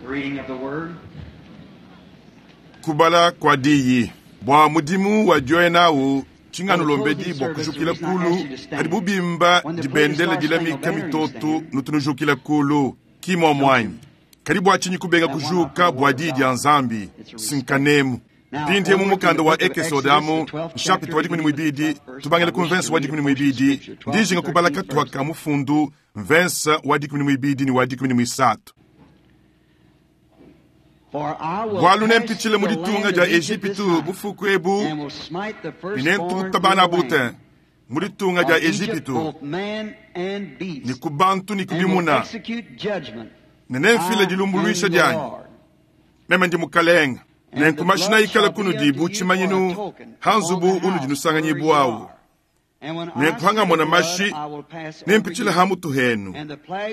Reading of the Word. Kubala kua diyi bua mudimu wa dioya nawu tshinganulombedi bua kujukila kulu padi bubimba dibendela dilamika mitoto nutu nujukila kulu ki muamuanyi kadi bua tshinyi kubenga kujuka bua diyi dia nzambi sinkanemu mpindie mu mukanda wa ekesode amu nshapita wa 12 tubangile ku mvensa wa 12 ndijinga kubala katuha ka mufundu mvensa wa 12 ni wa 13. Bualu nempitshile mu ditunga dia Ejipitu bufuku ebu, ne nentuta bana bute mu ditunga dia Ejipitu, ne ku bantu ne ku bimuna, ne nemfile dilumbuluisha dianyi. Meme ndi Mukalenga. Nenku mashina ikala kunudi bu tshimanyinu ha nzubu unudi nusanganyibwawu. Nenku hangamona mashi, nempitshile ha mutu henu,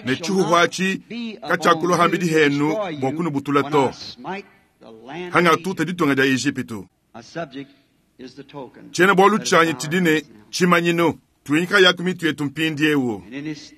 ne tshihuhu atshi katshiakulua hambidi henu bua kunubutula to, hangatuta ditunga dia Ejipitu. Tshiena-bualu tshianyi tshidi ne tshimanyinu. Tuinyika yaku mitu yetu mpindiewu.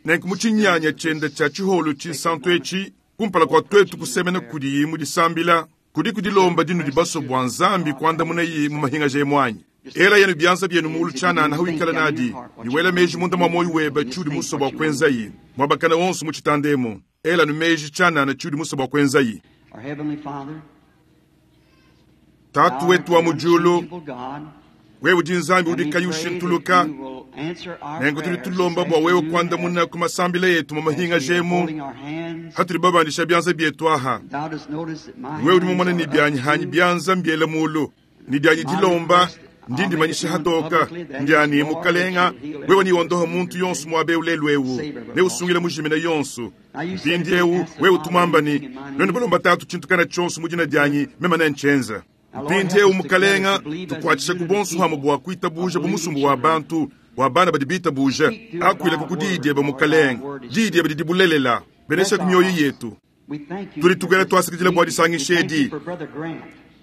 Nenku mu tshinyanya tshiende tshia tshiholu tshinsantu etshi, kumpala kua tuetu kusemena kudiyi mu disambila, kudi kudilomba dinudi basue bua Nzambi kuandamunayi mu mahingaja emu anyi? Ela yenu bianza bienu muulu tshianana hawikala nadi, ne wela meji munda mua muoyo webe tshiudi musue bua kuenzayi. Muabakana wonso mu tshitanda emu, ela nu meji tshianana tshiudi musue bua kuenzayi. Tatu wetu wa mu diulu, wewe udi Nzambi udi kayi ushintuluka, nenku tudi tulomba bua wewe kuandamuna ku masambila etu mu mahingaja emu hatudi babandisha bianza bietu aha. Wewe udi mumone ne bianyi hanyi bianza mbiela mulu, ne dianyi dilomba ndi ndimanyisha hatoka ndiani mukalenga wewe niwondoha muntu yonso muabe ulelu ewu ne usungila mujimina yonso. Mpindiewu wewe utumamba ni nuenu balomba tatu tshintu kana tshionso mu dina dianyi meme nentshienza. Mpindiewu mukalenga tukuatshisha ku bonso hamwe bua kuitabuja bu musumbu wa bantu wa bana badi bitabuja akuila ku diyi diebe mukalenga, diyi diebe didi bulelela, benesha ku mioyo yetu. Tudi tugela tuasakidila bua disangisha edi.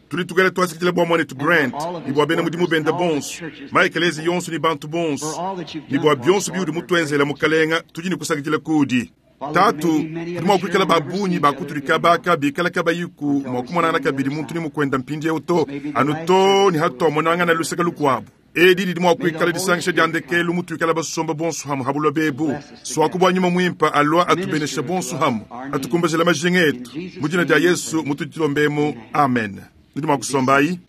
Tudi tugela tuasakidila bua muanetu Grant ne bua bena mudimu bende bonso, maekelezi yonso ne bantu bonso, ne bua bionso biudi mutuenzela mukalenga, tudi ne kusakidila kudi. Tatu, tudi mua kuikala ba bungi ba kutudi kabaka bikala kabayiku mua kumonangana kabidi muntu ne mukwenda mpindiewu to, anu to ne hatuamonangana luseke lukuabu. Edi didi mua kuikala disangisha dia ndekelu mutuikala basomba bonso hamwe ha buloba ebu. Suaku bua nyuma muimpe alua atubenesha bonso hamwe, atukumbajila majinga etu. Mu dina dia Yesu mutudi tulombemu, amen. Nudi mua kusombayi.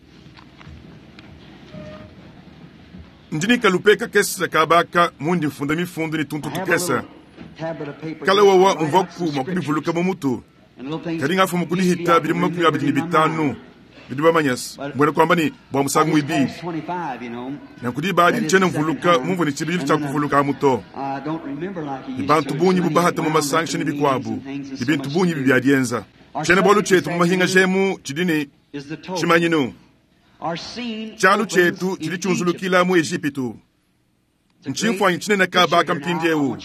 Ndi ne kalupe kakese kabaka mundi mfunda mifundu ne tuntu tukese. Kala wawa mvuaku mua kubivuluka mu mutu, kadi ngafumu kudihita bidi mu 25 bidi bamanyase mbuena kuamba ne bua musangu muibidi. Nanku diba adi ntshiena mvuluka mumvua ne tshibidilu tshia kuvuluka amu to. Ne bantu bungi bubahata mu masangisha ne bikuabu, ne bintu bungi bibi biadienza. Tshiena-bualu tshietu mu mahingaja emu tshidi ne tshimanyinu. Tshialu tshietu tshidi tshiunzulukila mu Ejipitu. Ntshimfuanyi tshinene kabaka mpindiewu.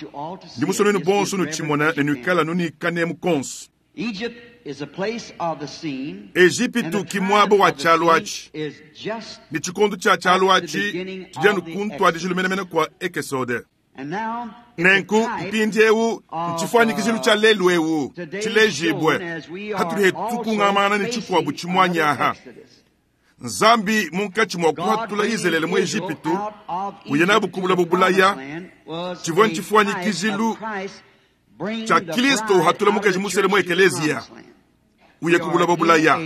Ndi musue nuenu bonso nutshimona ne nuikala nunikanemu konso. Ejipitu ki muaba wa tshialu atshi, ne tshikondo tshia tshialu atshi tshidi anu ku ntuadijilu menemene kua Ekesode. Nenku mpindiewu ntshifuanyikijilu tshia lelu ewu tshilejibue hatudi hetu tukungamana ne tshikuabu tshimuanyi aha. Nzambi munkatshi mua kuhatula Izalele mu Ejipitu uye nabu ku buloba bulaya, tshivua ntshifuanyikijilu tshia Kristo uhatula mukaji musele mu ekeleziya uye ku buloba bulaya.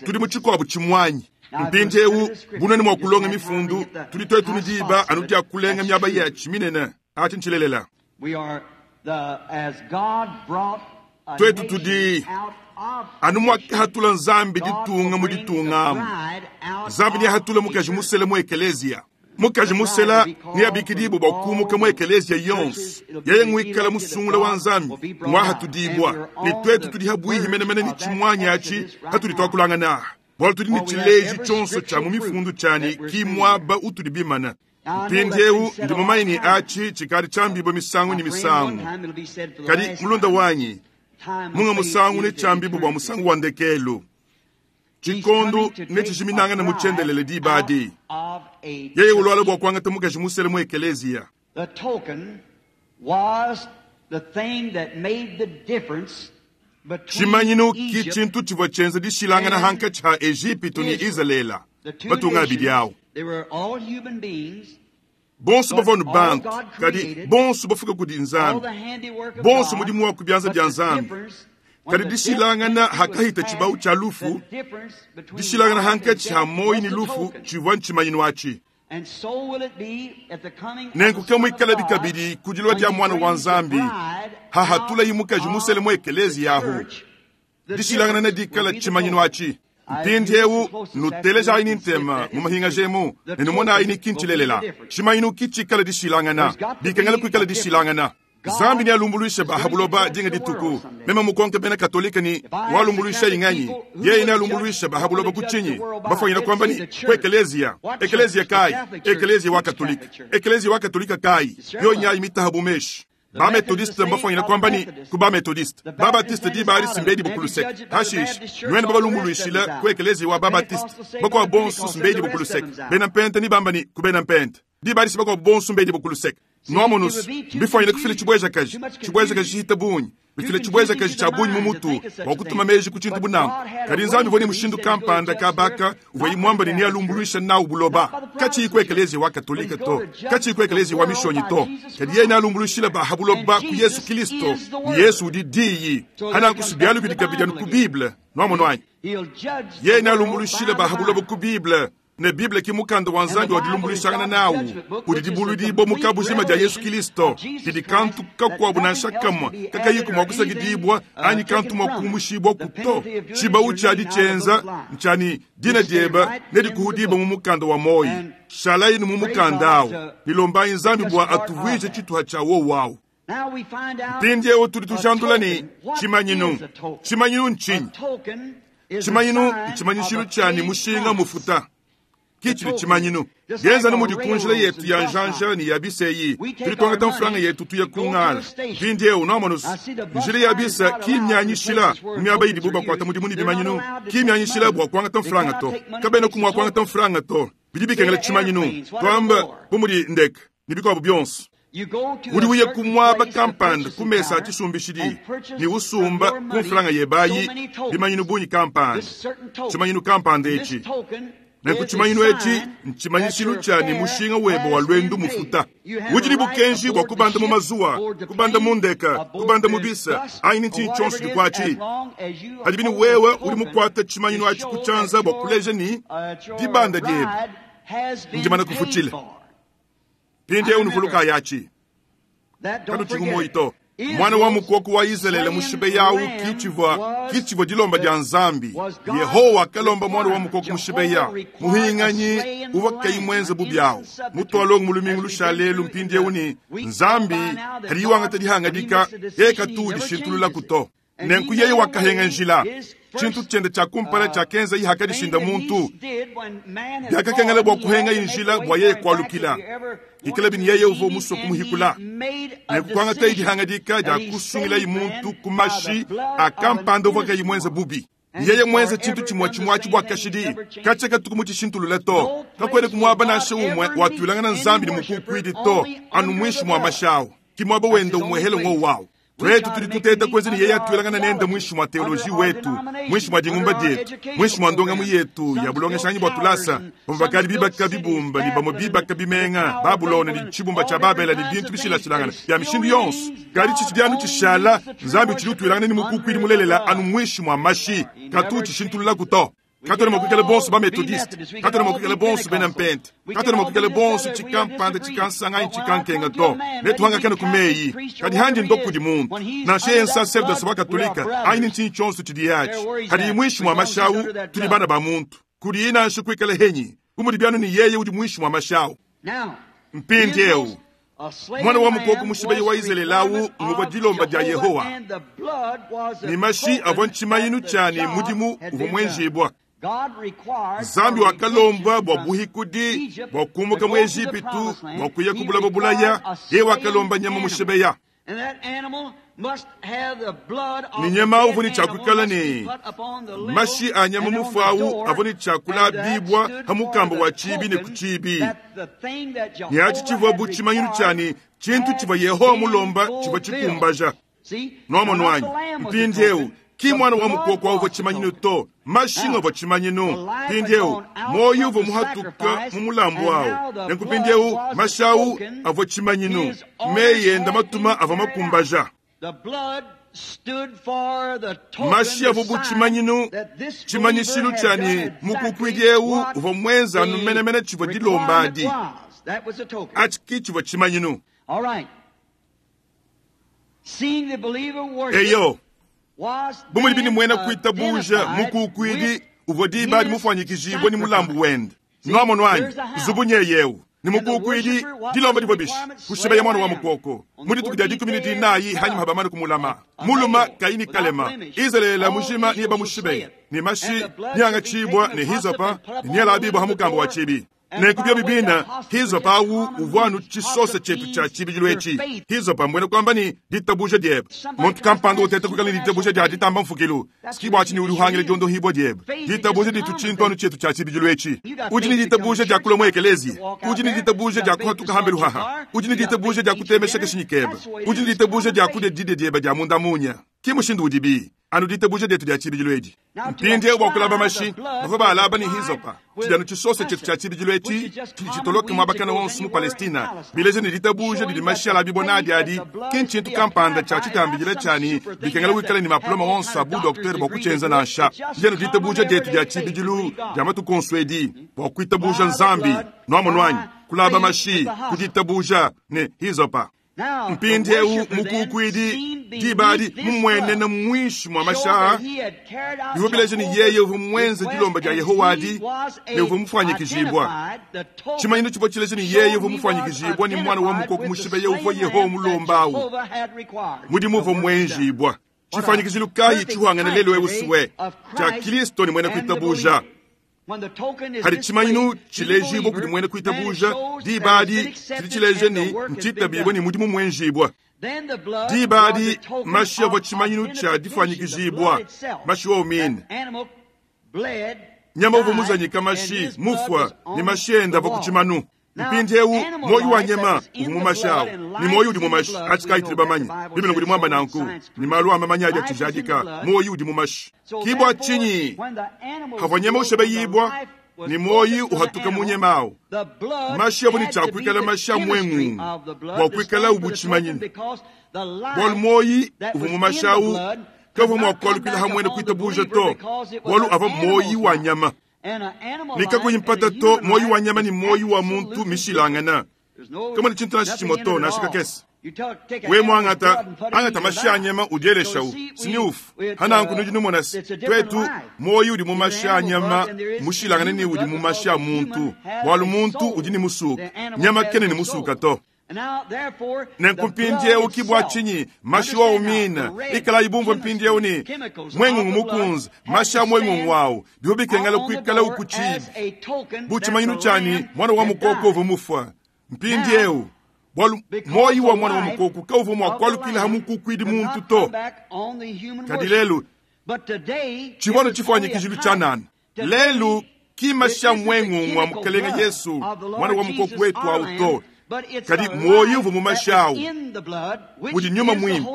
Tudi mu tshikuabu tshimuanyi mpindiewu bunene mua kulonga mifundu, tudi tuetu ne diba anu dia kulenga miaba yatshi minene. Atshi ntshilelela. Tuetu tudi anu muakahatula Nzambi ditunga mu ditunga amu. Nzambi neahatule mukaji musele mu ekeleziya. Mukaji musela neabikidibue bua kumuka mu ekeleziya yonso. Yeye nguikala musungula wa Nzambi muahatudibua, ne tuetu tudi habuihi menemene ne tshimuanyi atshi hatudi tuakulangana aha, bualu tudi ne tshileji tshionso tshia mu mifundu tshiani ki muaba utudi bimana. Mpindiewu ndi mumanye ne atshi tshikadi tshiambibue misangu ne misangu, kadi mulunda wanyi, munga musangu ne tshiambibue bua musangu wa ndekelu. Tshikondo ne tshijiminangana mu tshiendelele diba adi. Yeye uluala bua kuangata mukaji musele mu ekeleziya. The token was the thing that made the difference. Tshimanyinu ki tshintu tshivua tshienza dishilangana hankatshi ha Ejipitu ne Izalele, matunga abidi awu. Bonso bavua anu bantu, kadi bonso bafuka kudi Nzambi, bonso mudimu wa ku bianza bia Nzambi. Kadi dishilangana hakahita tshibawu tshia lufu, dishilangana hankatshi ha muoyo ne lufu tshivua ntshimanyinu atshi. Nenku ke muikalabi kabidi ku dilua dia Muana wa Nzambi, hahatulayi mukaji musele mu ekeleziya ahu. Dishilangana nedikale tshimanyinu atshi. Mpindieu nutelejayi ne ntema mu mahingaja emu ne numonayi ne ki ntshilelela. Tshimanyinu ki tshikale dishilangana, bikengela kuikala dishilangana. Nzambi nealumbuluishe ba ha buloba dinga dituku. Meme mukonke bena Katolike ne, Walumbuluishayi nganyi? Yeye nealumbuluishe ba ha buloba ku tshinyi? Bafwanyine kuamba ne, Ku ekeleziya. Ekeleziya kayi? Ekeleziya wa Katolike. Ekeleziya wa Katolike kayi? Yo nyayi mitaha bu meshi. Ba-Methodiste mbafwanyine kuamba ne, Ku ba-Methodiste. Ba-Baptiste diba adi si mbedi ku luseke. Hashishe, nuenu babalumbuluishile ku ekeleziya wa ba-Baptiste. Bakuabo bonso si mbedi ku luseke. Bena Mpente nebamba ne, Ku bena Mpente. Diba adi si bakuabo bonso mbedi ku luseke. Nuamonus, mbifwanyine kufila tshibuejakaji, tshibuejakaji tshihita bungi, bifila tshibuejakaji tshia bungi mu mutu bua kutuma meji ku tshintu bu nanku. Kadi Nzambi uvua ne mushindu kampanda kabaka uvuaye muamba ne nealumbuluisha nawu buloba, katshiyi ku ekeleziya wa Katolike to, katshiyi ku ekeleziya wa Mishonyi to, kadi yeye nealumbuluishile ba ha buloba ku Yesu Kilisto, ne Yesu udi Diyi. Hananku si bialu bidi kabidi anu ku Bible. Nuamonu anyi? Yeye nealumbuluishile ba ha buloba ku Bible. Ne Bible ki mukanda wa Nzambi wa dilumbuluishangana nawu, udi dibuluidibua mu kabujima dia Yesu Kilisto, didi kantu kakuabu nansha kamue kakayiku mua kusakidibua anyi kantu mua kumushibuaku to. Tshibawu tshiadi tshienza ntshia ne, dina diebe nedikuhudibue mu mukanda wa muoyo. Shalayi mu mukanda au, ne lombayi Nzambi bua atuvuije tshituha tshia wowu au. Mpindieu tudi tujandula ne, tshimanyinu. Tshimanyinu ntshinyi? Tshimanyinu ntshimanyishilu tshia ne mushinga mufuta. Ki tshidi tshimanyinu. Bienza anu mudi ku njila yetu ya njanja ne ya biseyi, tudi tuangata mfranga yetu tuya ku ngala. Mpindieu nuamonus, njila ya bisa ki mmianyishila mu miaba idibu bakuata mudimu ne bimanyinu, ki mmianyishila bua kuangata mfranga to. Kabenaku mua kuangata mfranga to. Bidi bikengela tshimanyinu, tuamba bu mudi ndeke ne bikuabu bionso. Udi uya ku muaba kampanda ku mesa a tshisumbishidi ne usumba ku mfranga yebe ayi bimanyinu bungi kampanda, tshimanyinu kampanda etshi. Nenku tshimanyinu etshi ntshimanyishilu tshia ne mushinga webe wa luendu mufuta. Udi ne bukenji bua kubanda mu mazuwa, kubanda mu ndeka, kubanda mu bisa, anyi ne ntshinyi tshionso dikuatshi. Padibi ne wewe udi mukuate tshimanyinu atshi ku tshianza bua kuleja ne, dibanda diebe ndimane kufutshila. Mpindieu nuvulukayi atshi, kanutshiku muoyo to. Muana wa mukoko wa Izalele mushibeya au ki tshivua ki tshivua dilomba dia Nzambi. Yehowa wakalomba muana wa mukoko mushibeya, muhinganyi uvua kayi muenze bubi awu, mutualongo mu lumingu lushalelu. Mpindieu ne Nzambi kadi wangata dihangadika, yeye katu udishintululaku to. Nenku yeye wakahenga njila. Tshintu tshiende tshia kumpala tshiakenzaye hakadishinda muntu, biakakengela bua kuhengaye njila bua yeye kualukila. Ikalabi ne yeye uvua musue kumuhikula. Nenku kuangataye dihangadika dia kusungilaye muntu ku mashi a kampanda uvua kayi muenze bubi. Yeye muenze tshintu tshimue tshimue atshi bua kashidi, katshia katuku mutshishintulule to. Kakuenaku muaba nansha umue watuilangana Nzambi ne mukukuidi to, anu muinshi mua mashi awu. Ki muaba wende umuehele ngowu awu. Tuetu tudi tuteta kuenza ne yeye atuilangana nende muinshi mua teoloji wetu, muinshi mua dingumba dietu, muinshi mua ndongamu yetu ya bulongeshanyi bua tulasa. Bamue bakadi bibaka bibumba ne bamue bibaka bimenga, Babulona ne tshibumba tshia Babela ne bintu bishilashilangane bia mishindu yonso. Kadi tshitshidi anu tshishala, Nzambi utshidi utuilangana ne mukukuidi mulelela anu muinshi mua mashi, katu utshishintululaku to. Katuena mua kuikala bonso ba-Methodiste, katuena mua kuikala bonso bena Mpente, katuena mua kuikala bonso tshikampanda, tshikansanga anyi tshikankenga to. Netuhangakane ku meyi, kadi handi ndo kudi muntu, nansha yeye nsaserdose wa Katolika anyi ne ntshinyi tshionso tshidiye atshi, hadiye muinshi mua mashi awu, tudi bana ba muntu. Kudiye nansha kuikala henyi, bu mudi bianu ne yeye udi muinshi mua mashi awu. Mpindieu, muana wa mukoko mushibeyi wa Izalele awu nguvua dilomba dia Yehowa, ne mashi avua ntshimanyinu tshia ne mudimu uvua muenjibua. Nzambi wakalomba bua buhikudi bua kumuka mu Ejipitu bua kuya ku buloba bulaya. Yeye wakalomba nyama mushibeya, ne nyama uvua ne tshia kuikala ne mashi a nyama mufue awu avua ne tshia kulabibua pa mukamba wa tshibi ne ku tshibi, ne atshi tshivua bu tshimanyinu tshia ne tshintu tshivua Yehowa mulomba tshivua tshikumbaja. Nuamonu anyi? Mpindieu. Ki mwana wa mukoko awu uvua tshimanyinu to, mashi ngavua tshimanyinu. Mpindieu muoyo uvua muhatuka mu mulambu awu, nenku mpindieu mashi awu avua tshimanyinu, meyi enda matuma avua makumbaja. Mashi avua bu tshimanyinu, tshimanyishilu tshia ne mukukuidi eu uvua muenza anu menemene tshivua dilomba adi. Atshi ki tshivua tshimanyinu. Eyo, bu mudibi ne muena kuitabuja mukukuidi uvua diba adi mufuanyikijibue ne mulambu wende. Nuamonu anyi? Nzubu nyeye eu ne mukukuidi dilomba divua bishi kushibeya mwana wa mukoko mu dituku dia dikumi ne dinayi hanyima habamane kumulama muluma kayi ne kalema. Izalele mujima niye bamushibeya ne mashi niangatshibua ne hisopa ne nialabibua ha mukamba wa tshibi. Nenku biobi bina hisopa awu uvua anu tshisosa tshietu tshia tshibidilu etshi. Hisopa mbuena kuamba ne ditabuja diebe. Muntu kampanda uteta kuikala ne ditabuja dia ditamba mfukilu siki bua tshinyi udi uhangila diondohibua diebe. Ditabuja ditu tshintu anu tshietu tshia tshibidilu etshi. Udi ne ditabuja dia kulua mu ekelezia, udi ne ditabuja dia kuhatuka hambelu haha, udi ne ditabuja dia kutemesha kashinyi kebe, udi ne ditabuja dia kudia didia diebe dia munda munya. Ki mushindu udibi anu ditabuja dietu dia tshibidilu edi. Mpindieu bua kulaba mashi bavua baalaba ne hisopa, tshidi anu tshisosa tshietu tshia tshibidilu etshi tshidi tshitoloke muaba kana wonso mu Palestina, bileja ne ditabuja didi mashi alabibua nadi adi ki ntshintu kampanda tshia tshitambidila tshia ne bikengela wikale ne mapuloma wonso a bu doktere bua kutshienza nansha. Tshidi anu ditabuja dietu dia tshibidilu dia matuku onso edi bua kuitabuja Nzambi. Nuamonu anyi? Kulaba mashi ku ditabuja ne hisopa. Mpindieu mukukuidi diba adi mumuenene muinshi mua mashi aa, bivua bileja ne yeye uvua muenze dilomba dia Yehowa adi ne uvua mufuanyikijibua. Tshimanyinu tshivua tshileja ne yeye uvua mufuanyikijibua ne mwana wa mukoko mushibeya uvua Yehowa mulomba awu. Mudimu uvua muenjibua. Tshifuanyikijilu kayi tshihuangana lelu eu suwe tshia Kristo ne muena kuitabuja? Hadi tshimanyinu tshilejibua kudi muena kuitabuja, diba adi tshidi tshileja ne ntshitabibue ne mudimu muenjibua. Diba adi mashi avua tshimanyinu tshia difuanyikijibua, mashi wowu mine. Nyama uvua muzanyika mashi mufua ne mashi enda avua ku tshimanu. Mpindieu muoyo wa nyama uvua mu mashi awu ne muoyo udi mu mashi atshi kayi tudi bamanye. Bible udi muamba nanku ne malu a mamanya adi atshijadika, muoyo udi mu mashi. Ki bua tshinyi havua nyama ushebeyibua ne muoyo uhatuka mu nyama awu, mashi avua ne tshia kuikala mashi a muengungu bua kuikala ubu tshimanyinu, bualu muoyo uvua mu mashi awu kavua mua kualukila hamwe ne kuitabuja to, bualu avua muoyo wa nyama. Ne kakuyi mpata to, muoyo wa nyama ne muoyo wa muntu mishilangana. Kama ne tshintu nansha tshimue to, nansha kakese. We muangata angata mashi a nyama udieleshawu sini ufu hananku nudi numona se twetu muoyo udi mu mashi a nyama mushilangane ne udi mu mashi a muntu, bualu muntu udi ne musuka, nyama kena ne musuka to. Nenku mpindieu ki bua tshinyi mashi wowu mine ikalayi bumvue mpindieu ne mwengungu mukunze mashi a mwengungu awu bivua bikengela kuikala ku tshibi bu tshimanyinu tshia ne mwana wa mukoko uvua mufua. Mpindieu bualu muoyo wa mwana wa mukoko kauvua mua kualukila ha mukukuidi muntu to. Kadi lelu tshivua anu tshifuanyikijilu tshianana. Lelu ki mashi a mwengungu wa Mukelenge Yesu mwana wa mukoko wetu awu to, kadi muoyo uvua mu mashi awu udi nyuma muimpe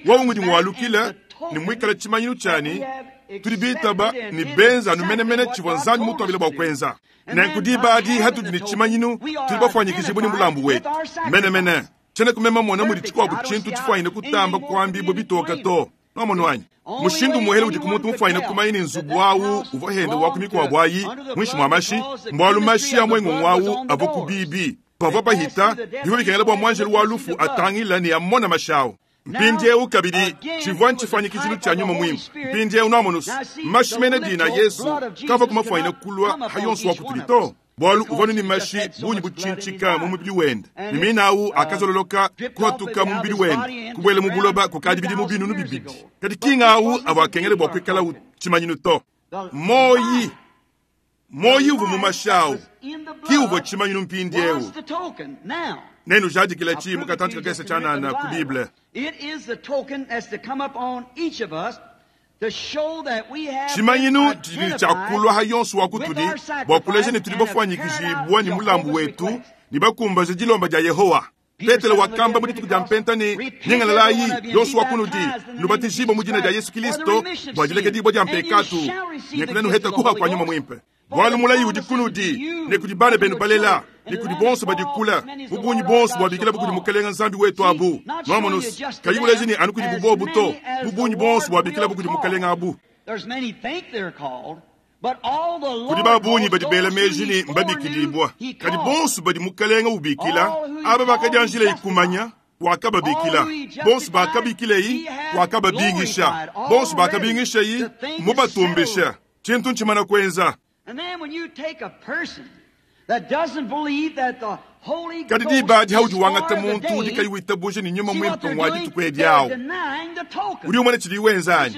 wowu ngudi muwalukila ne muikala tshimanyinu tshiani tudi bitaba ne benza anu menemene tshivua Nzambi mutuambile bua kuenza. Nenku diba adi hatudi ne tshimanyinu, tudi bafuanyikijibue ne mulambu wetu menemene. Tshiena kumema mona mudi tshikuabu tshintu tshifuanyine kutamba kuambibua bitoka to. Nuamonu anyi? Mushindu muhele udi ku muntu mufuanyine kumanya ne nzubu awu uvua henda wa ku mikuabu ayi muinshi mua mashi, mbualu mashi a muengungu awu avua ku bibi. Pavua pahita, bivua bikengela bua muanjelu wa lufu atangila ne amona mashi awu. Mpindieu kabidi tshivua ntshifuanyikijilu tshia nyuma muimpe. Mpindieu nuamonu mashi mene dina Yesu kavua kumafuanyine kulua ha yonso wa kutudi to, bualu uvua ne mashi bungi butshintshika mu mubidi wende, ne mina awu akazololoka kuhatuka mu mubidi wende kubuela mu buloba kukadi bidimu binunu bibidi. Kadi kinga awu avua akengela bua kuikala tshimanyinu to. Moyi moyi uvua mu mashi awu ki uvua tshimanyinu mpindieu. Nenujadikila tshi mu katantshi kakese tshianana ku Bible. Tshimanyinu tshidi ne tshia kulua ha yonso wa kutudi bua kuleja ne tudi bafuanyikijibua ne mulambu wetu ne bakumbaje dilomba dia Yehowa. Petelo wakamba mu dituku dia Mpenta ne, Nyingalalayi, yonso wa kunudi, nubatijibue mu dina dia Yesu Kilisto bua dilekedibua dia mpekatu, ne kunenuheta kuha kua Nyuma Muimpe. Bualu mulayi udi kunudi ne kudi bana benu balela ne kudi bonso badi kula, bu bungi bonso buabikilabu kudi Mukelenge Nzambi wetu abu. Nuamonu, kayi buleji ne anu kudi bubobu to, bu bungi bonso buabikilabu kudi Mukelenge abu. Kudi ba bungi badi bela meji ne mbabikidibua, kadi bonso badi Mukelenge ubikila, aba bakadianjila ikumanya, wakababikila. Bonso bakabikileyi, wakababingisha. Bonso bakabingishayi, mubatumbisha. Tshintu ntshimana kuenza. Kadi diba adi haudi wangata muntu udi kayi witabuja ne Nyuma Muimpe ngua dituku edi awu, udi umona tshidi wenza anyi?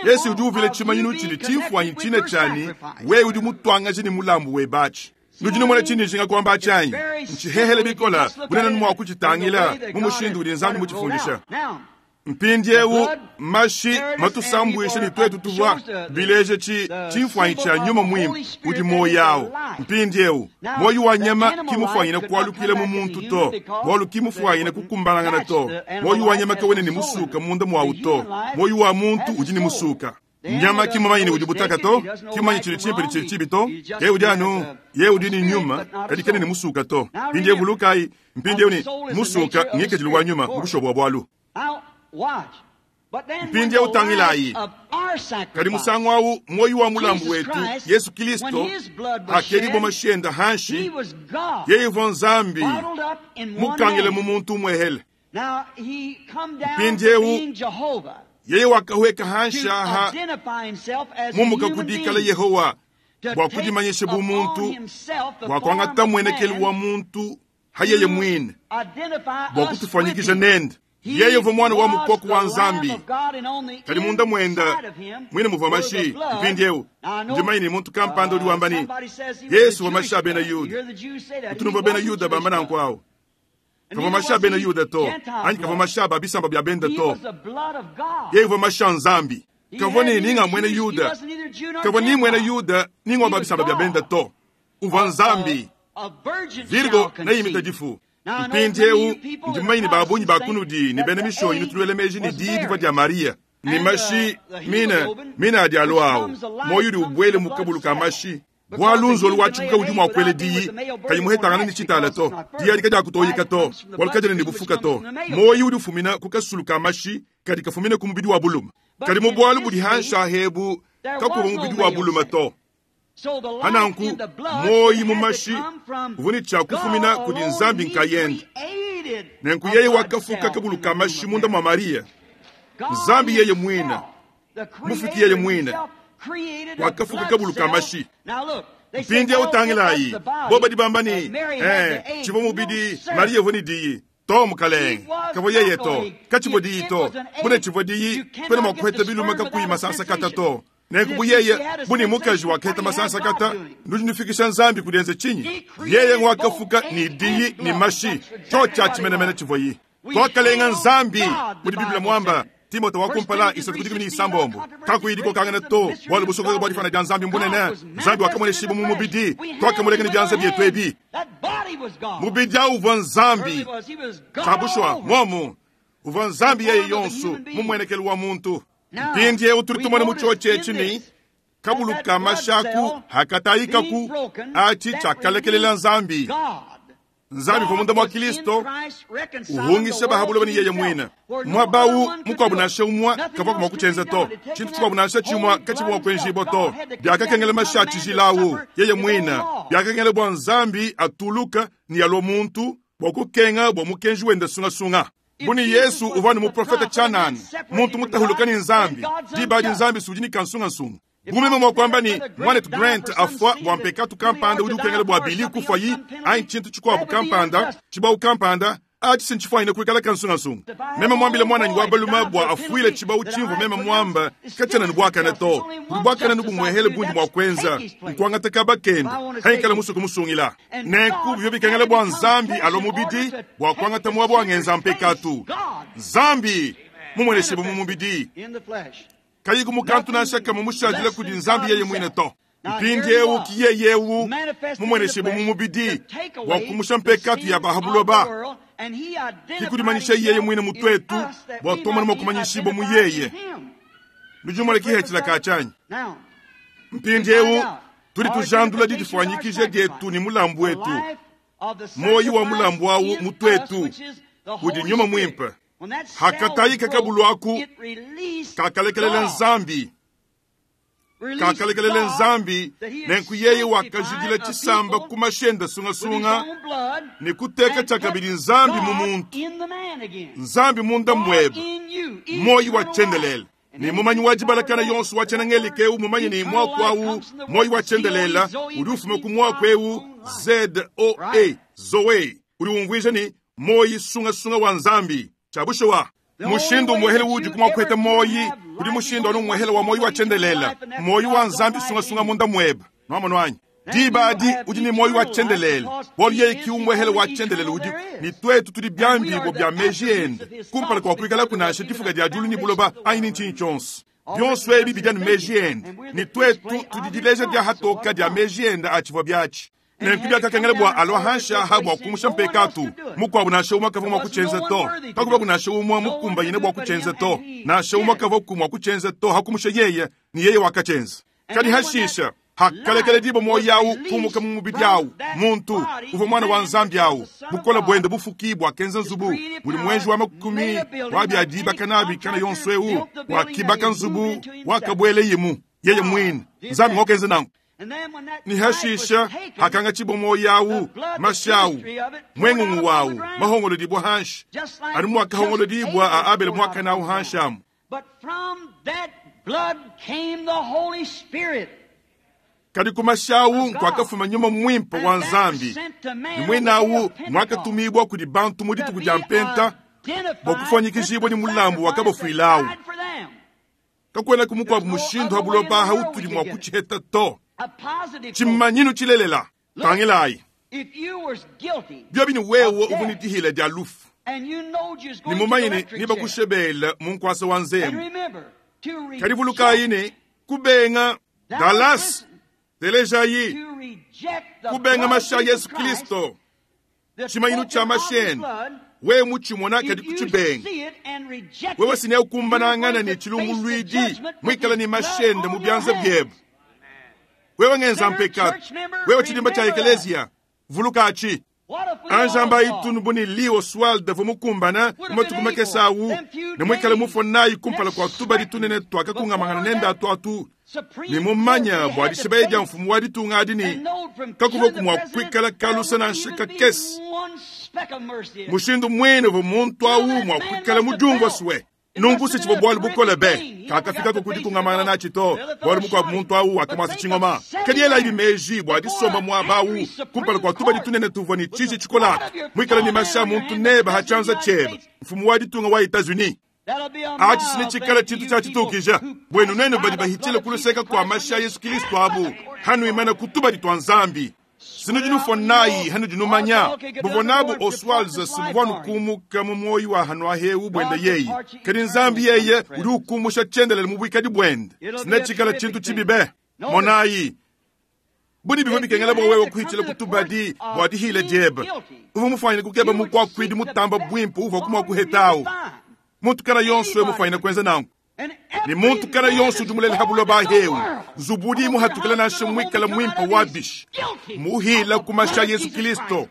Yesu udi uvila tshimanyinu tshidi tshimfuanyi tshine tshianyi, wewe udi mutuangaje ne mulambu webe atshi. Nudi numona tshindi njinga kuamba atshi anyi? Ntshihehele bikola, bunene mua kutshitangila mu mushindu udi Nzambi mutshifundisha. Mpindiewu mashi matusambuishe ne tuetu tuvua bileje tshimfuanyi tshia Nyuma Muimpe udi muoyo awu. Mpindiewu muoyo wa nyama ki mufuanyine kualukila mu muntu to, bualu ki mufuanyine kukumbanangana to. Muoyo wa nyama kawena ne musuka munda muawu to, muoyo wa muntu udi ne musuka. Nyama ki mumanye ne udi butaka to, ki mumanye tshidi tshimpe ne tshidi tshibi to. Yeye udi anu yeye udi ne nyuma, kadi kena ne musuka to. Mpindiewu vulukayi, mpindiewu ne musuka ngikadilu wa nyuma mu bushuwa bua bualu. Mpindiewu tangilayi, kadi musangu awu muoyo wa mulambu wetu Yesu Kilisto akedibua mashi enda hanshi, yeye uvua Nzambi mukangile mu muntu umuehele. Mpindiewu yeye wakahweka hanshi aha mumuka kudikala Yehowa bua kudimanyisha bu muntu, bua kuangata muenekelu wa muntu hayeye muine, bua kutufuanyikija nende. Yeye uvua mwana wa mukoko wa Nzambi, kadi munda muenda mwine muvua mashi. Mpindiewu ndimanye ne muntu kampanda udi wamba ne Yesu uvua mashi a bena Yuda. Utunuvua bena Yuda bamba nanku awu. Kavua mashi a bena Yuda to, anyi kavua mashi a ba bisamba bia benda to. Yeye uvua mashi a Nzambi. Kavua ne ninga mwena Yuda, kavua ni mwena Yuda ningwa ba bisamba bia benda to. Uvua Nzambi. Virgo neyimita difu. Mpindiewu ndimanye ne ba bungi ba kunudi ne bena mishonyi nutuluele meji ne diyi divua dia Maria ne mashi mina mina adi alua awu. Muoyo udi ubuele mu kabulu ka mashi. Bualu nzolu wa tshikuka udi mua kuela diyi kayi muhetangana ne tshitala to. Diyi adi kadiakutoyika to, bualu kadiena ne bufuka to. Muoyo udi ufumina ku kasulu ka mashi kadi kafumina ku mubidi wa buluma. Kadi mu bualu budi hanshi ahebu kakuva mubidi wa buluma to. Hananku muoyo mu mashi uvua ne tshia kufumina kudi Nzambi nkayende. Nenku yeye wakafuka kabulu ka mashi munda mua Maria. Nzambi yeye muine, mufuki yeye muine, wakafuka kabulu ka mashi. Mpindiewu tangilayi, bo badi bamba ne tshivua mubidi Maria uvua ne diyi to mukalenge. Kavua yeye to, katshivua diyi to, bune tshivua diyi kwena mua kuheta biluma kakuyi masansa kata to. Nenku bu yeye buni mukaji wakaheta masansa kata, nudi nufikisha Nzambi kudienza tshinyi? Yeye ngwakafuka ne diyi ne mashi, tshio tshia tshimenemene tshivua yi. Twakalenga Nzambi mudi Biblia mwamba. Timote wa kumpala isatu kudi kumini isambombo. Kakuyi dikokangana to, bualu busokoka bua difana dia Nzambi mbunene. Nzambi wakamuonesha mu mubidi, twakamuleka ne bianza bietu ebi. Mubidi awu uvua Nzambi. Tshiabushwa momu uvua Nzambi yeye yonso mu muenekelu wa muntu. Mpindiewu tudi tumona mu tshiotshi etshi ne kabulu ka mashaku hakatayikaku atshi tshiakalekelela Nzambi. Nzambi uvua munda mua Kilisto uhungisha bahabuloba ne yeye muine. Muabawu mukuabu nansha umue kavua mua kutshienza to. Tshintu tshikuabu nansha tshimue katshivua mua kuenjibua to. Biakakengela mashi a tshijila yeye muine. Biakakengela bua Nzambi atuluka ne alua muntu bua kukenga bua mukenji wenda sungasunga. Buni Yesu uvua ne muprofeta tshianana, muntu mutahuluka ne Nzambi, diba adi Nzambi sudi ne kansungansunga. Bumeme mua kuamba ne mwanetu Grant afua bua mpekatu kampanda udi ukengela bua Billy kufuayi anyi tshintu tshikuabu kampanda tshibawu kampanda atshi sintshifuanyine kuikala kansungansunga. Meme muambile mwananyi wa balume bua afuile tshibawu tshimvua meme muamba katshiena ne buakane to. Budi buakane nubumuehele bundi mua kuenza nkuangata kaba kende haikala musuku musungila. Nenku bivyo bikengela bua Nzambi alua mubidi bua kuangata muaba wa ngenza mpekatu. Nzambi mumuoneshe mu mubidi. Kayiku mukantu nansha kamwe mushadile kudi Nzambi yeye muine to. Mpindiewu ki yeye eu mumueneshibue mu mubidi bua kumusha mpekatu ya ba ha buloba, ki kudimanyisha yeye muine mu tuetu bua tuamona mua kumanyishibua mu yeye. Nudi numona kihethila ka tshianyi? Mpindiewu tudi tujandula didifuanyikija dietu ne mulambu wetu, muoyo wa mulambu awu mu tuetu udi Nyuma Muimpe. Hakatayika kabulu aku kakalekelela Nzambi, kakalekelela Nzambi, nenku yeye wakajidila tshisamba ku mashenda sungasunga ne kuteka tshiakabidi Nzambi mu muntu, Nzambi munda muebe, muoyo wa tshiendelele. Ne mumanyi wa dibalakana yonso wa tshiena-ngelika eu mumanye ne muaku au muoyo wa tshiendelele udi ufuma ku muaku eu Z-O-E, Zoe, udi umvuija ne muoyo sungasunga wa Nzambi. Tshia bushuwa, mushindu umuehele udi ku mua kuheta muoyo kudi mushindu anu umuehele wa muoyo wa tshiendelele, muoyo wa Nzambi sungasunga munda muebe. Nuamonu anyi? Diba adi udi ne muoyo wa tshiendelele, bualu yeye ki umuehele wa tshiendelele udi ne tuetu tudi biambibua bia meji ende kumpala kua kuikalaku nansha difuka dia diulu ne buloba anyi ne ntshinyi tshionso. Bionso ebi bidi anu meji ende, ne tuetu tudi dileja dia hatoka dia meji ende a tshivua biatshi. Nenku biakakengela bua alua hanshi aha bua kumusha mpekatu mukuabu nansha umue kavua mua kutshienza to, kakuvaku nansha umue mukumbanyine bua kutshienza to, nansha umue kavuaku mua kutshienza to hakumusha yeye, ne yeye wakatshienza. Kadi hashisha hakalekela dibua muoyo awu kumuka mu mubidi awu, muntu uvua mwana wa Nzambi awu, bukole buende bufuki buakenza nzubu mudi muenji wa makumi wa bia dibaka nabi kana yonso eu wakibaka nzubu wakabueleyimu yeye muine. Nzambi ngokenza nanku. Ni hashisha hakangatshibua muoyo awu, mashi awu, mwengungu wawu mahongolodibua hanshi, anu muakahongolodibua a Abele muakane awu hanshi amu. Kadi ku mashi awu nkuakafuma Nyuma Muimpe wa Nzambi, ne muine awu muakatumibua kudi bantu mu dituku dia Mpenta bua kufuanyikijibua ne mulambu wakabafuilawu. Kakuenaku mukuabu mushindu ha buloba aha utudi mua kutshiheta to. Tshimanyinu tshilelela. Tangilayi. Biobi ne wewe uvua ne dihila dia lufu, ne mumanye ne nebakushebele mu nkuasa wa nzembu. Kadi vulukayi ne kubenga Dallas, telejayi, kubenga mashi a Yesu Kristo, tshimanyinu tshia mashi ende, wewe mutshimona kadi kutshibenga. Wewe sine ukumbanangana ne tshilumbuluidi muikala ne mashi ende mu bianza biebe. Wewe ngenza mpekatu, wewe tshidimba tshia ekeleziya, vuluka atshi. Anjamba itunu bu ne Lee Oswald avua mukumbana mu matuku makese awu ne muikale mufua nayi kumpala kua tubadi tunene tuakakungamangana nende atu atu, ne mumanya bua dishibeya dia mfumu wa ditunga adi ne kakuvua mua kuikala kalusa nansha kakese. Mushindu muine uvua muntu awu mua kuikala mudiumvua sue. Nunku se tshivua bualu bukole be, kakafikako ku dikungamangana natshi to, bualu mukuabu muntu awu wakamuasa tshingoma. Kadi elayi meji bua disomba muaba awu kumpala kua tubadi tunene tuvua ne tshiji tshikolaka, muikale ne mashi a muntu nebe ha tshianza tshiebe, mfumu wa ditunga wa Etats-Unis. Atshi sine tshikala tshintu tshia tshitukija buenu nuenu badi bahitshile ku luseka kua mashi a Yesu Kristo abu, hanuimana ku tubadi tua Nzambi. Sinudi nufua nayi hanudi numanya buvua nabu Oswald sibuvua nukumuka mu muoyo wa hanuahewu buende yeye, kadi Nzambi yeye udi ukumusha tshiendelele mu buikadi buende. Sine tshikala tshintu tshibi be. Monayi buni bivua bikengela bua wewe kuhitshila ku tubadi bua dihila diebe. Uvua mufuanyine kukeba mukuakuidi mutamba buimpe uvua kumua kuhetawu. Muntu kana yonso we mufuanyine kuenza nanku. Ne muntu kana yonso udi mulele ha buloba hewu, nzubu udi muhatukila nansha muikala muimpe wa bishi, muhila ku mashi a Yesu Kristo,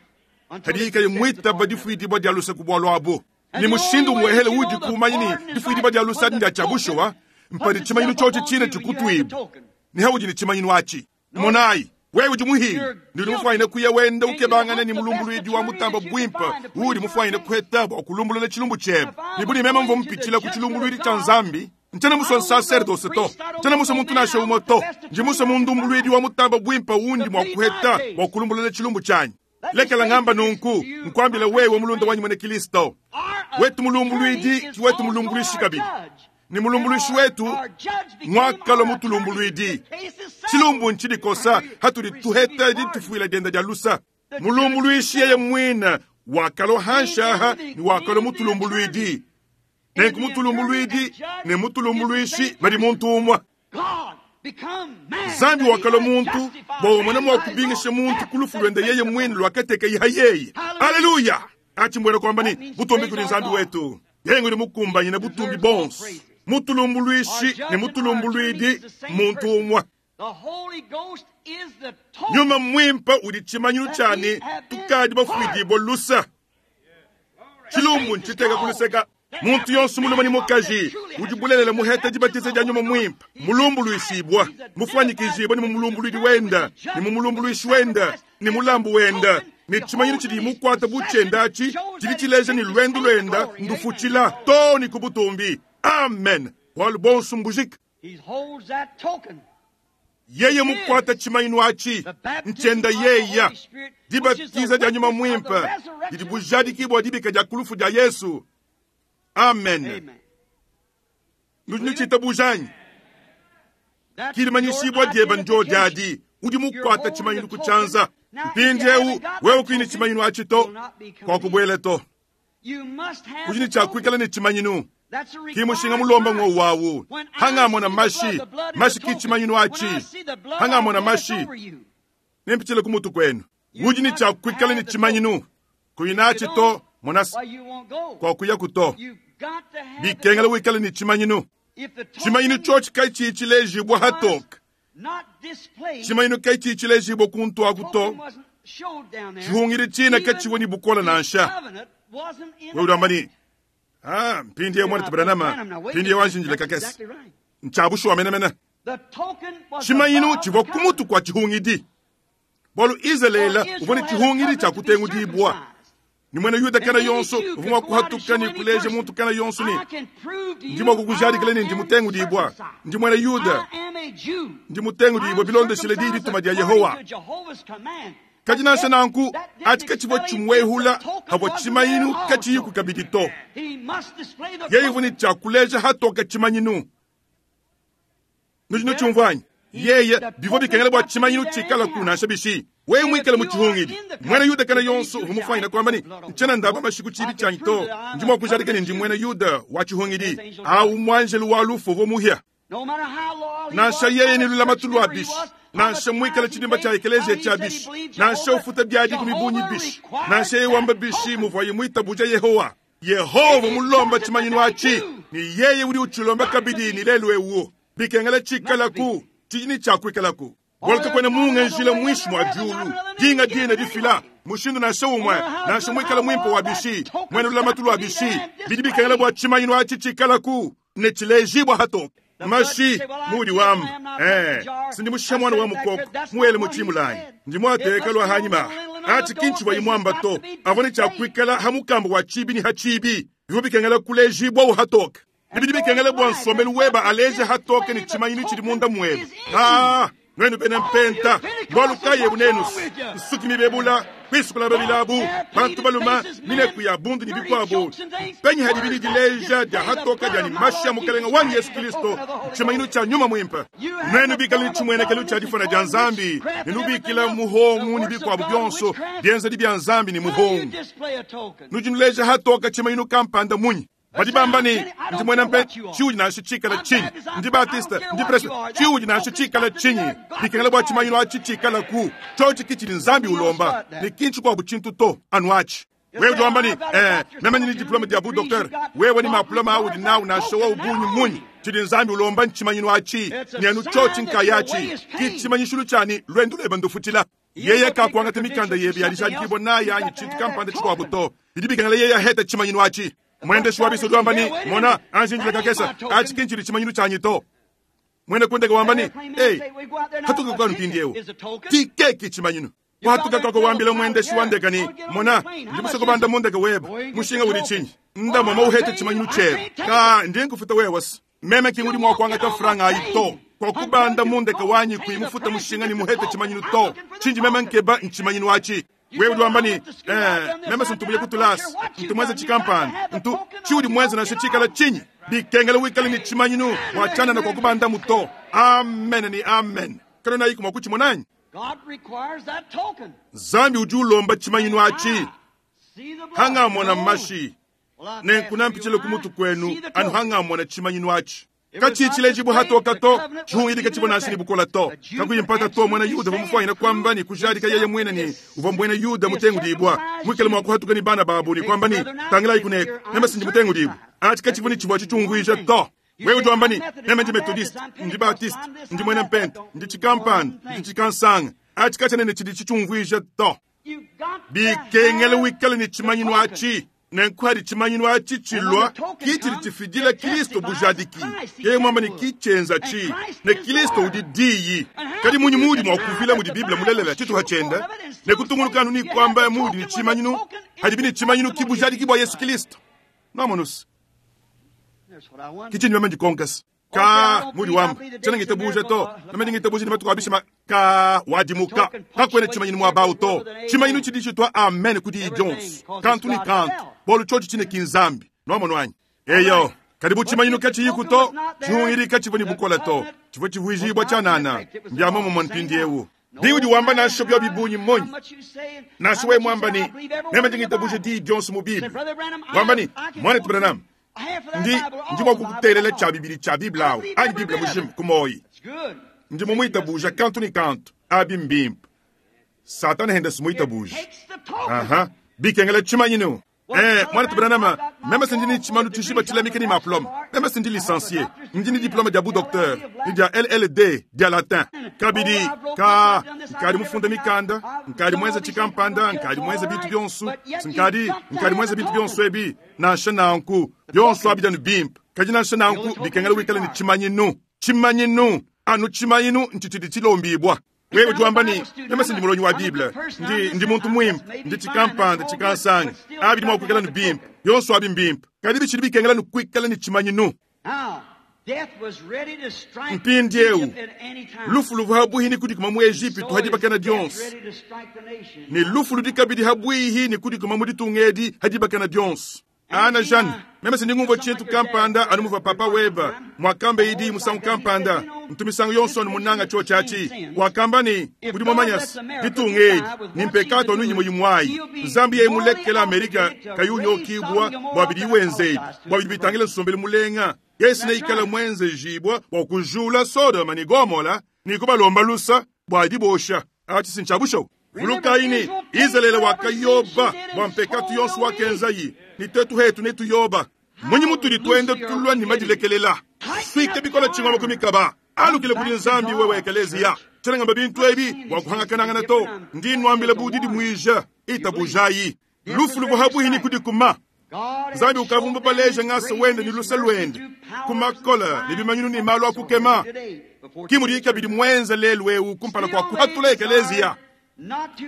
kadi ikaye muitaba difuidibua dia luse ku bualu abu. Ne mushindu muehele udi kumanya ne difuidibua dia luse adi ndia tshia bushuwa, mpadi tshimanyinu tshiotshi tshine tshikutuibua, ne haudi ne tshimanyinu atshi. Monayi, wewe udi muhile, ne udi mufuanyine kuya wenda ukebangana ne mulumbuluidi wa mutamba buimpe udi mufuanyine kuheta bua kulumbulula tshilumbu tshiebe. Ne budi meme mvua mupitshila ku tshilumbuluidi tshia Nzambi, ntshiena musue nsaserdose to, ntshiena musue muntu nansha umue to, ndi musue mundumbuluidi wa mutamba buimpe undi mua kuheta bua kulumbulula tshilumbu tshianyi. Lekela ngamba nunku, nkuambila wewe mulunda wanyi muena Kristo, wetu mulumbuluidi ki wetu mulumbuluishi kabidi, ne mulumbuluishi wetu ngwakalua mutulumbuluidi. Tshilumbu ntshidikosa hatudi tuheta ditufuila dienda dia lusa. Mulumbuluishi yeye muine wakalua hanshaha ne wakalua mutulumbuluidi. Nenku mutulumbuluidi ne mutulumbuluishi badi muntu umue. Nzambi wakalua muntu bua umone mua kubingisha muntu ku lufu luende yeye muine luakatekeye ha yeye. Aleluya! Atshi mbuena kuamba ne, butumbi kudi Nzambi wetu. Yeye ngudi mukumbanyine butumbi bonso. Mutulumbuluishi ne mutulumbuluidi muntu umue. Nyuma Muimpe udi tshimanyinu tshia ne tukadi bafuidibue lusa. Tshilumbu ntshiteka ku luseka. Muntu yonso mulume ne mukaji udi bulelela muheta dibatiza dia Nyuma Muimpe, mulumbuluishibua, mufuanyikijibue ne mumulumbuluidi wenda, ne mumulumbuluishi wenda, ne mulambu wenda, ne tshimanyinu tshidi mukuata bu tshienda atshi tshidi tshileja ne luendu luenda ndufutshila too ne ku butumbi. Amen. Bualu bonso mbujika. Yeye mukuata tshimanyinu atshi ntshienda yeya. Dibatiza dia Nyuma Muimpe didi bujadiki bua dibika dia ku lufu dia Yesu. Amen. Nudi nutshitabuja anyi? Ki dimanyishibua diebe ndio adi. Udi mukuata tshimanyinu ku tshianza. Mpindieu wewe kuyi ne tshimanyinu atshi to, kuakubuela to. Udi ne tshia kuikala ne tshimanyinu. Ki mushinga mulomba ngo wawu. Hangamona mashi, mashi ki tshimanyinu atshi. Hangamona mashi, nempitshile ku mutu kuenu. Udi ne tshia kuikala ne tshimanyinu. Kuyi natshi to, monasa, kuakuyaku to. Bikengela wikale ne tshimanyinu. Tshimanyinu tshiotshi katshiyi tshilejibua hatoke. Tshimanyinu katshiyi tshilejibua kuntu aku to. Tshihungidi tshina katshiwa ne bukola nansha. Wewe udi wamba ne, ah, mpindieu mwana Branham, mpindieu anjinjile kakese. Ntshia bushuwa menemene. Tshimanyinu tshivua ku mutu kua tshihungidi. Bualu Izalele uvua ne tshihungidi tshia kutengudibua. Ne muena Yuda kana yonso uvua mua kuhatuka ne kuleja muntu kana yonso ne, ndi mua kukujadikila ne ndi mutengudibua, ndi muena Yuda, ndi mutengudibua bilondeshile diyi dituma dia Yehowa. Kadi nansha nanku, atshi katshivua tshimuehula havua tshimanyinu katshiyiku kabidi to. Yeye uvua ne tshia kuleja hatoka tshimanyinu. Nudi nutshiumvua anyi? Yeye, bivua bikengela bua tshimanyinu tshikalaku nansha bishi. Wewe muikale mu tshihungidi, muena Yuda kana yonso uvua mufuanyine kuamba ne, ntshiena ndaba mashi ku tshibi tshianyi to, ndi mua kujadika ne ndi muena Yuda wa tshihungidi. Awu muanjelu wa lufu uvua muhia. Nansha yeye ne lulamatu lua bishi, nansha muikale tshidimba tshia ekeleziya tshia bishi, nansha ufuta biadi ku mibunyi bishi, nansha yeye wamba bishi muvuaye muitabuja Yehowa. Yehowa mulomba tshimanyinu atshi, ne yeye udi utshilomba kabidi ne lelu eu. Bikengela tshikalaku, tshidi ne tshia kuikalaku. Bualu kakuena munga njila muinshi mua diulu, dinga dina difila mushindu nansha umue, nansha muikale muimpe wa bishi, muena lulamatu lua bishi. Bidi bikengela bua tshimanyinu atshi tshikalaku ne tshilejibua hatoke. Mashi muudi wamba, sindi mushisha mwana wa mukoko muele mu tshimulanyi, ndi muateka lua hanyima. Atshi ki ntshivua imuamba to, avua ne tshia kuikala ha mukamba wa tshibi ne ha tshibi, bivua bikengela kulejibua hatoke. Bidi bikengela bua nsombelu weba aleje hatoke ne tshimanyinu tshidi munda muebe. Ah, nuenu bena mpenta, bualu kayi ebu nenu nsuki mibebula, kwisukula babilabu, bantu baluma, mineku ya bundu ne bikuabu. Penyi hadi bidi dileja dia hatoka dia ni mashi ya Mukalenga wanyi Yesu Kristo, tshimanyinu tshia Nyuma Muimpe. Nuenu bikale ne tshimuenekelu tshia difuna dia Nzambi, ne nubikila muhongu ne bikuabu bionso, bienzedi bia Nzambi ne muhongu. Nudi nuleja hatoka tshimanyinu kampanda munyi? Badi bamba ne, ndi muena mpe, tshiudi nansha tshikala tshinyi? Ndi Baptiste, ndi Presbyterian, tshiudi nansha tshikala tshinyi? Bikengela bua tshimanyinu atshi tshikalaku, tshiotshi ki tshidi Nzambi ulomba, ne ki ntshikuabu tshintu to, anu atshi. Wewe udi wamba ne, meme ndi ne diplome dia bu docteur. Wewe ne maplome audi nawu nansha wowu bungi munyi, tshidi Nzambi ulomba ntshimanyinu atshi, ne anu tshiotshi nkayatshi, ki tshimanyishilu tshia ne luendu luebe ndufutshila. Yeye kakuangata mikanda yebe ya dijadikibua nayi anyi tshintu kampanda tshikuabu to. Bidi bikengela yeye ahete tshimanyinu atshi. Mwendeshi wa biso udi wamba ne, mona, anji njila kakesa, atshi ki ntshidi tshimanyinu tshianyi to. Muena kundeka wamba ne, ei, hatuka kwanu mpindieu, tikeki tshimanyinu. Kuhatuka kwako wambila mwendeshi wa ndeka ne, mona, ndi musoko banda mu ndeka weba, mushinga udi tshinyi? Nda mama uhete tshimanyinu tshiebe. Ka, ndi nkufuta wewe wasi. Meme ki ngudi mua kuangata franga ayi to. Kwa kubanda mu ndeka wanyi kui mufuta mushinga ni muhete tshimanyinu to. Tshinji meme nkeba ntshimanyinu atshi. Wewe udi wamba ne, meme sintu muye kutulasa, ntu mwenze tshikampanda, ntu tshiudi mwenze nansha tshikala tshinyi. Bikengela wikale ne tshimanyinu wa tshianana kwa kubanda muto. Amen ni amen. Kana nayi kumwa kutshimonanyi? Nzambi udi ulomba tshimanyinu atshi. Hangamona mashi, nenku nampitshile ku mutu kwenu, anu hangamona tshimanyinu atshi. Katshiyi tshilejibua hatoka to, tshihungidi katshivua nansha ne bukola to. Kakuyi mpata to, muena Yuda uvua mufuanyine kuamba ne kujadika yeye muine ne, uvua muena Yuda mutengudibua, muikale mua kuhatuka ne bana babu ne kuamba ne, Tangilayi kuneku, meme si ndi mutengudibua. Atshi katshivua ne tshivua tshitshiumvuija to. Wewe udi wamba ne, Meme ndi Methodiste, ndi Baptiste, ndi muena Mpenta, ndi tshikampanda, ndi tshikansanga. Atshi katshiena ne tshidi tshitshiumvuija to. Bikengela wikale ne tshimanyinu atshi. Nenku hadi tshimanyinu atshi tshilua, ki tshidi tshifidila Kilisto bujadiki. Yeye muamba ne ki tshienza tshi, ne Kilisto udi Diyi. Kadi munyi muudi mua kuvila mudi Bible mulelela tshituha tshienda, ne kutungunuka anu ne kuamba muudi ne tshimanyinu, hadibi ne tshimanyinu ki bujadiki bua Yesu Kilisto? Nwamonus? Ki tshindi meme ndikonkasa. Ka mudi wamba, tshiena ngitabuja to. Meme ndi ngitabuja ne matuku a bishima. Ka wadimuka, kakuena tshimanyinu muaba au to. Tshimanyinu tshidi tshitua amen ku diyi dionso, kantu ne kantu, bualu tshiotshi tshine ki Nzambi. Nwamonu anyi? Eyo, kadi bu tshimanyinu katshiyiku to, tshihungidi katshivua ne bukole to, tshivua tshivuijibua tshianana. Mbia muomumue mpindieu. Biudi wamba nansha biobi bungi munyi, nansha wewe muamba ne, Meme ndi ngitabuja diyi dionso mu Bible, wamba ne, Muanetu Branham, ndi, ndi mua kukutelela tshia bibidi tshia Bible awu, anyi Bible mujima, ku muoyi. Ndi mumuitabuja kantu ne kantu. Abi mbimpe. Satana henda si muitabuja. Aha. Bikengela tshimanyinu. Eh, Muanetu Branham, meme si ndi ne tshimanu tshijima tshilamika ne maplome. Meme si ndi licencié. Ndi ne diplome dia bu docteur, ne dia LLD, dia latin. Kabidi, ka, nkadi mufunda mikanda, nkadi muenza tshikampanda, nkadi muenza bintu bionso, nkadi, nkadi muenza bintu bionso ebi. Nansha nanku, bionso abi anu bimpe, kadi nansha nanku bikengela wikale ne tshimanyinu. Tshimanyinu, anu tshimanyinu ntshitshidi tshilombibua. Wewe udi wamba ne, Meme si ndi mulongi wa Bible, ndi, ndi muntu muimpe, ndi tshikampanda, tshikansanga. Abi bidi mua kuikala anu bimpe, bionso abi mbimpe, kadi bitshidi bikengela anu kuikala ne tshimanyinu. Mpindieu, lufu luvua habuihi ne kudikuma mu Ejipitu ha dibakana dionso, ne lufu ludi kabidi habuihi ne kudikuma mu ditunga edi ha dibakana dionso. Ana Jane, meme si ndi ngumvua tshintu kampanda anu muvua papa webe muakambe idi musangu kampanda. Ntu misangu yonso anu munanga tshiotshi atshi. Wakamba ne, Udi mumanya se, ditunga edi ne mpekato anu imue imue Nzambi yeye mulekela Amerika kayi unyokibua bua bidiyi wenza ebi, bua bidi bitangila nsombelu mulenga. Yesu neikale muenzejibua bua kujula Sodoma ne Gomola ne kubalomba lusa bua dibosha. Atshi si ntshia bushuwa. Vulukayi ne, Izalele wakayoba bua mpekatu yonso wakenzayi, ne tuetu hetu netuyoba. Mmunyi mutudi tuenda tulua ne madilekelela? Suike bikole tshingoma ku mikaba. Alukile kudi Nzambi wewe ekeleziya. Tshiena ngamba bintu ebi bua kuhangakanangana to. Ndi nnuambila bu didimuija. Itabujayi. Lufu luvua habuihi ne kudikuma. Nzambi ukavua mubaleje ngasa wende ne luse luende ku makola ne bimanyinu ne malu a kukema. Ki mudiye kabidi muenze lelu eu kumpala kua kuhatula ekeleziya.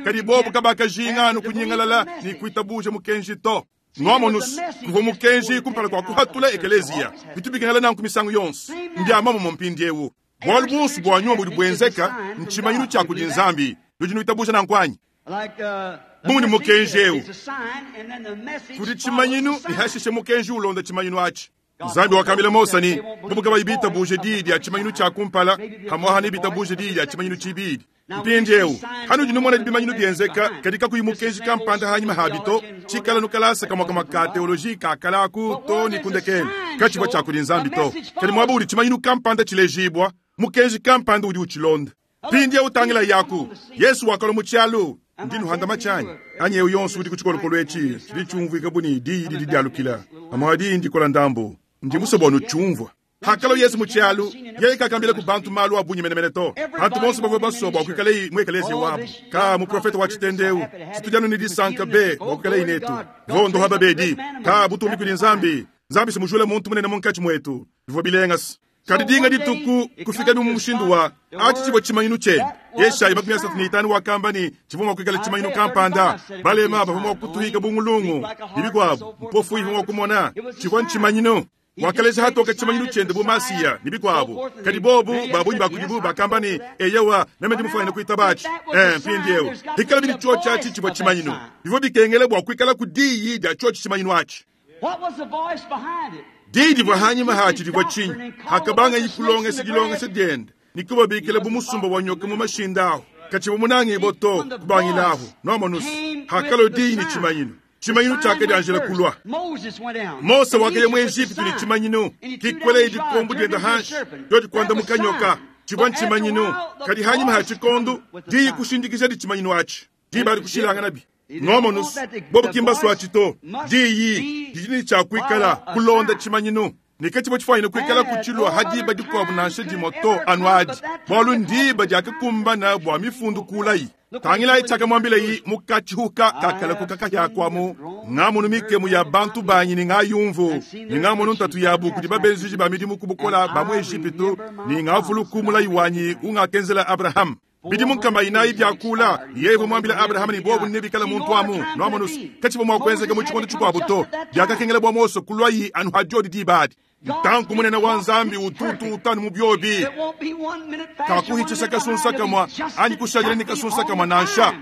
Kadi bobu kabakajinga anu kunyingalala ne kuitabuja mukenji to. Nuamonus, kuvua mukenji kumpala kua kuhatula ekeleziya. Bitu bikengela nanku misangu yonso. Mbia muomumue mpindieu. Bualu buonso bua nyuma budi buenzeka ntshimanyinu tshia kudi Nzambi. Nudi nuitabuja nanku anyi? Bu mudi mukenji eu kudi tshimanyinu ne hashishe mukenji ulonda tshimanyinu atshi. Nzambi wakambila Mose ne, bobu kabayi bitabuje diyi dia tshimanyinu tshia kumpala, pamu'apa nebitabuje diyi dia tshimanyinu tshibidi. Mpindieu, hanudi numona bimanyinu bienzeka, kadi kakuyi mukenji kampanda hanyima habi to, tshikala nu kalasa kamue kamue ka teoloji ka kala aku to ne ku ndekelu, katshivua tshia kudi Nzambi to. Kadi muaba udi tshimanyinu kampanda tshilejibua, mukenji kampanda udi utshilonda. Mpindieu tangilayi aku, Yesu wakalua mu tshialu. Ndi nuhanda matshi anyi? Anyi eu yonso udi ku tshikolokolo etshi, tshidi tshiumvuika bu ne diyi didi dialukila. Pamu'apa diyi ndikola ndambu. Ndi musue bua nutshiumvua. Hakalua Yesu mu tshialu, yeye kakambilaku bantu malu a bungi menemene to. Bantu bonso bavua basue bua kuikalayi mu ekeleziya wabu. Ka muprofete wa tshitende eu, tshitudi anu ne disanka be bua kuikalayi netu. Vondoha babedi. Ka butumbi kudi Nzambi. Nzambi si mujule muntu munene munkatshi muetu. Bivua bilenga se. Kadi dinga dituku kufikabi mu mushindu wa atshi tshivua tshimanyinu tshiende. Yeshaya 35 wakamba ne tshivua mua kuikala tshimanyinu kampanda. Balema bavua mua kutuhika bungulungu ne bikuabu, mpofu ivua mua kumona. Tshivua ntshimanyinu. Wakaleja hatoke tshimanyinu tshiende bu Masiya ne bikuabu. Kadi bobu ba bungi ba kudibu bakamba ne, Eyowa, meme ndi mufuanyine kuitaba atshi. Eh, mpindieu hikalabi ne tshiotshi atshi tshivua tshimanyinu, bivua bikengela bua kuikalaku diyi dia tshiotshi tshimanyinu atshi. Diyi divua hanyima hatshi divua tshinyi? Hakabangayi kulongesha dilongesha diende ne kubabikila bu musumba wa nyoka mu mashinda ahu, katshivua munangibue to. Kubangilahu, nuamonus, hakalua diyi ne tshimanyinu. Tshimanyinu tshiakadianjila kulua. Mose wakaya mu Ejipitu ne tshimanyinu, kikwelaye dikombo diende hanshi, diodi kuandamuka nyoka. Tshivua ntshimanyinu, kadi hanyima ha tshikondo, diyi kushindikijadi tshimanyinu atshi. Diba adi kushilanganabi. Nwamonus, bobo ki mbasua to. Diyi didi ne tshia kuikala kulonda tshimanyinu. Ne ke tshivua tshifuanyine kuikala kutshilua ha diba dikuabu nansha dimue to anu adi, bualu ndiba diakakumbana bua mifundu kulayi. Tangilayi tshiakamuambilayi mu katshihuka ka kalakuka kahia kuamu, Ngamonu mikemu ya bantu banyi ne ngayumvu, ne ngamonu ntatu yabu kudi babenzeji ba midimu ku bukola ba mu Ejipitu, ne ngavuluku mulayi wanyi ungakenzela Abrahama. Bidimu nkama inayi biakula, ne yeye uvua muambile Abrahama ne bobu nebikale muntu amu. Nuamonu se, katshivua mua kuenzeka mu tshikondo tshikuabu to. Biakakengela bua Mose kuluayi anu ha diodi diba adi. Ntanku munene wa Nzambi utu utuuta anu mu biobi. Kakuhitshisha kasunsa kamua anyi kushadila ne kasunsa kamua nansha.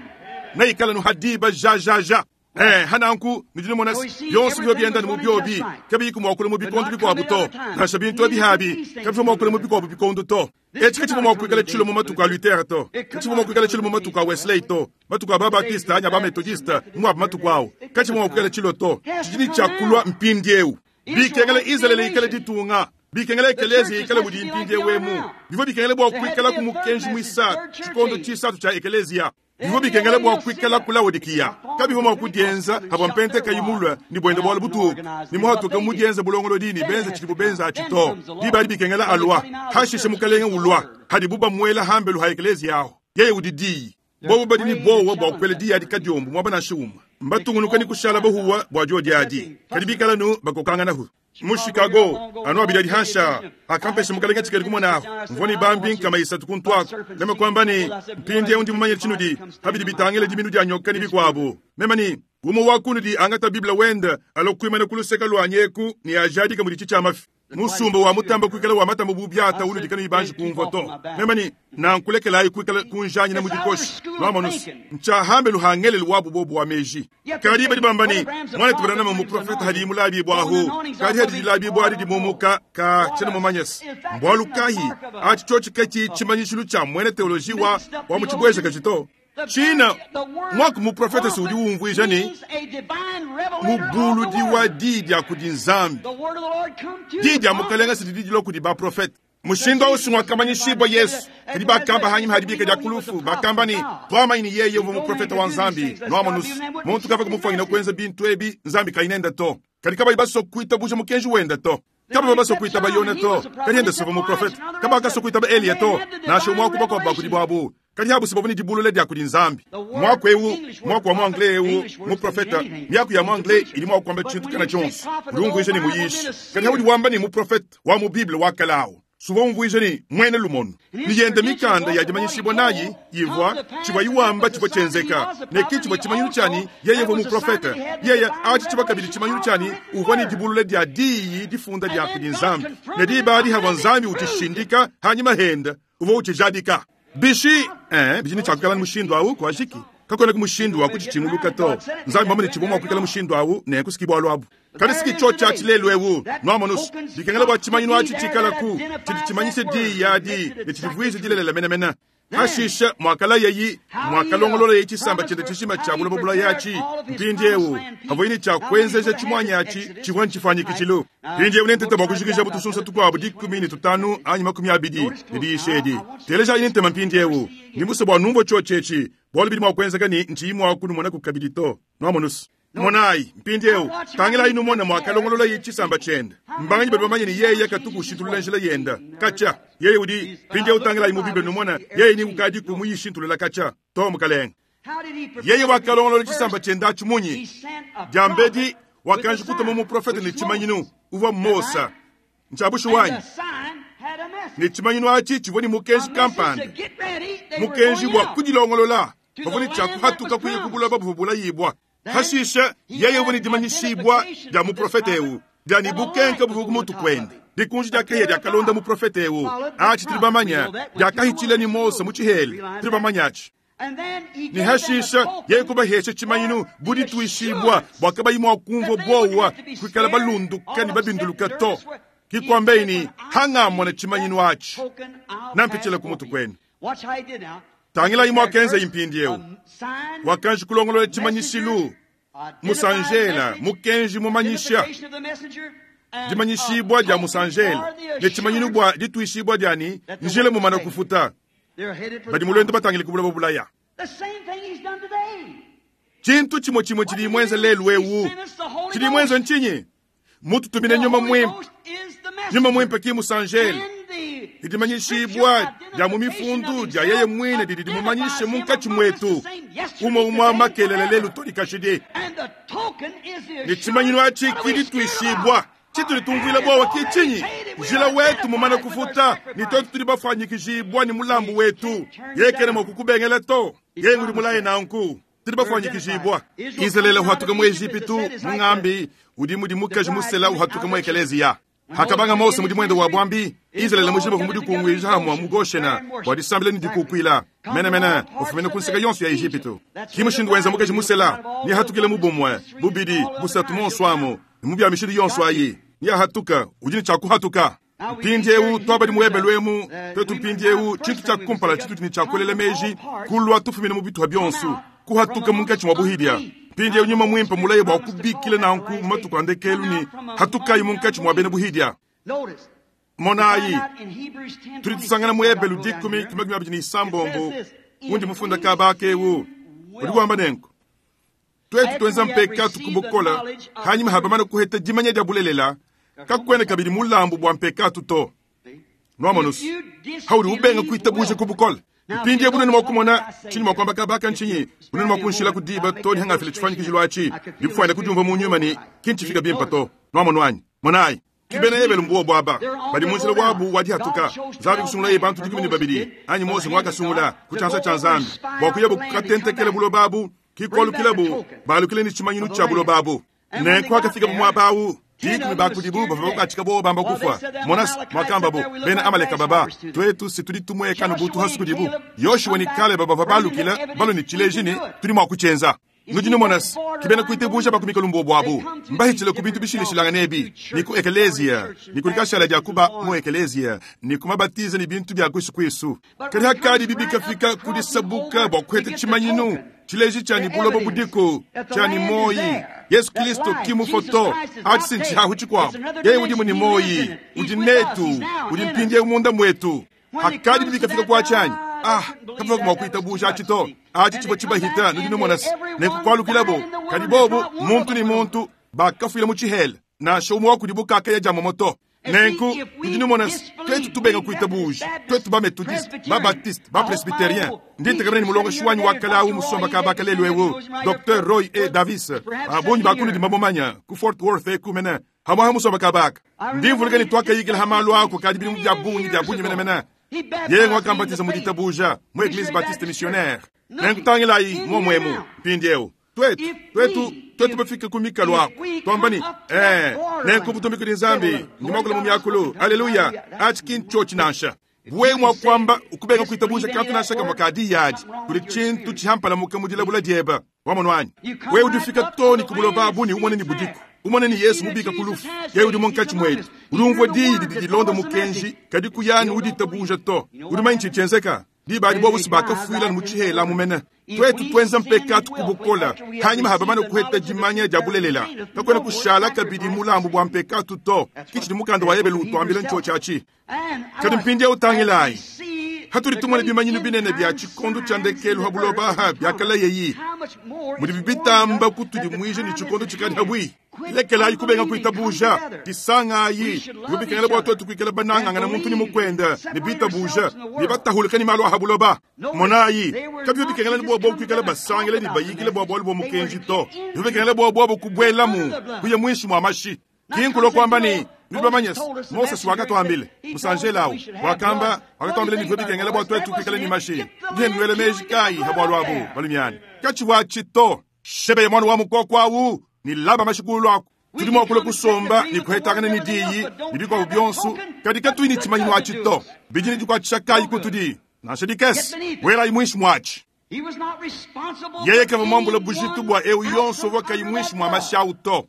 Neikale anu ha diba jajaja. Eh, hananku nudi numona se, bionso bivua bienda anu mu biobi, kabiyiku mua kulua mu bikondo bikuabu to. Nansha bintu ebi habi kabivua mua kulua mu bikuabu bikondo to. Etshi katshivua mua kuikala tshilua mu matuku a Luther to, katshivua mua kuikala tshilua mu matuku a Wesley to, matuku a ba-Baptiste anyi a ba-Methodiste, mu abu matuku au, katshivua mua kuikala tshilua to. Tshidi ne tshia kulua mpindieu. Bikengela Izalele ikale ditunga, bikengela ekeleziya ikale mudi mpindieu emu. Bivua bikengela bua kuikalaku mukenji muisatu, tshikondo tshisatu tshia ekeleziya. Bivua bikengela bua kuikalaku Laodikiya. Kabivua mua kudienza pavua Mpente kayi mulue ne buende bualu butuku ne muhatuke mu dienza bulongolodi ne benza tshidibu benza atshi to. Diba adi bikengela alua, hashishe Mukalenge ulua, hadibu bamuela hambelu ha ekeleziya ahu. Yeye udi Diyi. Bobu badi ne buowa bua kuela diyi adi kadiombo muaba nansha umue. Mbatungunuka ne kushala bahuwa bua diodi adi, kadi bikala anu bakokanganahu. Mu Chicago, anu abidi adi hanshi aa, akampesha Mukalenge tshikadi kumona ahu. Mvua ne bambi nkama isatu kuntu aku. Meme kuamba ne, Mpindieu ndi mumanye tshinudi pa bidi bitangila diminu dia nyoka ne bikuabu. Meme ne, Umue wa kunudi angata Bible wende, alua kuimana ku luseke luanyi eku ne ajadike muditshi tshia mafi. Musumba wa mutamba kuikala wa matamba bu biata unudi kanuyi banji kumvua to. Meme ne, Nanku lekelayi kuikala kunjanyina mu dikoshi. Nwamonu se, ntshiahambe luhangelelu wabu bobu wa meji. Kadi badi bamba ne, Muanetu Branham mmuprofete hadiyi mulabibua ahu. Kadi hadi dilabibua adi dimumuka, ka tshiena mumanye se mbualu kayi. Atshi tshiotshi ke tshi tshimanyishilu tshia muena teoloji wa, wa mu tshibuejakaji to. Tshina muaku muprofete se udi umvuija ne, mubuludi wa diyi dia kudi Nzambi. Diyi dia Mukalenga se didi dilua kudi baprofete. Mushindu au si nguakamanyishibua Yesu. Kadi bakamba hanyima ha dibika dia ku lufu, bakamba ne, Tuamanyi ne yeye uvua muprofete wa Nzambi. Nuamonus, muntu kavua kumufuanyina kuenza bintu ebi Nzambi kayi nende to. Kadi kabayi basua kuitabuja mukenji wende to. Kabavua basua kuitaba Yone to, kadi yende si uvua muprofete. Kabakasua kuitaba Eliya to, nansha umue wa ku bakuabu ba kudibu abu. Kadi abu si bavua ne dibulula dia kudi Nzambi. Muaku eu, muaku wa mu anglais eu, muprofete, miaku ya mu anglais idi mua kuamba tshintu kana tshionso. Udi umvuija ne muyishi. Kadi haudi wamba ne muprofete wa mu Bible wa kale au, suvua umvuija ne muena lumonu. Ne yende mikanda ya dimanyishibua nayi ivua, tshivuayi wamba tshivua tshienzeka, ne ki tshivua tshimanyinu tshia ne yeye uvua muprofete. Yeye atshi tshivua kabidi tshimanyinu tshia ne uvua ne dibulula dia Diyi difunda dia kudi Nzambi. Ne diba adi havua Nzambi utshishindika hanyima hende, uvua utshijadika. Bishi, eh, bidi ne tshia kuikala mushindu au kuajiki. Kakuenaku mushindu wa kutshitshinguluka to. Nzambi mwamanye tshivua mua kuikala mushindu au, nenku siki bualu abu. Kadi siki tshiotshi atshi lelu eu, nuamonus, bikengela bua tshimanyinu atshi tshikalaku, tshidi tshimanyisha diyi adi ne tshidivuija dilelela menemene. Pashishe muakalayayi, muakalongololaye tshisamba tshiende tshijima tshia buloba bulaya atshi. Mpindieu pavuaye ne tshia kuenzeja tshimuanyi atshi tshivua ntshifuanyikijilu. Mpindieu nentete bua kujikija bu tusunsa tukuabu 15 anyi 20 ne diyisha edi. Telejayi ne ntema mpindieu. Ndi musue bua numvue tshiotshi etshi, bualu bidi mua kuenzeka ne ntshiyi mua kunumonaku kabidi to. Nuamonus? Monayi, mpindieu, tangilayi numone muakalongololaye tshisamba tshiende. Mbanganyi badi bamanye ne yeye katuku ushintulula njila yende katshia? Yeye udi, mpindieu tangilayi mu Bible numone yeye ni ukadiku muyishintulula katshia. To, mukalenge. Yeye wakalongolola tshisamba tshiende atshi munyi? Diambedi, wakanji kutuma muprofete ne tshimanyinu, uvua Mose. Ntshia bushuwa anyi? Ne tshimanyinu atshi tshivua ne mukenji kampanda, mukenji bua kudilongolola. Bavua ne tshia kuhatuka kuya ku buloba buvua bulayibua. Hashishe, yeye uvua ne dimanyishibua dia muprofete eu dia ne bukenke buvua ku mutu kuende. Dikunji dia kahia diakalonda muprofete eu. Atshi tudi bamanye, diakahitshila ne Mose mu tshihela, tudi bamanye atshi. Ne hashishe, yeye kubahesha tshimanyinu bu dituishibua bua kabayi mua kumvua buowa, kuikala balunduka ne babinduluka to. Ki kuambeyi ne, Hangamona tshimanyinu atshi, nampitshila ku mutu kuenu. Tangilayi muakenzayi mpindieu. Wakanji kulongolola tshimanyishilu. Musanjela, mukenji mumanyisha, dimanyishibua dia musanjela ne tshimanyinu bua dituishibua dia ne, njila mumana kufuta. Badi mu luendu batangile ku buloba bulaya. Tshintu tshimue tshimue tshidi muenze lelu eu, tshidi muenze ntshinyi? Mututumine nyuma muimpe. Nyuma muimpe ki musanjela. Didimanyishibua dia mu mifundu dia yeye muine didi dimumanyishe munkatshi muetu umue umue makelela lelu to ne kashidi. Ne tshimanyinu atshi ki dituishibua. Tshitudi tumvuila buowa ki tshinyi? Njila wetu mumane kufuta, ne tuetu tudi bafuanyikijibua ne mulambu wetu. Yeye kena mua kukubengela to. Yeye ngudi mulaye nanku. Tudi bafuanyikijibua. Izalele uhatuka mu Ejipitu, mungambi udi mudi mukaji musela uhatuka mu ekeleziya. Hakabanga Mose mudimu wende wa buambi, Izalele mujima uvua mudikunguija hamua mu Goshena bua disambila ne dikukuila menemene, ufumina ku nseka yonso ya Ejipitu. Ki mushindu wenza mukaji musela, neahatukile mu bumue, bubidi, busatu, monso amu, ne mu bia mishindu yonso ayi, neahatuka, udi ne tshia kuhatuka. Mpindieu tuabadi mu Ebelu emu, tuetu mpindieu, tshintu tshia kumpala tshitudi ne tshia kuelela meji, kulua tufumina mu bituha bionso, kuhatuka munkatshi mua buhidia. Mpindieu nyuma muimpe mulaye bua kubikila nanku mu matuku a ndekelu ne, hatukayi munkatshi mua bena buhidia. Monayi, tudi tusangana mu Ebelu dikumi ku makumi abidi ne isambombo undi mufunda kaba aka eu, udi wamba nenku, tuetu tuenza mpekatu ku bukole, hanyima ha bamane kuheta dimanya dia bulelela, kakuena kabidi mulambu bua mpekatu to. Nuamonusu, haudi ubenga kuitabuja ku bukole. Mpindieu bunene mua kumona tshinyi mua kuamba kaba aka ntshinyi? Bunene mua kunshila ku diba to ne hangafila tshifuanyikijilo atshi, ndikufuanyina kudiumvua mu nyuma ne ki ntshifika bimpe to. Nuamonu anyi? Monayi, ki bena Ebelu mbuobu aba badi mu njila wabu wa dihatuka. Nzambi kusungulaye bantu 12, anyi Mose nguakasungula ku tshianza tshia Nzambi bua kuyabu kukatentekela buloba abu, ki kualukilabu balukile ne tshimanyinu tshia buloba abu. Nenku hakafikabu muaba au, 10 ba kudibu bavua bakuatshika bobo bamba kufua. Monas, muakambabu bena Amaleka baba, tuetu si tudi tumueka bu tuhasu kudibu. Yoshua ne Kaleba bavua balukila balue ne tshileji ne tudi mua kutshienza. Nudi numona se, ki bena kuitabuja ba ku mikalu mbuobu abu, mbahitshile ku bintu bishilashilangane ebi, ne ku ekeleziya, ne ku dikashala dia kuba mu ekeleziya, ne ku mabatiza ne bintu bia kuisu kuisu. Kadi hakadi bibi kafika ku disabuka bua kuheta tshimanyinu, tshileji tshia ne buloba budiku, tshia ne muoyi, Yesu Kristo ki mufoto, atshi si ntshihahu tshikuabu. Yeye udimu ne muoyi, udi netu, udi mpindieu munda muetu. Hakadi bibi kafika ku atshi anyi? Ah, kabavua mua kuitabuja atshi to. Atshi tshivua tshibahita, nudi numona se, nenku kualukilabo. Kadi bobu, muntu ne muntu, bakafuila mu tshihela, nansha umue wa kudibu kakaya dia momo to. Nenku, nudi numona se, tuetu tubenga kuitabuja, tuetu ba-Methodiste, ba-Baptiste, ba-Presbyterien, ndi ntekemena ne mulongeshi wanyi wa kale au musomba kaba ka lelu eu, Docteur Roy E. Davis, ba bungi ba kunudi mbamumanya, ku Fort Worth eku mene, hamue ha musomba kaba aka. Ndi mvuluka ne tuakayikila ha malu aku kadi bidimu bia bungi, bia bungi menemene. Yeye ngakambatiza mu ditabuja mu Eglise Baptiste Missionnaire. Nenku tangilayi muomu emu mpindieu. Tuetu, tuetu, tuetu bafike ku mikalu aku, tuamba ne, ee, nenku butumbi kudi Nzambi, ndi muakula mu miakulu, aleluya, atshi ki ntshiotshi nansha. Wewe mua kuamba ukubenga kuitabuja kantu nansha kamue ka diyi adi, kudi tshintu tshihampalamuka mu dilabula diebe. Wamonu anyi? Wewe udi ufika too ne ku buloba abu ne umone ne budiku, umone ne Yesu mubika ku lufu, yeye udi munkatshi muetu. Udi umvua diyi didi dilonda mukenji, kadi kuya ne uditabuja to. Udi mumanye tshidi tshienzeka? Diba adi bobu si bakafuila mu tshihela amu mene. Tuetu tuenza mpekatu ku bukole, hanyima ha bamane kuheta dimanya dia bulelela, kakuena kushala kabidi mulambu bua mpekatu to. Ki tshidi mukanda wa Ebelu utuambila ntshiotshi atshi. Kadi mpindieu tangilayi, hatudi tumona bimanyinu binene bia tshikondo tshia ndekelu ha buloba aha biakalayeyi, mudibi bitamba kutudimuija ne tshikondo tshikadi habui. Lekelayi kubenga kuitabuja, disangayi, bivua bikengela bua tuetu kuikala banangangana muntu ne mukuende ne bitabuja ne batahuluka ne malu a ha buloba. Monayi, kabivua bikengela ne buobo kuikala basangile ne bayikile bua bualu bua mukenji to, bivua bikengela bua buobo kubuelamu, kuya muinshi mua mashi. Ki nkulua kuamba ne, nudi bamanye se, Mosese wakatuambila, musanjela au wakamba, wakatuambila ne bivua bikengela bua tuetu kuikala ne mashi. Ndi nnuela meji kayi ha bualu abu, balumiana? Katshivua atshi to. Shebeye muana wa mukoko au ne laba mashi kulu aku. Tudi mua kulua kusomba ne kuhetangana ne diyi ne bikuabu bionso, kadi katuyi ne tshimanyinu atshi to. Bidi ne dikuatshisha kayi kutudi? Nansha dikese. Buelayi muinshi muatshi. Yeye kavua muambule bujitu bua eu yonso uvua kayi muinshi mua mashi au to.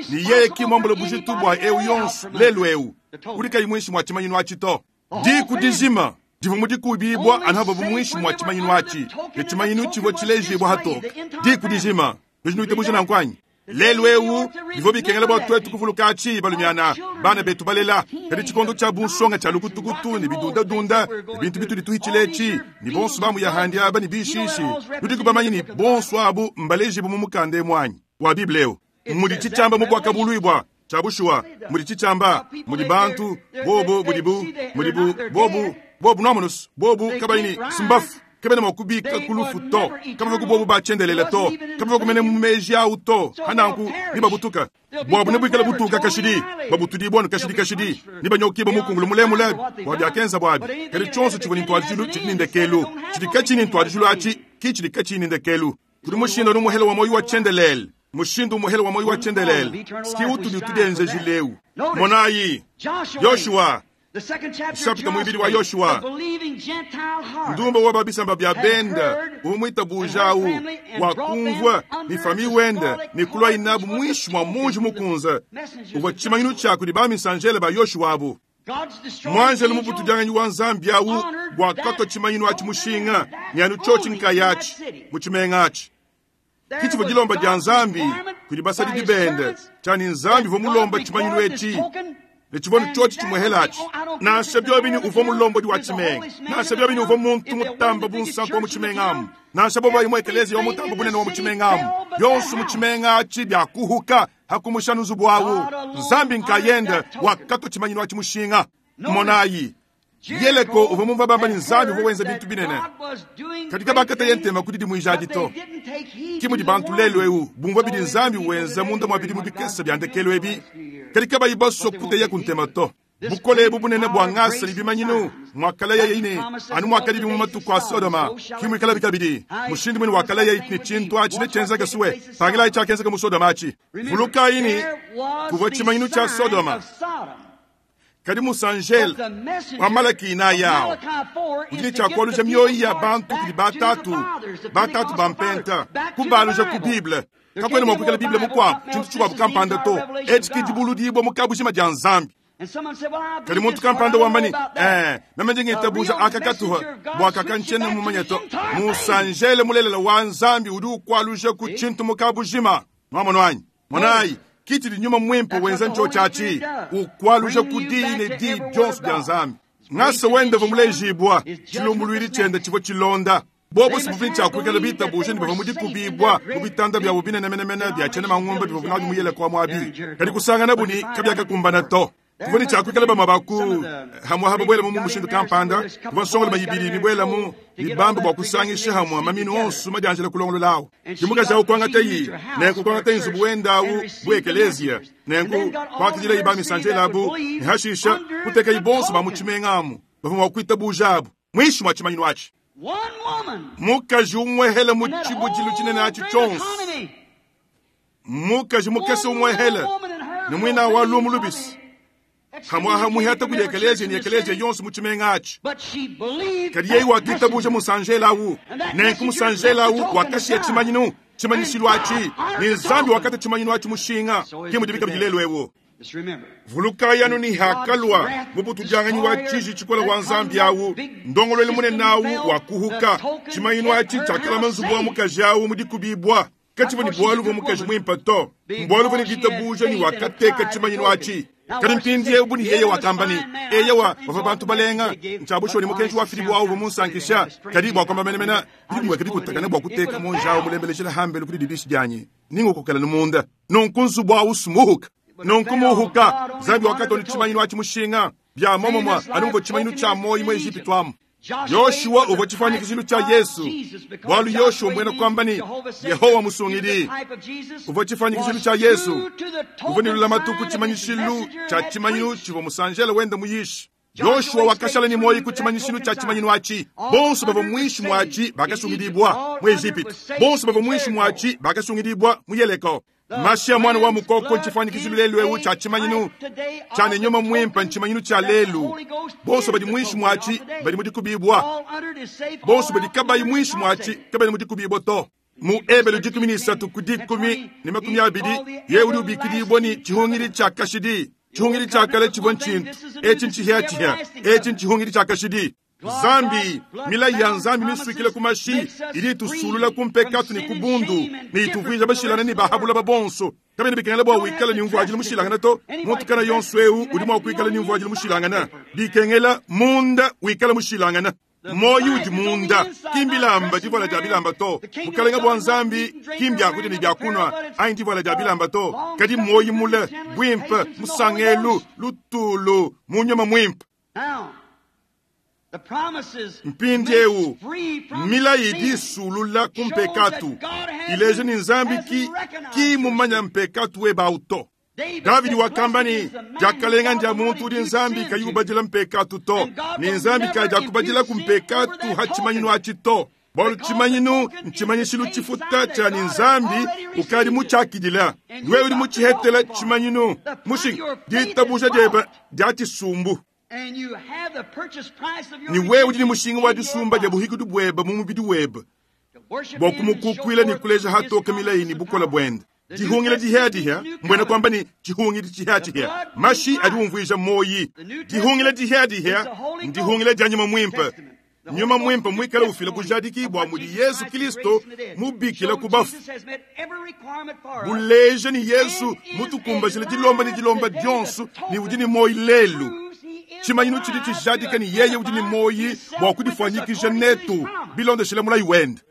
Ne yeye ki muambule bujitu bua eu yonso lelu eu udi kayi muinshi mua tshimanyinu atshi to. Diku dijima divua mu dikubibua anu havua muinshi mua tshimanyinu atshi, ne tshimanyinu tshivua tshilejibua hatoke. Diku dijima. Nudi nuitabuja nanku anyi? Lelu eu bivua bikengela bua tuetu kuvuluka atshi balumiana, bana betu balela. Kadi tshikondo tshia bunsonga tshia lukutukutu ne bidundadunda ne bintu bitudi tuhitshila etshi, ne bonso ba muyahandi aba ne bishishi, nudiku bamanye ne bonso abu mbalejibue mu mukanda emu anyi wa Bible eu? Mudi tshitshiamba mu Buakabuluibua tshia bushuwa, mudi tshitshiamba mudi bantu bobu budibu mudibu bobu bobu nuamonusu bobu kabayi ne simbafu kabena mua kubika ku lufu to, kabavua ku bobu ba tshiendelele to, kabavua kumene mu meji awu to. Hananku nibabutuka buabu nebuikale butuka kashidi, babutudibua nu kashidi kashidi, nibanyokibua mukungulu mulemule bua biakenza buabi. Kadi tshionso tshivua ne ntuadijilu tshidi ne ndekelu, tshidi katshiyi ne ntuadijilu atshi ki tshidi katshiyi ne ndekelu. Kudi mushindu anu umuhele wa muoyo wa tshiendelele, mushindu umuhele wa muoyo wa tshiendelele ski utudi tudienzejileu. Monayi Yoshua, nshapita muibidi wa Yoshua, ndumba wa ba bisamba bia benda umuitabuja au wakumvua ni fami wende ni kulua inabu muinshi mua munji mukunza uvua tshimanyinu tshia kudi ba misanjele ba Yoshua abu. Mwanjelu mubutudianganyi wa Nzambi au wakatwa tshimanyinu atshi mushinga ni anu tshiotshi nkayatshi mu tshimenga atshi. Kitshivua dilomba dia Nzambi kudi basadidi bende tshiani Nzambi uvua mulomba tshimanyinu etshi ne tshivua tshiotshi tshimuhelatshi. Nansha biobi uvua mulombodi wa tshimenga, nansha biobi uvua muntu mutamba bunsantu wa mu tshimenga amu, nansha bobo imwe ekelezia wa mutamba bunene wa mu tshimenga amu, bionso mu tshimenga atshi biakuhuka hakumusha nzubu awu. Nzambi nkayende wakatwa tshimanyinu atshi mushinga. Monayi Yeleko uvua mumva bamba ni Nzambi uvua wenza bintu binene, kadi kabakata ye ntema kudi dimuija to. Ki mudi bantu lelu eu bumvua bidi Nzambi wenza munda mua bidimu bikese bia ndekelu ebi, kadi kabayi basua kuteya ku ntema to. Bukole ebu bunene bua ngasa ne bimanyinu muakalaya yeye anu muakadi mu matuku a Sodoma, ki muikalabi kabidi mushindu munene wakalaya ne tshintu atshi netshienzeke suwe. Pangilayi tshiakenzeka mu Sodoma atshi. Vulukayi ne kuvua tshimanyinu tshia Sodoma, kadi musanjele wa Malaki inayi awo udi ne tshiakualuja mioyo ya bantu kudi batatu, batatu ba mpenta kubaluja ku Bible. Kakuena mua kuikala Bible mukuabu tshintu tshikuabu kampanda to. Etshi ki dibuludibua mu kabujima dia Nzambi. Kadi muntu kampanda wamba ne, meme ndi ngitabuja aka katuha bua kakantshiena mumanye to. Musanjele mulelela wa Nzambi udi ukualuja ku tshintu mu kabujima. Nwamonu anyi? Monayi kitshidi nyuma mwimpe wenza ntsho atshi ukualuja ku diyi ne diyi dionso dia Nzambi. Ngasa wende uvua mulejibua tshilumbuluidi tshiende tshivua tshilonda. Bobo sibuvi tshiakuikala bitabuje ne bavua mu dikubibua mu bitanda biabo binenemenemene bia tshiena mangumba bivua nabi mu Yeleko muabi, kadi kusangana buni kabiakakumbana to. Kuvua ne tshiakuikala bamue ba ku hamue haba buela mu mushindu kampanda, kuvua nsongolo bayibidi mibuela mu mibambe bua kusangisha hamue maminu onso madianjila kulongololawo. Dimukaji awu kuangata yi nenku kuangata nzubu wende awu bu ekelezia, nenku kuakidila yi ba misanjela abu ne hashisha kuteka yi bonso ba mu tshimenga amu bavua mua kuitabuja abu muinshi mua tshimanyinu atshi. Mukaji umwehele mu tshibujilu tshinene atshi tshionso, mukaji mukese umwehele ne muina wa lumu lubisi hamwaha muhata kudi ekelezia ne ekelezia yonso mu tshimenga atshi. Kadi yeye wakitabuja musanjela awu, nenku musanjela awu wakashiya tshimanyinu tshimanyishilu atshi, ne Nzambi wakata tshimanyinu atshi mushinga. Ki mudi bikabidi lelu ewu. Vulukayi anu ni hakalua mubutudianganyi wa tshiji tshikola wa Nzambi awu, ndongoluelu munene awu wakuhuka tshimanyinu atshi tshiakalama nzubu wa mukaji awu mu dikubibua. Katshivua ne bualu bua mukaji muimpe to, mbualu bua ne ditabuja ne wakateka tshimanyinu atshi. Kadi mpindieu bu ne yeye wakamba ne, eyewa bavua bantu balenga ntshiabushuwa ne mukenji wa Filipo awu uvua munsankisha. Kadi bua kuamba menemene bidi bimueka bikutakane bua kuteka monji awu mulembelejela hambelu kudi didishi dianyi ningokokela ne munda. Nunku nzubu awu sumuhuka, nunku muhuka. Nzambi wakatona tshimanyinu atshi mushinga bia momomua anu muvua tshimanyinu tshia moyi mu Ejipitu amu. Yoshua uvua tshifuanyikijilu tshia Yesu, bualu Yoshua mbuena kuamba ne Yehowa musungidi. Uvua tshifuanyikijilu tshia Yesu, uvua ne lulamatu ku tshimanyishilu tshia tshimanyinu tshivua musanjele wende muyishi. Yoshua wakashala ne muoyo ku tshimanyishilu tshia tshimanyinu atshi. Bonso bavua muinshi muatshi bakasungidibua mu Ejipitu, bonso bavua muinshi muatshi bakasungidibua mu Yeleko. Mashi ya mwana wa mukoko ntshifuanyikijilu lelu eu tshia tshimanyinu tshia ne nyuma muimpe ntshimanyinu tshia lelu. Bonso badi muinshi muatshi badi mu dikubibua, bonso badi kabayi muinshi muatshi kabena mu dikubibua to. Mu Ebelu 13 ku 10:20 ye udi ubikidibua ne tshihungidi tshia kashidi. Tshihungidi tshia kale tshivua ntshintu etshi ntshihiatshihia, etshi ntshihungidi tshia kashidi. Nzambi, milayi ya Nzambi misuikila ku mashi idi itusulula ku mpekatu ne ku bundu ne ituvuija bashilangane ne ba ha buloba bonso. Kabiena bikengela bua wikale ne mvuadilu mushilangane to. Muntu kana yonso eu udi mua kuikala ne mvuadilu mushilangane. Bikengela munda wikale mushilangane. Muoyo udi munda, ki mbilamba divuala dia bilamba to. Bukalenge bua Nzambi ki mbiakudia ne biakunua anyi divuala dia bilamba to, kadi muoyo mule, buimpe, musangelu, lutulu mu nyuma muimpe. Mpindieu, milayi idi isulula ku mpekatu, ileja ne Nzambi ki, ki mumanya mpekatu webe au to. Davidi wakamba ne, Diakalenga ndia muntu udi Nzambi kayi ubadila mpekatu to, ne Nzambi kadiakubadilaku mpekatu ha tshimanyinu atshi to, bualu tshimanyinu ntshimanyishilu tshifuta tshia ne Nzambi ukadi mutshiakidila. Wewe udi mutshihetela tshimanyinu mushinga, ditabuja diebe dia tshisumbu. Ne wewe udi ne mushinga wa disumba dia buhikudi buebe mu mubidi webe bua kumukukuila ne kuleja hatoke milayi ne bukole buende. Dihungila dihiadihia mbuena kuamba ne tshihungidi tshihiatshihia. Mashi adi umvuija muoyi. Dihungila dihiadihia ndihungila dia nyuma muimpe. Nyuma muimpe muikale ufila bujadiki bua mudi Yezu Kristo mubikila ku bafu, buleja ne Yezu mutukumbajile dilomba ne dilomba dionso ne udi ne muoyi lelu. Tshimanyinu tshidi tshijadika ne yeye udi ne muoyi bua kudifuanyikija netu bilondeshile mulayi wende.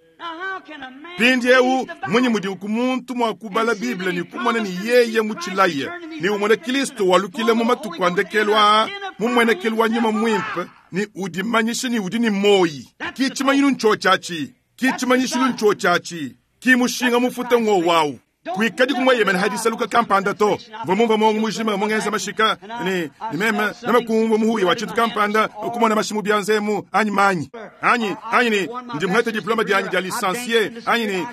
Mpindieu mmunyi mudi muntu mua kubala Bible ne kumona ne yeye mutshilaye ne umona Kristo walukila mu matuku a ndekelu aa mu mmuenekelu wa nyuma muimpe ne udimanyisha ne udi ne muoyi? Ki tshimanyinu ntshotshiatshi, ki tshimanyishilu ntshotshiatshi, ki mushinga mufuta ng'owawu. Kuikadi kumueyemena ha disaluka kampanda to. Mvua mumvua muongo mujima mungenza mashika ne ne meme meme kumvua muhuya wa tshintu kampanda kumona mashi mu bianza emu anyi manyi anyi anyi ne ndi muhete diploma dianyi dia licencie anyi ne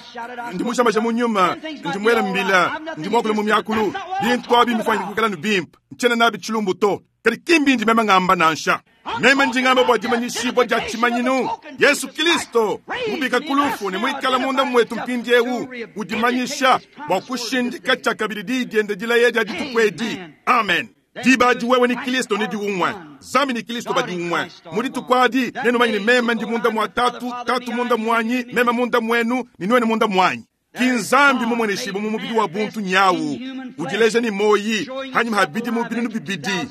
ndi mujamaja mu nyuma ndi muela mbila ndi muakula mu miakulu bintu abi mbifuanyike kuikala ne bimpe ntshiena nabi tshilumbu to. Kadi ki mbindi meme ngamba nansha. Meme ndi ngamba bua dimanyishibua dia tshimanyinu Yesu Kristo mubika ku lufu ne muikala munda muetu mpindieu udimanyisha bua kushindika tshiakabidi diyi diende dilaya dia dituku edi. Amen. Diba adi wewe ne Kristo nudi umue, Nzambi ne Kristo badi umue. Mu dituku adi nenumanye ne meme ndi munda mua Tatu, Tatu munda muanyi, meme munda muenu ne nuenu munda muanyi. Ki Nzambi mumueneshibue mu mubidi wa buntu nyawu, udileja ne muoyi hanyima ha bidimu binunu bibidi.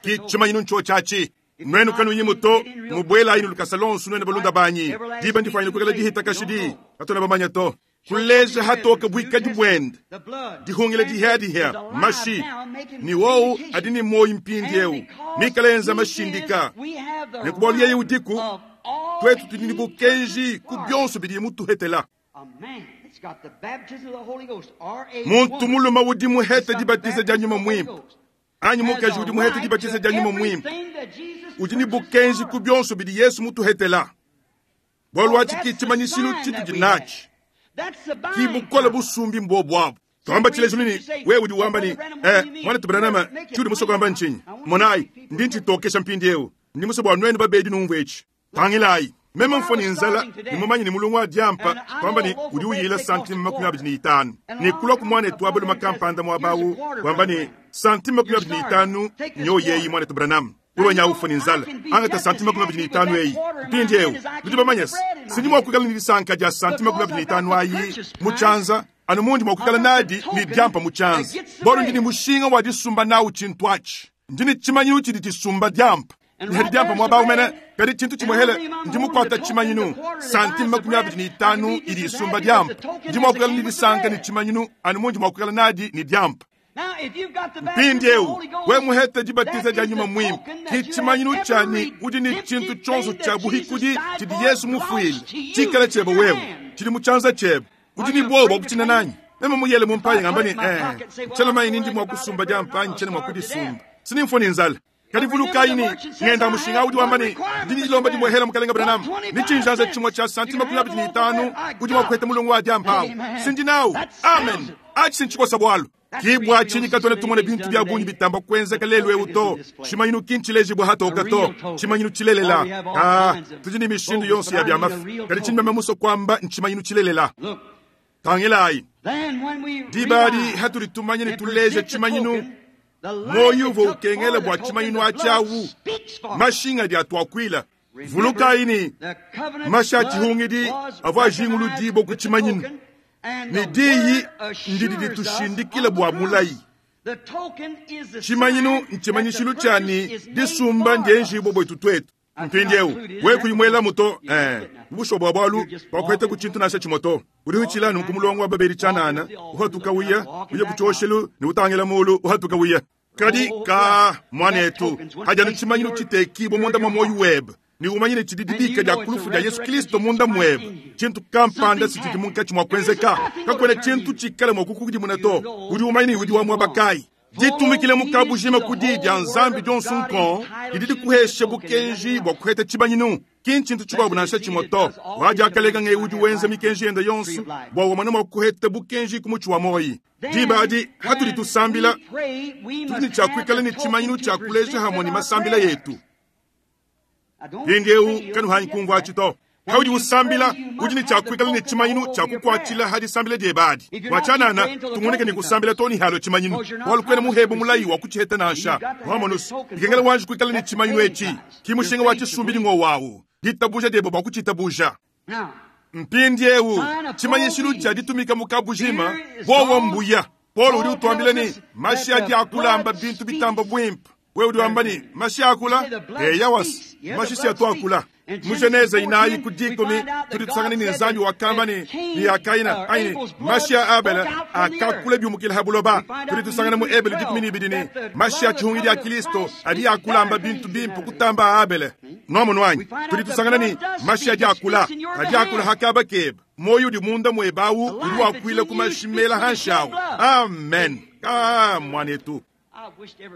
Ki tshimanyinu ntshotshiatshi. Nuenu kanuyimu to, mubuelayi ne lukasa lonso nuenu balunda banyi. Diba ndifuanyine kuikala dihita kashidi, katuena bamanye to. Kuleja hatoke buikadi buende, dihungila dihiadihia, mashi ne wowu adi ne muoyi mpindieu, mikale enza mashindika. Ne ku bualu yeye udiku, tuetu tudi ne bukenji ku bionso bidiye mutuhetela. Muntu mulume udi muhete dibatiza dia nyuma muimpe anyi mukaji udi muhete dibatiza dia nyuma muimpe udi ne bukenji ku bionso bidi Yesu mutuhetela. Bualu atshi ki tshimanyishilu tshitudi natshi, ki bukole busumbi mbuobu abu. Tuamba tshilejilu ne wewe udi wamba ne, eh, muanetu Branham, tshiudi musue kuamba ntshinyi? Monayi, ndi ntshitokesha mpindieu. Ndi musue bua nuenu babedi numvue etshi. Tangilayi, meme mfua ne nzala ne mumanye ne mulungu wa diampa kuamba ne udi uyila santime 25 ne kulua ku muanetu wa balume kampanda muaba awu wamba ne santime 25 nyoyeyi muanetu Branham. Wewe nya ufua ne nzala, angata santime 25 eyi. Mpindieu nudi bamanye se, sindi mua kuikala ne disanka dia santime 25 ayi mu tshianza anu mundi mua kuikala nadi ne diampa mu tshianza, bualu ndi ne mushinga wa disumba nawu tshintu atshi. Ndi ne tshimanyinu tshidi tshisumba diampa. Nihadi diampa muaba awu mene, kadi tshintu tshimuehele ndi mukuata tshimanyinu santime 25 idi isumba diampa. Ndi mua kuikala ne disanka ne tshimanyinu anu mundi mua kuikala nadi ne diampa. Mpindieu we muhete dibatiza dia nyuma muimpe, ki tshimanyinu tshia ne udi ne tshintu tshionso tshia buhikudi tshidi Yesu mufuile tshikale tshiebe wewe, tshidi mu tshianza tshiebe. Udi ne buowa bua kutshina nanyi? Meme muyele mu mpayi ngamba ne, eh, tshiena manyi ne ndi mua kusumba diampa anyi tshiena mua kudisumba, sindi mfua ne nzala. Kadi vulukayi ne, ngenda mushinga udi wamba ne, ndi ne dilomba dimuehela mukalenga Branham, ne tshinjanza tshimue tshia santime 25 udi mua kuheta mulongo wa diampa awu. Sindi nawu. Amen. Atshi ntshikosa bualu. Ki bua tshinyi katuena tumona bintu bia bungi bitamba kuenzeka lelu eu to. Tshimanyinu ki ntshilejibue hatoka to, tshimanyinu tshilelela. Ah, tudi ne mishindu yonso ya bia mafi, kadi tshindi meme musue kuamba ntshimanyinu tshilelela. Tangilayi, diba adi hatudi tumanya ne tuleja tshimanyinu, muoyo uvua ukengela bua tshimanyinu atshi awu, mashinga adi atuakuila. Vulukayi ne, mashi a tshihungidi avua ajinguludibua ku tshimanyinu, ne diyi ndidi ditushindikila bua mulayi. Tshimanyinu ntshimanyishilu tshia ne, disumba ndienjibua buetu tuetu. Mpindieu wewe kuyi muelamu to, eh, bushuwa bua bualu kuakuheta ku tshintu nansha tshimue to. Udi uhitshila nunku mulongo wa babedi tshianana, uhatuka uya, uya ku tshioshelu ne utangila mulu, uhatuka uya. Kadi ka muanetu, hadi anu tshimanyinu tshitekibua munda mua muoyo webe, ne umanye ne tshidi dibika dia ku lufu dia Yesu Kristo munda muebe, tshintu kampanda si tshidi munkatshi mua kuenzeka. Kakuena tshintu tshikale mua kukukudimuna to. Udi umanye ne udi wa muaba kayi. Ditumikila mu kabujima ku Diyi dia Nzambi dionso nkong didi dikuhesha bukenji bua kuheta tshimanyinu, ki ntshintu tshikuabu nansha tshimue to. Wa diakalenga ng'eu udi wenza mikenji yende yonso bua wamone mua kuheta bukenji ku mutshi wa muoyo. Diba adi, hatudi tusambila, tudi ne tshia kuikala ne tshimanyinu tshia kuleja hamue ne masambila etu. Mpindieu kanuhangi kumvua atshi to. Paudi usambila, udi ne tshia kuikala ne tshimanyinu tshia kukuatshila ha disambila diebe adi. Bua tshianana, tungunike ne kusambila too ne halua tshimanyinu, bualu kuena muhebe mulayi wa kutshiheta nansha. Wamonu's, bikengela wanji kuikala ne tshimanyinu etshi, ki mushinga wa tshisumbidi ngowawu, ditabuja diebe bua kutshitabuja. Mpindieu, tshimanyishilu tshia ditumika mu kabujima, buowa mbuya. Paulo udi utuambila ne, mashi adi akulamba bintu bitamba buimpe. Wewe udi wamba ne, mashi akula? Eya wasi, mashi si atu akula. Mu Genese inayi ku dikumi tudi tusangana ne Nzambi wakamba ne, ne ya Kaina anyi ne, mashi a Abele akakula biumukila ha buloba. Tudi tusangana mu Ebele 12 ne, mashi a tshihungidi a Kilisto adi akulamba bintu bimpe kutamba a Abele. Nuamonu anyi? Tudi tusangana ne, mashi adi akula, adi akula ha kaba kebe. Muoyo udi munda muebe awu udi wakuila ku mashi mela hanshi awu. Amen. Ah, muanetu.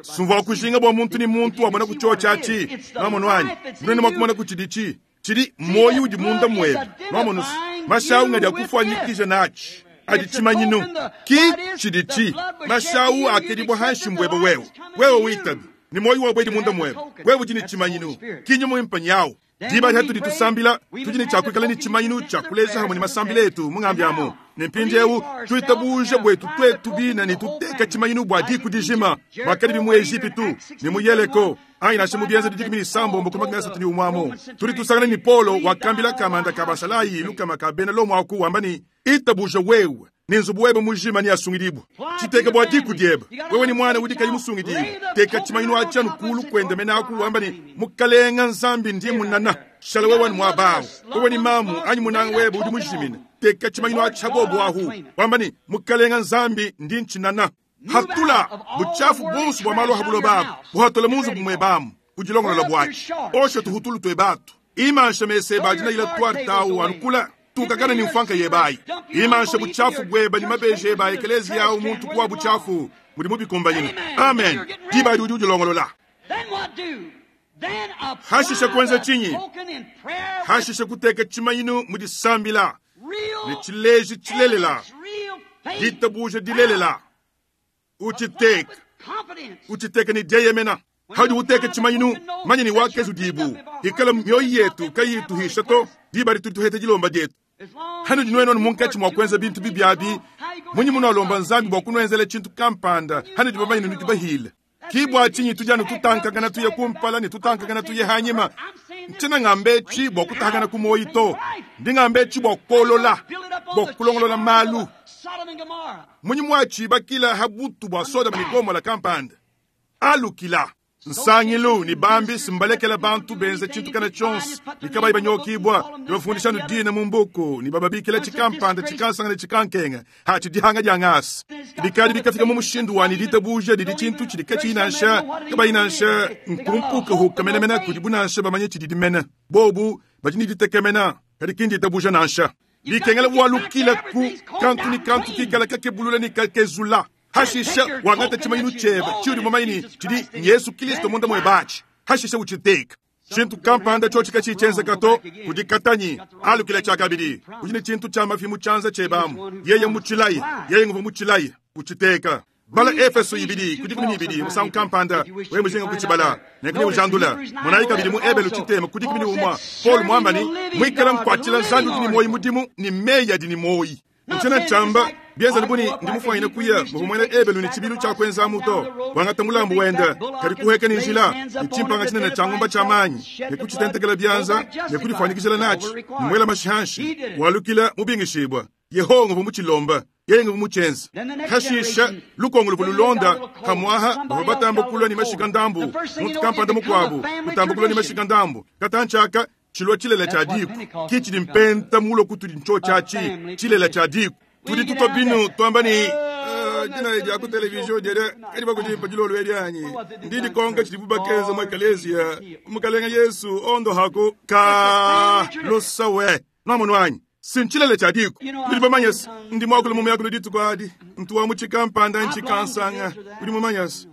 Sumvua kujinga bua muntu ne muntu wamona ku tshiotshi atshi. Nuamonu anyi? Nuena mua kumona ku tshiditshi. Tshidi muoyo udi munda muebe. Nuamonu, mashi awu ngadi akufuanyikija natshi. Adi tshimanyinu. Ki tshiditshi. Mashi awu akedibua hanshi mbuebe wewe. Wewe witabe ne muoyo wabuedi munda muebe. Wewe udi ne tshimanyinu. Ki nyuma muimpe nyawu. Diba adi hatudi tusambila, tudi ne tshia kuikala ne tshimanyinu tshia kuleja hamue ne masambila etu mu ngambi amu. Ne mpindieu tuitabuja buetu tuetu bine ne tuteka tshimanyinu bua diku dijima, muakadibi mu Ejipitu ne mu Yeleko anyi nansha mu Bienzedi 16 ku 31 amu. Tudi tusangana ne Paulo wakambila kamanda ka basalayi lukama ka bena Lomo aku wamba ne, Itabuja wewe ne nzubu webe mujima neasungidibue. Tshiteke bua diku diebe, wewe ne muana udi kayi musungidibue. Teka tshimanyinu atshi anu kulu kuende mene aku wamba ne, Mukalenga Nzambi ndi munana. Shala wewe ne muaba awu. Wewe ne mamu anyi munanga webe udi mujimine. Teka tshimanyinu atshi ha bobo ahu wamba ne, Mukalenga Nzambi ndi ntshinana. Hatula butshiafu buonso bua malu a ha buloba abu, buhatula mu nzubu muebe amu, udilongolola buatshi. Osha tuhutulu tuebe atu. Imansha mesa ebe adi nayila tuarte awu anukula. Tukakana ne mfuanka yebe ayi. Imansha butshiafu buebe ne mabeji ebe a ekeleziya awu muntu kuwa butshiafu mudi mubikumbanyine. Amen. Diba adi udi udilongolola. Hashisha kuenza tshinyi? Hashisha kuteka tshimanyinu mu disambila ne tshileji tshilelela, ditabuja dilelela. Utshiteka, utshiteka ne dieyemena. Haudi uteka tshimanyinu, manya ne wakezudibu. Ikala mioyo yetu kayiyi tuhisha to, diba adi tudi tuheta dilomba dietu. Hanudi nuenu anu munkatshi mua kuenza bintu bibi abi, munyi munualomba Nzambi bua kunuenzela tshintu kampanda hanudi bamanye ne nudi bahile? Ki bua tshinyi tudi anu tutankakana tuye kumpala ne tutankakana tuye hanyima? Ntshiena ngamba etshi bua kutahakana ku muoyo to, ndi ngamba etshi bua kuolola, bua kulongolola malu. Munyi muatshibakila ha butu bua Sodoma ne Gomola kampanda? Alukila. Nsangilu ne bambi simbalekela bantu benza tshintu kana tshionso ne kabayi banyokibua, ne bafundisha anu dina mu mbuku ne bababikila tshikampanda tshikansanga ne tshikankenga hatshi dihanga dia ngasa. Bikadi bikafika mu mushindu wa ne ditabuja didi tshintu tshidi katshiyi nansha kabayi nansha nkumpukahuka menemene kudibu nansha bamanye tshididi mene. Bobu badi ne ditekemena kadi ki nditabuja nansha. Bikengela walukila ku kantu ne kantu kikala kakebulula ne kakezula. Hashisha wangata tshimanyinu tshiebe tshiudi mumanye ne tshidi Yesu Kristo munda muebe atshi. Hashisha utshiteka. Tshintu kampanda tshiotshi katshiyi tshienzeka to, kudi katanyi alukila tshiakabidi. Udi ne tshintu tshia mafi mu tshianza tshiebe amu. Yeye mmutshilaye, yeye nguvua mutshilaye, utshiteka. Bala Efeso ibidi ku 12 musangu kampanda, wewe mujinga kutshibala, nenku neujandula. Monayi kabidi mu Ebelu tshitema ku 11, Paulo muamba ne, Muikala nkuatshila Nzambi udi ne muoyo mudimu ne meyi adi ne muoyo. Ntshiena tshiamba. Bienza bu ne ndi mufuanyine kuya muvua muena Ebelu ne tshibilu tshia kuenzamu to, wangata mulambu wende, kadi kuhueka ne njila ne tshimpanga tshinene tshia ngomba tshia manyi, ne kutshitentekela bianza ne kudifuanyikijila natshi, ne muela mashi hanshi, walukila mubingishibua. Yehowa nguvua mutshilomba, yeye nguvua mutshienza. Hashisha lukongo luvua lulonda pamuaha bavua batamba kulua ne mashika ndambu, muntu kampanda mukuabu utamba kulua ne mashika ndambu, katantshi tshilua tshilela tshia diku ki tshidi mpenta mulua kutudi ntshotshatshi tshilela tshia diku. Tudi tutua binu tuamba ne dina dia ku televizion diede kadi bakudimpa dilolo edi anyi ndi dikonka tshidibu bakenza mu ekeleziya mukalenga Yesu ondo haku ka lusawe nwamonu anyi si ntshilele tshia diku. Udi mumanye se ndi muakule mu miakulu dituku adi ntu wa mu tshikampanda ntshikansanga udi mumanye se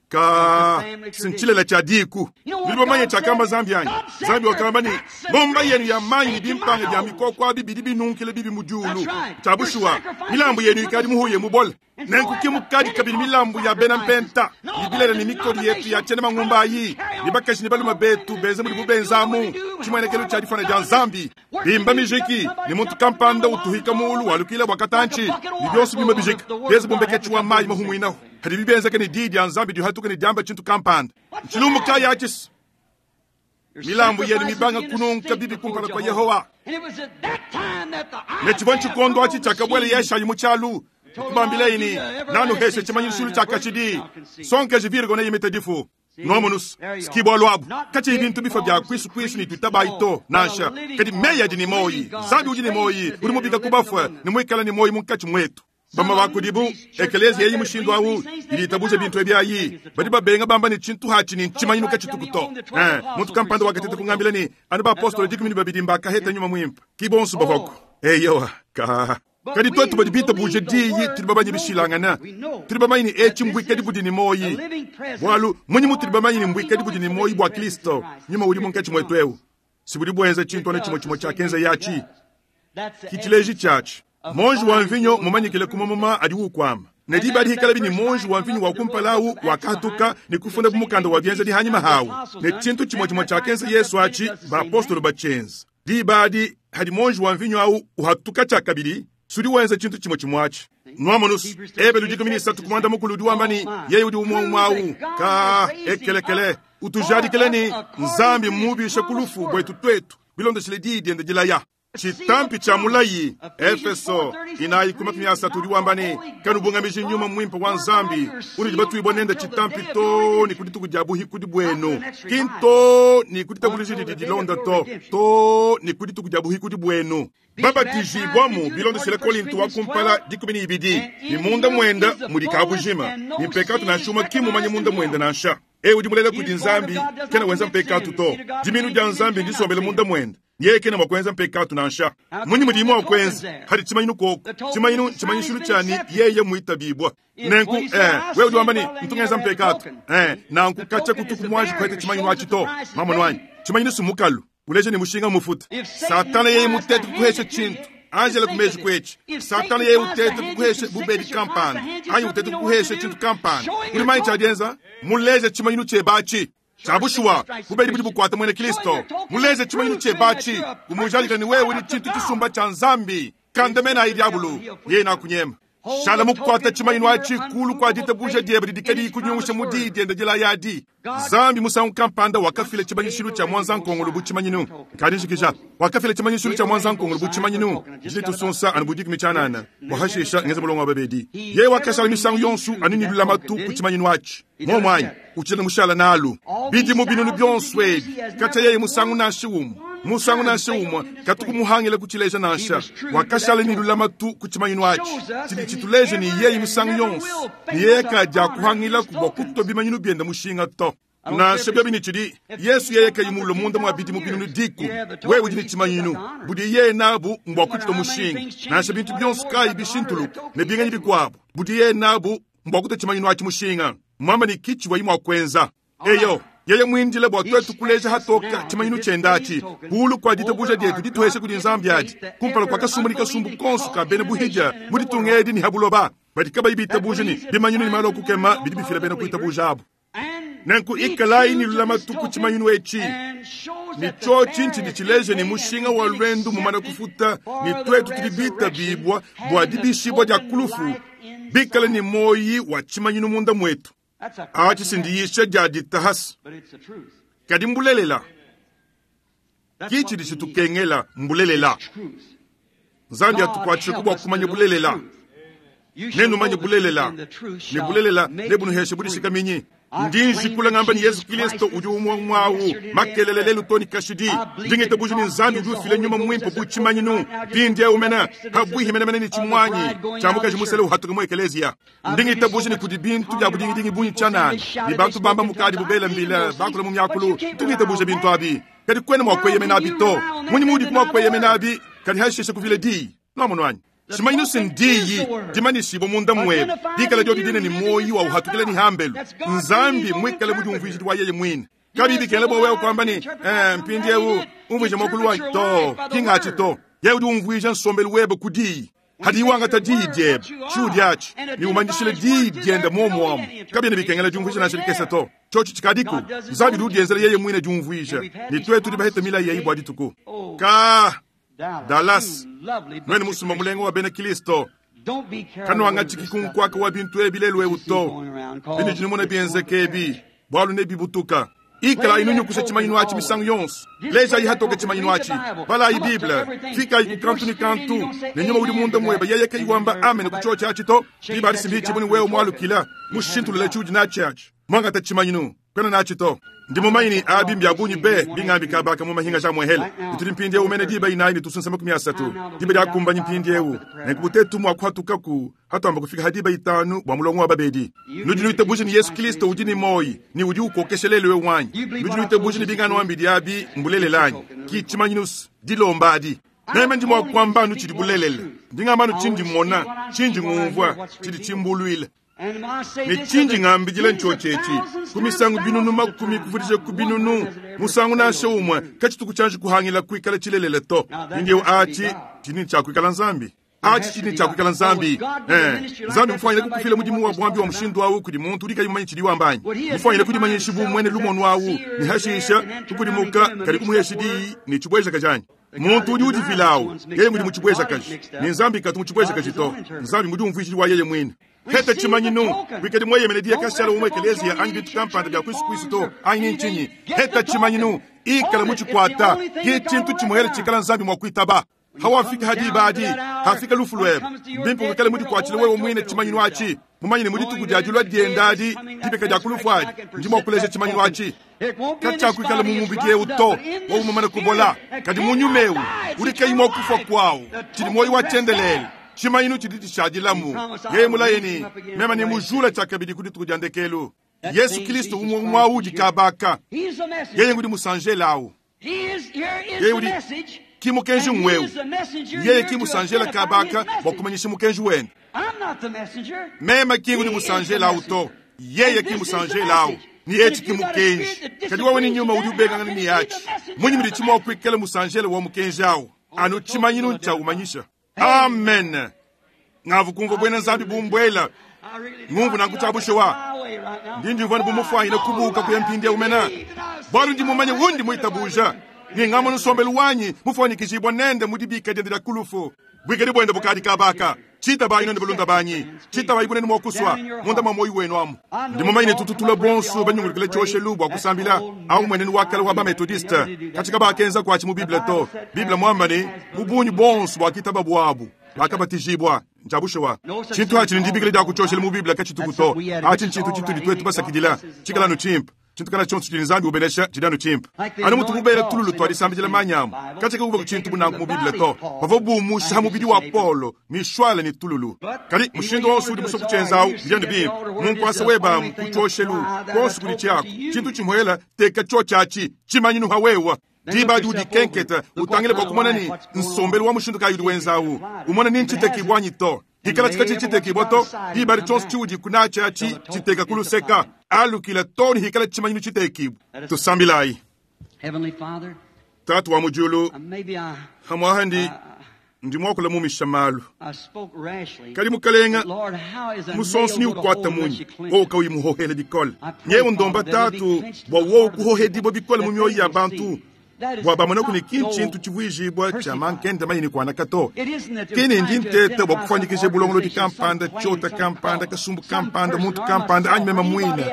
ka si ntshilele tshia diku. Nudi bamanye tshiakamba Nzambi anyi? Nzambi wakamba ne ngomba yenu ya manyi ne bimpanga bia mikoko abi bidi binunkile bibi mu diulu. Tshia bushuwa milambu yenu ikadi muhuye mubole. Nenku ke mukadi kabidi milambu ya bena mpenta ne bilele ne mikodi yetu ya tshiena mangumba ayi ne bakaji ne balume betu benze mudibu benzamu tshimuenekelo tshia difana dia Nzambi. Bimba mijiki ne muntu kampanda utuhika mulu walukila bua katantshi ne bionso bimba bijika bienze bumbeketshi wa mayi mahumuinaho hadi bibenzeke ne diyi dia Nzambi dihatuka ne diamba tshintu kampanda. Tshilumbu kayi atshisa milambu yenu mibanga kununka bibi kumpala kwa Yehowa. Ne tshivua tshikondo atshi tshiakabuela Yeshayi mu tshialu kubambilayi ne nanuheshe tshimanyishilu tshia kashidi sonkeje virgo neyimite difu. Nwamonus sikibwa lwabu katshiyi bintu bifa bia kwisu ne tuitabayi to nansha kadi meyi adi ne moyi Nzambi udi ne moyi udi mubika ku bafue ne muikala ne moyi munkatshi mwetu. Bama bakudibu ekelezia yeyi mushindu awu idi itabuja bintu ebi ayi badi babenga bamba ne tshintu hatshi ne ntshimanyinu katshituku to. Muntu kampanda wakateta kungambila ne anu baapostolo 12 mbakaheta nyuma mwimpe ki bonso bavwaku. Eyowa ka kadi twetu badi bitabuje diyi tudi babanye bishilangana tudi bamanye ne etshi mbwikadi budi ne moyi bwalu munyi mutudi bamanye ne mbwikadi budi ne moyi bwa Kristo nyuma udi munkatshi mwetu eu si budi bwenza tshintu ane tshimwe tshimwe tshiakenza yatshi kichileji tshiatshi. Monji wa mvinyo mumanyikile kumamuma adi ukwama ne diba dihikala bini monji wa mvinyo wa kumpalawu wakahatuka ne kufunda mukanda wa bienza dihanyima hawu ne tshintu tshimwe tshimwe tshiakenza Yesu atshi baapostolo batshienza diba adi hadi monji wa mvinyo awu uhatuka tshiakabidi sudi wenza tshintu tshimwe tshimwe atshi. Nwamonus Ebelu 13 kumanda mukulu udi wamba ni yeye udi umwe umwe ka ekelekele utujadikele ni Nzambi mubisha kulufu bwetu twetu bilondeshile diyi diende dilaya. Chitampi cha mulayi Efeso inayi kumakumi asatu udi wamba ne kanubungamiji nyuma mwimpe wa Nzambi unudi batuibwa nenda chitampi to ni kudituku dia buhikudi bwenu kinto ni kuditabuliji didi dilonda to to ni kudituku dia buhikudi bwenu. Babatijibwamu bilondeshele Korinto wa kumpala 12 ni munda mwenda mudi kabujima ni mpekatu nansha kimumanye munda mwenda nansha e udi mulela kudi Nzambi kena wenza mpekatu to diminu dia Nzambi ndisombele munda mwenda yeye kena mwakwenza mpekatu nansha munyi mudimu wakwenza hadi tshimanyinu koko tshimanyinu tshimanyishilu tshani yeye muitabibwa nenku wewe udi wamba ni ntungenza mpekatu nanku kacha kutuku mwaji kwete tshimanyinu atshi to mamono wanyi tshimanyinu sumukalu uleje ni mushinga mufuta Satana yeye mutete kukuhesha tshintu Angela kumeji kwechi Satana yeye utete kukuhesha bubedi kampanda anyi utete kukuhesha tshintu kampanda uli manyi tshiadienza muleje tshimanyinu tshebatshi Chabushuwa bubedi budi bukwata mwene Kristo muleze tshimanyinu tshebatshi umujalika ni wewe ni tshintu tshisumba tsha Nzambi kandamena ayi diabulu yeye nakunyema shala mukwata tshimanyinu atshi kulu kwa ditabuja diebe didikadi kunyungusha mudi diende dila yadi Nzambi musangu kampanda wakafila tshimanyishilu tshia mwanza nkongolo bu tshimanyinu kadijikija wakafila tshimanyishilu tshia mwanza nkongolo bu tshimanyinu jitusunsa anu budiki michanana wahashisha ngeze mulongo wa babedi yeye wakashala misangu yonsu anini lulamatu ku tshimanyinu atshi momwanyi uchile mushala nalu bidi mubinunu byonso ebi kacha yeye musangu nashi umu musangu nansha umwe katukumuhangila kuchileja nansha wakashala ni lulamatu kuchimanyinu atshi tshidi tshituleje ni yeye musangu yonso ni yeye kaja kuhangila kubwa kuto bimanyinu bienda mushinga to nansha byabi ni tshidi Yesu yeye kayimulo munda mwa bidi mubinunu diku wewe udi ni tshimanyinu budi yeye nabu mbwa kuchita mushinga nansha bintu byonso kayi bishintuluka ne binganyi bikuabu budi yeye nabu mbwa kuta tshimanyinu atshi mushinga mwamba ni kichi wa kwenza eyo yeye mwindile bwa twetu kuleja hatoka tshimanyinu tshendatshi kulu kwa ditabuja dietu dituheshe kudi Nzambi adi kumpala kwa kasumbu ni kasumbu konso ka bena buhija muditunga edi ni habuloba badi kabayi bitabuje ni bimanyinu ni malo kukema bidi bifila bena kuitabuja abo. Nenku ikalayi ne lulamatu ku tshimanyinu etshi, ne tshiotshi ntshidi tshileja ne mushinga wa luendu mumana kufuta, ne tuetu tudi bitabibua bua dibishibua dia ku lufu, bikale ne muoyi wa tshimanyinu munda muetu. Atshi si ndiyisha dia ditahasa, kadi mbulelela. Ki tshidi tshitukengela mbulelela. Nzambi atukuatshisheku bua kumanya bulelela. Nenumanye bulelela, ne bulelela nebunuheshe budishikaminyi. Ndi njikula ngamba ne Yezu Kilisto udi umue umue awu makelela lelu too ne kashidi. Ndi ngitabuja ne Nzambi udi ufila Nyuma Muimpe bu tshimanyinu mpindieu mene pabuihi menemene ne tshimuanyi tshia mukaji musele uhatuka mu ekeleziya. Ndi ngitabuja ne kudi bintu bia budingidingi bungi tshianana ne bantu bamba mukadibu bela mbila bakula mu miakulu. Ntu ngitabuja bintu abi, kadi kuena mua kueyemenabi to. Mmunyi muudiku mua kueyemenabi kadi hashishe kuvila diyi? Nuamonu anyi? Tshimanyinu se ndiyi dimanyishibua munda muebe, dikala diodi dine ne muoyi wa uhatukila ne hambelu, Nzambi muikale mudiumvuijidi wa yeye muine. Kabiyi bikengela bua wewe kuamba ne, Eh, mpindieu umvuija muakulu wanyi to. Ki ngatshi to. Yeye udi umvuija nsombelu webe ku diyi. Hadiyi wangata diyi diebe, tshiudi atshi, ne umanyishila diyi diende muomu amu, kabiena bikengela diumvuija nansha dikese to. Tshiotshi tshikadiku. Nzambi udi udienzela yeye muine diumvuija, ne tuetu tudi bahete milayi eyi bua dituku. Ka! Dallas, nuenu musumba mulenga wa bena Kilisto, kanuangatshiki ku nkuaka wa bintu ebi lelu eu to. Binudi numona bienzeka ebi, bualu nebibutuka. Ikalayi nunyukusha tshimanyinu atshi misangu yonso. Lejayi hatoke tshimanyinu atshi. Balayi Bible. Fikayi ku kantu ne kantu, ne nyuma udi munda muebe yeye kayi wamba amen ku tshiotshi atshi to. Diba adi simbi ne wewe mualukila, mushintulule tshiudi natshi atshi. Muangata tshimanyinu. Kuena natshi to. Ndi mumanye ne abi mbia bungi be, bingambi kabaka mu mahinga ja muehele. Tudi mpindieu mene diba inayi ne tusunsa 30. Diba diakumbanyi mpindieu. Nenku butetu mua kuhatukaku hatuamba kufika ha diba itanu bua mulongo wa babedi. Nudi nuitabuja ne Yesu Kristo udi ne muoyi ne udi ukokesha lelu eu anyi? Nudi nuitabuja ne binganuambidi abi mbulelela anyi? Ki tshimanyinu dilomba adi. Meme ndi mua kuamba anu tshidi bulelela. Ndi ngamba anu tshindi mmona, tshindi ngumvua, tshidi tshimbuluila. Ne tshindi ngambidila ntshiotshi etshi, ku misangu binunu makumi kuvudija ku binunu, musangu nansha umue katshituku tshianji kuhangila kuikala tshilelela to. Mpindieu atshi tshidi ne tshia kuikala Nzambi. Atshi tshidi ne tshia kuikala Nzambi. Eh, Nzambi mufuanyine kukufila mudimu wa buambi wa mushindu au kudi muntu udi kayi mumanye tshidiye wamba anyi? Mufuanyine kudimanyishi bu muene lumonu au ne hashisha kukudimuka kadi kumuhesha diyi ne tshibuejakaji anyi? Muntu udi udifila au yeye ngudi mutshibuejakaji, ne Nzambi katu mutshibuejakaji to. Nzambi mudiumvuijidi wa yeye muine. Heta tshimanyinu, kuikadi mueyemene diya kashala mu ekeleziya anyi bintu kampanda bia kuisu kuisu to, anyi ntshinyi. Heta tshimanyinu, ikala mutshikuata, ki tshintu tshimuele tshikala Nzambi mua kuitaba. Hawafika ha diba adi, hafika lufu luebe, mbimpe wikale mudikuatshile wewe muine tshimanyinu atshi, mumanye ne mu dituku dia dilua diende adi, dibika dia ku lufu adi, ndi mua kuleja tshimanyinu atshi. Katshiakuikala mu mubidi eu to, wowu mumane kubola, kadi mu nyuma eu udi kayi mua kufua kuawu, tshidi muoyo wa tshiendelele. Tshimanyinu tshidi tshishadilamu. Yeye mulaye ne, Meme nemujule tshiakabidi ku dituku dia ndekelu. Yesu Kristo umue umue au udi kabaka. Yeye ngudi musanjela au. Yeye udi ki mukenji ng'wewu. Yeye ki musanjela kabaka bua kumanyisha mukenji wende. Meme ki ngudi musanjela au to. Yeye ki musanjela au. Ni etshi ki mukenji. Kadi wewe ne nyuma udi ubengangana ne atshi. Mmunyi mudi tshi mua kuikala musanjela wa mukenji au? Anu tshimanyinu ntshia umanyisha. Amen. Ngavu kumvua buena Nzambi bumbuela. Ngumvu nanku tshia bushuwa. Ndi ndiumvua bu mufuanyine kubuuka kuya mpindieu mena. Bualu ndi mumanye undi muitabuja. Ne ngamona nsombelu wanyi mufuanyikijibua nende mu dibika diende dia ku lufu. Buikadi buende bukadi kabaka. Tshitabayi nuenu balunda banyi. Tshitabayi bunene mua kusua munda mua muoyo wenu amu. Ndi mumanye ne tutu tulua bonso banyungulukile tshioshelu bua kusambila. Au mmuenenu wa kale wa ba-Methodiste. Katshi kabakenza kuatshi mu Bible to. Bible muamba ne, mu bungi bonso buakitaba buabu, bakabatijibua. Ntshia bushuwa. Tshintu atshi ne dibikila dia ku tshioshelu mu Bible katshituku to. Atshi ntshintu tshitudi tuetu basakidila. Tshikala anu tshimpe. Tshintu kana tshionso tshidi Nzambi ubenesha tshidi anu tshimpe. Anu mutubu bela tululu tua disambidila manyi amu, katshia kakuvua tshintu bu nanku mu Bible to. Bavua bumusha mubidi wa Paulo mishwale ne tululu. Kadi mushindu wonso udi musue kutshienza au, bidi anu bimpe. Mu nkuasa webe amu, ku tshioshelu, kuonso kudi tshiaku, tshintu tshimuela, teka tshiotshi atshi, tshimanyinu ha wewa. Diba adi udikenketa, utangile bua kumona ne nsombelu wa mushindu kayi udi wenza au, umone ni ntshitekibua anyi to. Hikala tshika tshitekibua to, diba adi tshionso tshiudi kunatshi atshi tshiteka ku luseka, alukila to ne hikala tshimanyinu tshitekibua. Tusambilayi. Tatu wa mu diulu, hamuaha ndi. Ndi muakula mumisha malu. Kadi mukalenga, musonso ni ukwata munyi wowu kauyi muhohela bikole. Nyewu ndomba Tatu bua wowu kuhohedibua bikole mu mioyo ya bantu, bua bamonaku ne ki ntshintu tshivuijibua tshia mankenda manyi ne kuanaka to. Ki ne ndi nteta bua kufuanyikija bulongolodi kampanda, tshiota kampanda, kasumbu kampanda, muntu kampanda, anyi meme muine,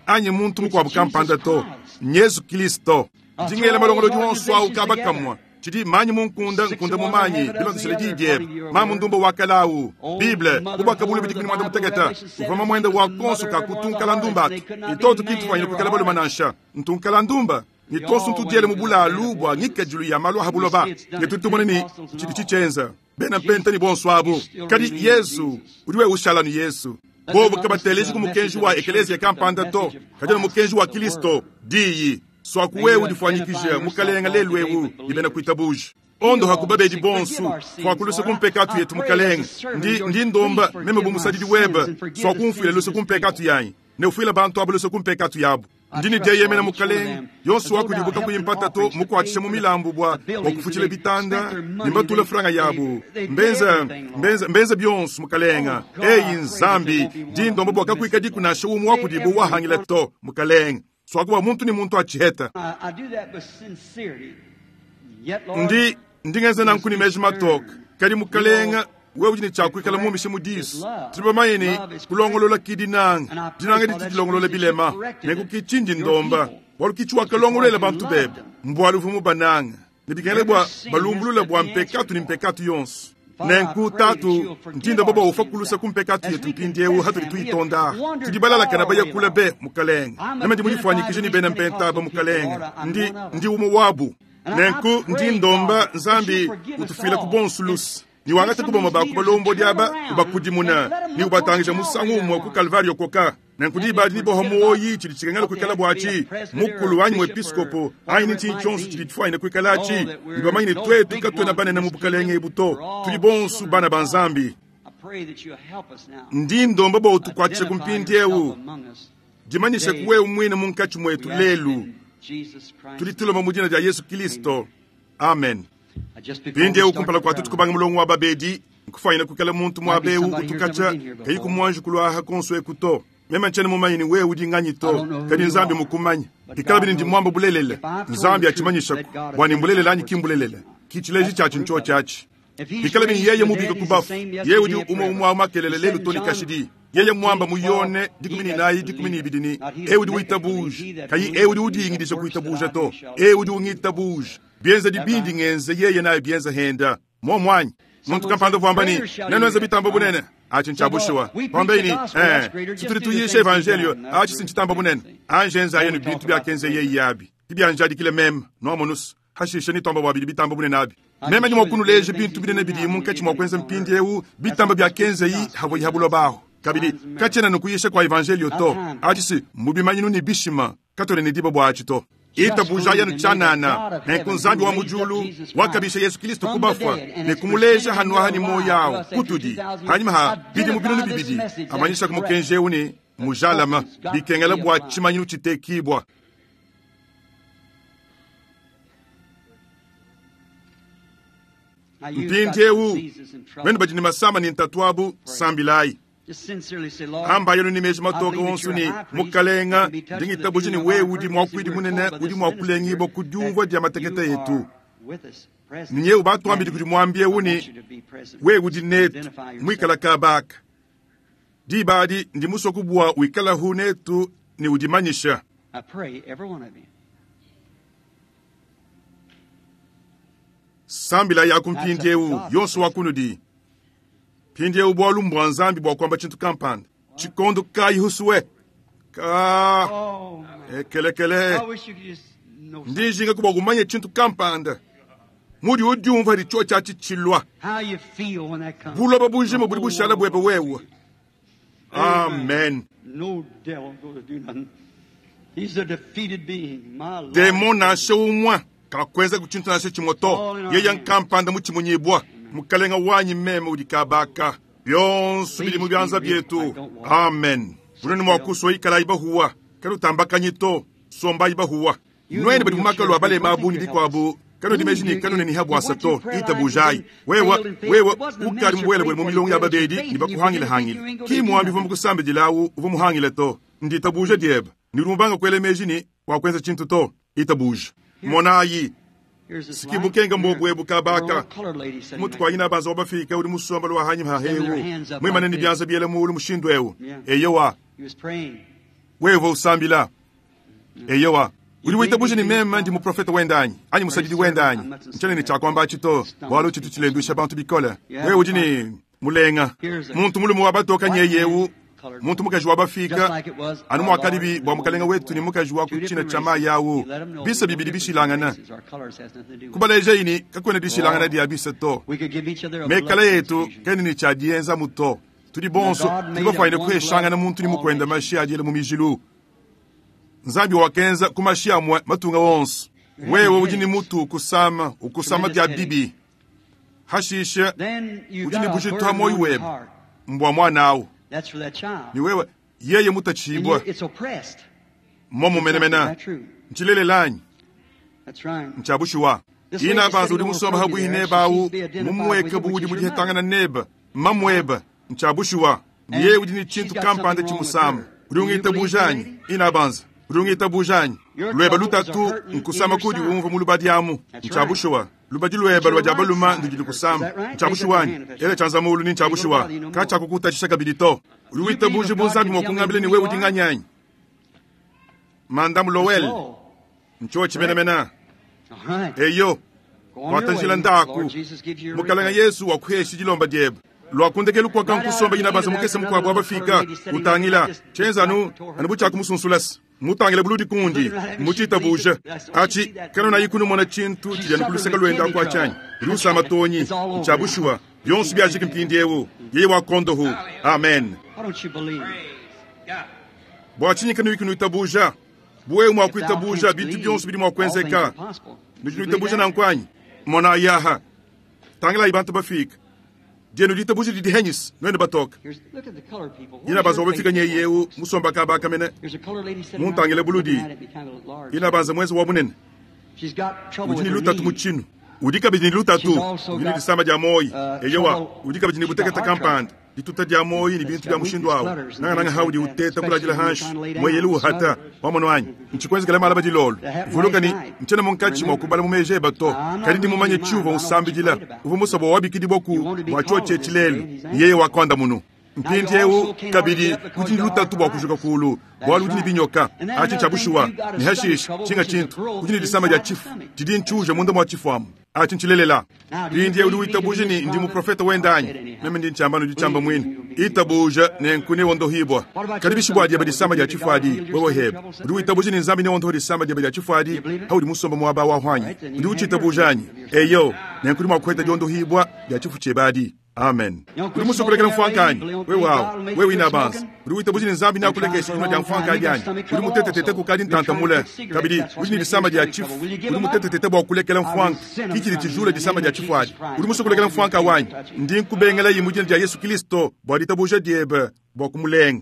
anyi muntu mukuabu kampanda to. Nyezu Kilisto. Ndi ngela malongolodi onso awu kaba kamue. Tshidi manyi mu nkunda, nkunda mu manyi, bilondeshile diyi diebe. Mamu ndumba wa kale awu, Bible, bu Buakabuluibua 16, uvua mamuende wa konso ka ku tunkala-ndumba atu. Ne tuotu ki ntufwanyine kuikala balume nansha. Ntunkala-ndumba. Ne tuonso ntudiele mu bulalu bua ngikadilu ya malu a ha buloba, ne tudi tumona ne tshidi tshitshienza. Bena mpenta ne bonso abu. Kadi Yezu udi wewe ushala anu Yezu. Bobu kabateleji ku mukenji wa ekeleziya kampanda to, kadi anu mukenji wa Kilisto, Diyi. Suaku wewe udifuanyikije, Mukalenga, lelu ewu ne bena kuitabuja. Ondoha ku babedi bonso, fuaku luse ku mpekatu yetu, Mukalenga. Ndi, ndi ndomba, meme bu musadidi webe, suaku umfuile luse ku mpekatu yanyi, ne ufuile bantu aba luse ku mpekatu yabu. Ndi ne dieyemena, Mukalenga, yonso wa kudibu kakuyi mpata to, mukuatshisha mu milambu bua, bua kufutshila bitanda, ne mbatula franga yabu. Mbenza, mbenza, mbenza bionso, Mukalenga. Eyi Nzambi, ndi ndomba bua kakuikadiku nansha umue wa kudibu wahangila to, Mukalenga. Suaku bua muntu ne muntu atshiheta. Ndi, ndi ngenza nanku ne meji matoke. Kadi, Mukalenga, wewe udi ne tshia kuikala mumishe mu disu. Tudi bamanye ne, kulongolola ki dinanga. Dinanga ditu dilongolola bilema. Nenku ki tshindi ndomba, bualu ki tshiwakalongoluela bantu bebe, mbualu uvua mubanange. Ne bikengela bua balumbulule bua mpekatu ne mpekatu yonso. Nenku, Tatu, ndi ndomba bua ufua kulusa ku mpekatu yetu mpindieu hatudi tuyitonda. Tudi balalakana baya kule be, Mukalenge. Meme ndi mudifuanyikije ne bena mpenta aba, Mukalenge. Ndi, ndi umue wabu. Nenku, ndi ndomba, Nzambi, utufuilaku bonso luse. Ne wangate ku bamue ba ku balombodi aba, ubakudimuna, ne ubatangija musangu umue ku Kalvario koka. Nenku diba adi niboha muoyi tshidi tshikengela kuikala buatshi, mukulu anyi muepiskopo anyi ne tshinyi tshionso tshidi tshifuanyine kuikala atshi, ne bamanye ne tuetu katuena banene mu bukalenge ebu to, tudi bonso bana ba Nzambi. Ndi ndomba bua utukuatshishe ku mpindieu, dimanyisha ku wewe muine munkatshi muetu lelu. Tudi tulomba mu dina dia Yesu Kilisto. Amen. Mpindieu kumpala kua tuetu kubanga mulongo wa babedi, nkufuanyine kuikala muntu muaba eu utu katshia kayi kumuanji kuluaha konso eku to. Meme ntshiena mumanye ne wewe udi nganyi to, kadi Nzambi mmukumanye. Pikalabi ne ndi muamba bulelela, Nzambi atshimanyishaku bua ne mbulelela anyi ki mbulelela. Ki tshileji tshiatshi ntshiotshi atshi. Pikalabi ne yeye mubike ku bafu, yeye udi umue umue au makelela lelu to ne kashidi. Yeye muamba mu Yone 14, 12 ne, Eu udi witabuja, kayi eu udi udingidija kuitabuja to, eu udi ungitabuja, bienzedi bindi ngenza yeye naye bienza henda. Muomu anyi? Muntu kampanda uvua wamba ne, Nenuenze bitamba bunene. Atshi ntshia bushuwa. Wambe ne, Ee, si tudi tuyisha evanjeliyo, atshi si ntshitamba bunene. Anji enzayi anu bintu biakenza yeye abi, ke bianjadikile meme. Nuamonus? Hashishe netuamba bua bidi bitamba bunene abi. Meme ndi mua kunuleja bintu binene bidi munkatshi mua kuenza mpindieu, bitamba biakenzayi havuayi ha buloba ahu. Kabidi, katshiena anu kuyisha kua evanjeliyo to, atshi si mbu bimanyinu ne bishima. Katuena ne diba bua atshi to. Itabujayi anu tshianana. Nenku Nzambi wa mu diulu wakabisha Yesu Kilisto ku bafua ne kumuleja hanuaha ne muoyo au kutudi hanyima ha bidimu 2000, amanyishaku mukenji eu ne mujalama, bikengela bua tshimanyinu tshitekibua. Mpindieu, nuenu badi ne masama ne ntatu abu, sambilayi. Ambayi anu ne meji matoke onso ne, Mukalenga, ndi ngitabuja ne wewe udi muakuidi munene udi mua kulengibua ku diumvua dia matekete etu. Ne nyewu batuambidi kudi muambi eu ne, wewe udi netu, muikala kaba aka. Diba adi ndi musue kubua wikalahu netu ne udimanyisha. Sambila yaku mpindieu, yonso wa kunudi. Mpindieu bualu mbua Nzambi bua kuamba tshintu kampanda. Tshikondo kayi husue? Ka ekelekele. Ndi njinga kubua kumanya tshintu kampanda. Mudi udiumva hadi tshiotshi atshi tshilua. Buloba bujima budi bushala buebe wewe. Amen. Demon nansha umue kakuenza tshintu nansha tshimue to. Yeye nkampanda mutshimunyibua. Mukalenga wanyi meme udi kabaka. Bionso bidi mu bianza bietu. Amen. Bunene mua kusua ikalayi bahuwa. Kanutambakanyi to. Sombayi bahuwa. Nuenu badi mu makalu a balema abu ne bikuabu. Kanuedi meji ne kanuena ne habwasa to, itabujayi. Wewe, wewe ukadi mubuelebwele mu milongo ya babedi ne bakuhangilehangile. Ki muambi uvua mukusambidilawu uvua muhangile to. Nditabuja diebe. Ne udi mubanga kuela meji ne wakwenza tshintu to. Itabuja. Monayi. Sikibukenga mbobu kabaka. Mutu kwa ina banza wabafika udi musomba lwa hanyi hahewu. Mwimane ni byanza biela muulu mushindu ewu. Eyowa. Wewe usambila. Eyowa. Udi witabuja ni meme ndi muprofeta wendanyi anyi musadidi wendanyi nchane ni chakwamba chito bwalu chitu chilendwisha bantu bikole. Wewe udi ni mulenga muntu mulume wa batoka nyeyewu muntu mukaji wa bafika anu mwakadibi bwa mukalenga wetu ni mukaji wa kuchina chama yawu bisa bibidi bishilangana kubaleja ini kakwena dishilangana dia bisa to mekala yetu kene ni chadienza muto tudi bonso tudi kuheshangana muntu ni mukwenda mashi adiele mu mijilu. Nzambi wakenza kumashi amwe matunga wonso. Wewe udi ni mutu ukusama ukusama dia bibi hashisha udi ni bujitu moyo webe mbwa mwana ni wewe yeye mutachibwa momo menemena nchilelelanyi nchabushiwa ina banza udi musomba habwihi nebawu mumweke budi mudihetangana neba mamweba nchabushiwa yeye udi ni chintu kampanda chimusama udi ungitabujanyi ina banza udi bujanyi lweba lutatu nkusama kudi umva mu lubadi amu nchabushiwa lubadi lweba lwa jabaluma ndudi kusama nchabushiwanyi ele chanza mulu ni nchabushiwa kacha kukutashisha kabili to udi witabuji bunzambi mwakungambile ni wewe udinganyanyi Madame Lowell ncho chimenemena eyo watanjila ndaku mukalanga Yesu wakuheshi dilomba diebe lwakundekelu kwaka nkusomba ina banza mukese mukwabo abafika utangila chenzanu anubucha kumusunsulasi mutangile buludi kundi muchitabuja achi kano na yikunu mona chintu chijana kuluseka lwenda kwa chanyi rusama tonyi nchabushuwa byonse byajike mpindi ewu yeye wakondohu amen. Bwachinyi kano yikunu itabuja buwe mwakuitabuja bintu byonse biri mwakwenzeka nujinu na nkwanyi mona yaha tangila ibantu bafika dienu ditabuja didi henyis nwende batoka ina banza wabafika nyeyewu musomba kabaka mene muntangile buludi ina banza mwezi wa munene udi ni lutatu muchinu udi kabidi ni lutatu udi ni disamba dia moyi eyowa udi kabidi ni buteketa kampanda dituta dia moyi ni bintu bya mushindu awo nanga nanga haudi uteta kulajila hanshi mweyelu hata wamono wanyi nchikwenzekela malaba dilolo vuluka ni nchena munkachi mwakubala mumeje bato kadi ndi mumanye chiuva usambidila uva musabo wabikidi boku mwachoche chilelu yeye wakonda munu mpindi ewu kabidi kuti ndi lutatu bwa kujuka kulu bwalu kuti ni binyoka achi chabushuwa ni hashish chinga chintu kuti ni disamba dia chifu didi nchuja munda mwa chifu amu achi nchilelela mpindi ewu itabuja ni ndi muprofeta wendanyi meme ndi nchamba ndi chamba mwini itabuja ne nkune wondohibwa kadi bishibwa dia disamba dia chifu adi wewe hebe udi itabuja ni nzambi ne wondoho disamba dia dia chifu adi haudi musomba mwaba wa hwanyi udi uchitabujanye eyo ne nkuni mwakweta diondohibwa dia chifu chebadi. Amen. Uri musokolekela mfwankanyi wewe wawo wewe ina banza uri witabuji ni nzambi nakulekesha ino dia mfwankanyi anyi uri mutetetete kukadi ntantamule kabidi uri ni disamba dia chifu uri mutetetete bwa kulekela mfwanka kichili tijula disamba dia chifu adi uri musokolekela mfwanka wanyi ndi nkubengela yimu jina dia Yesu Kristo bwa ditabuja diebe bwa kumulenga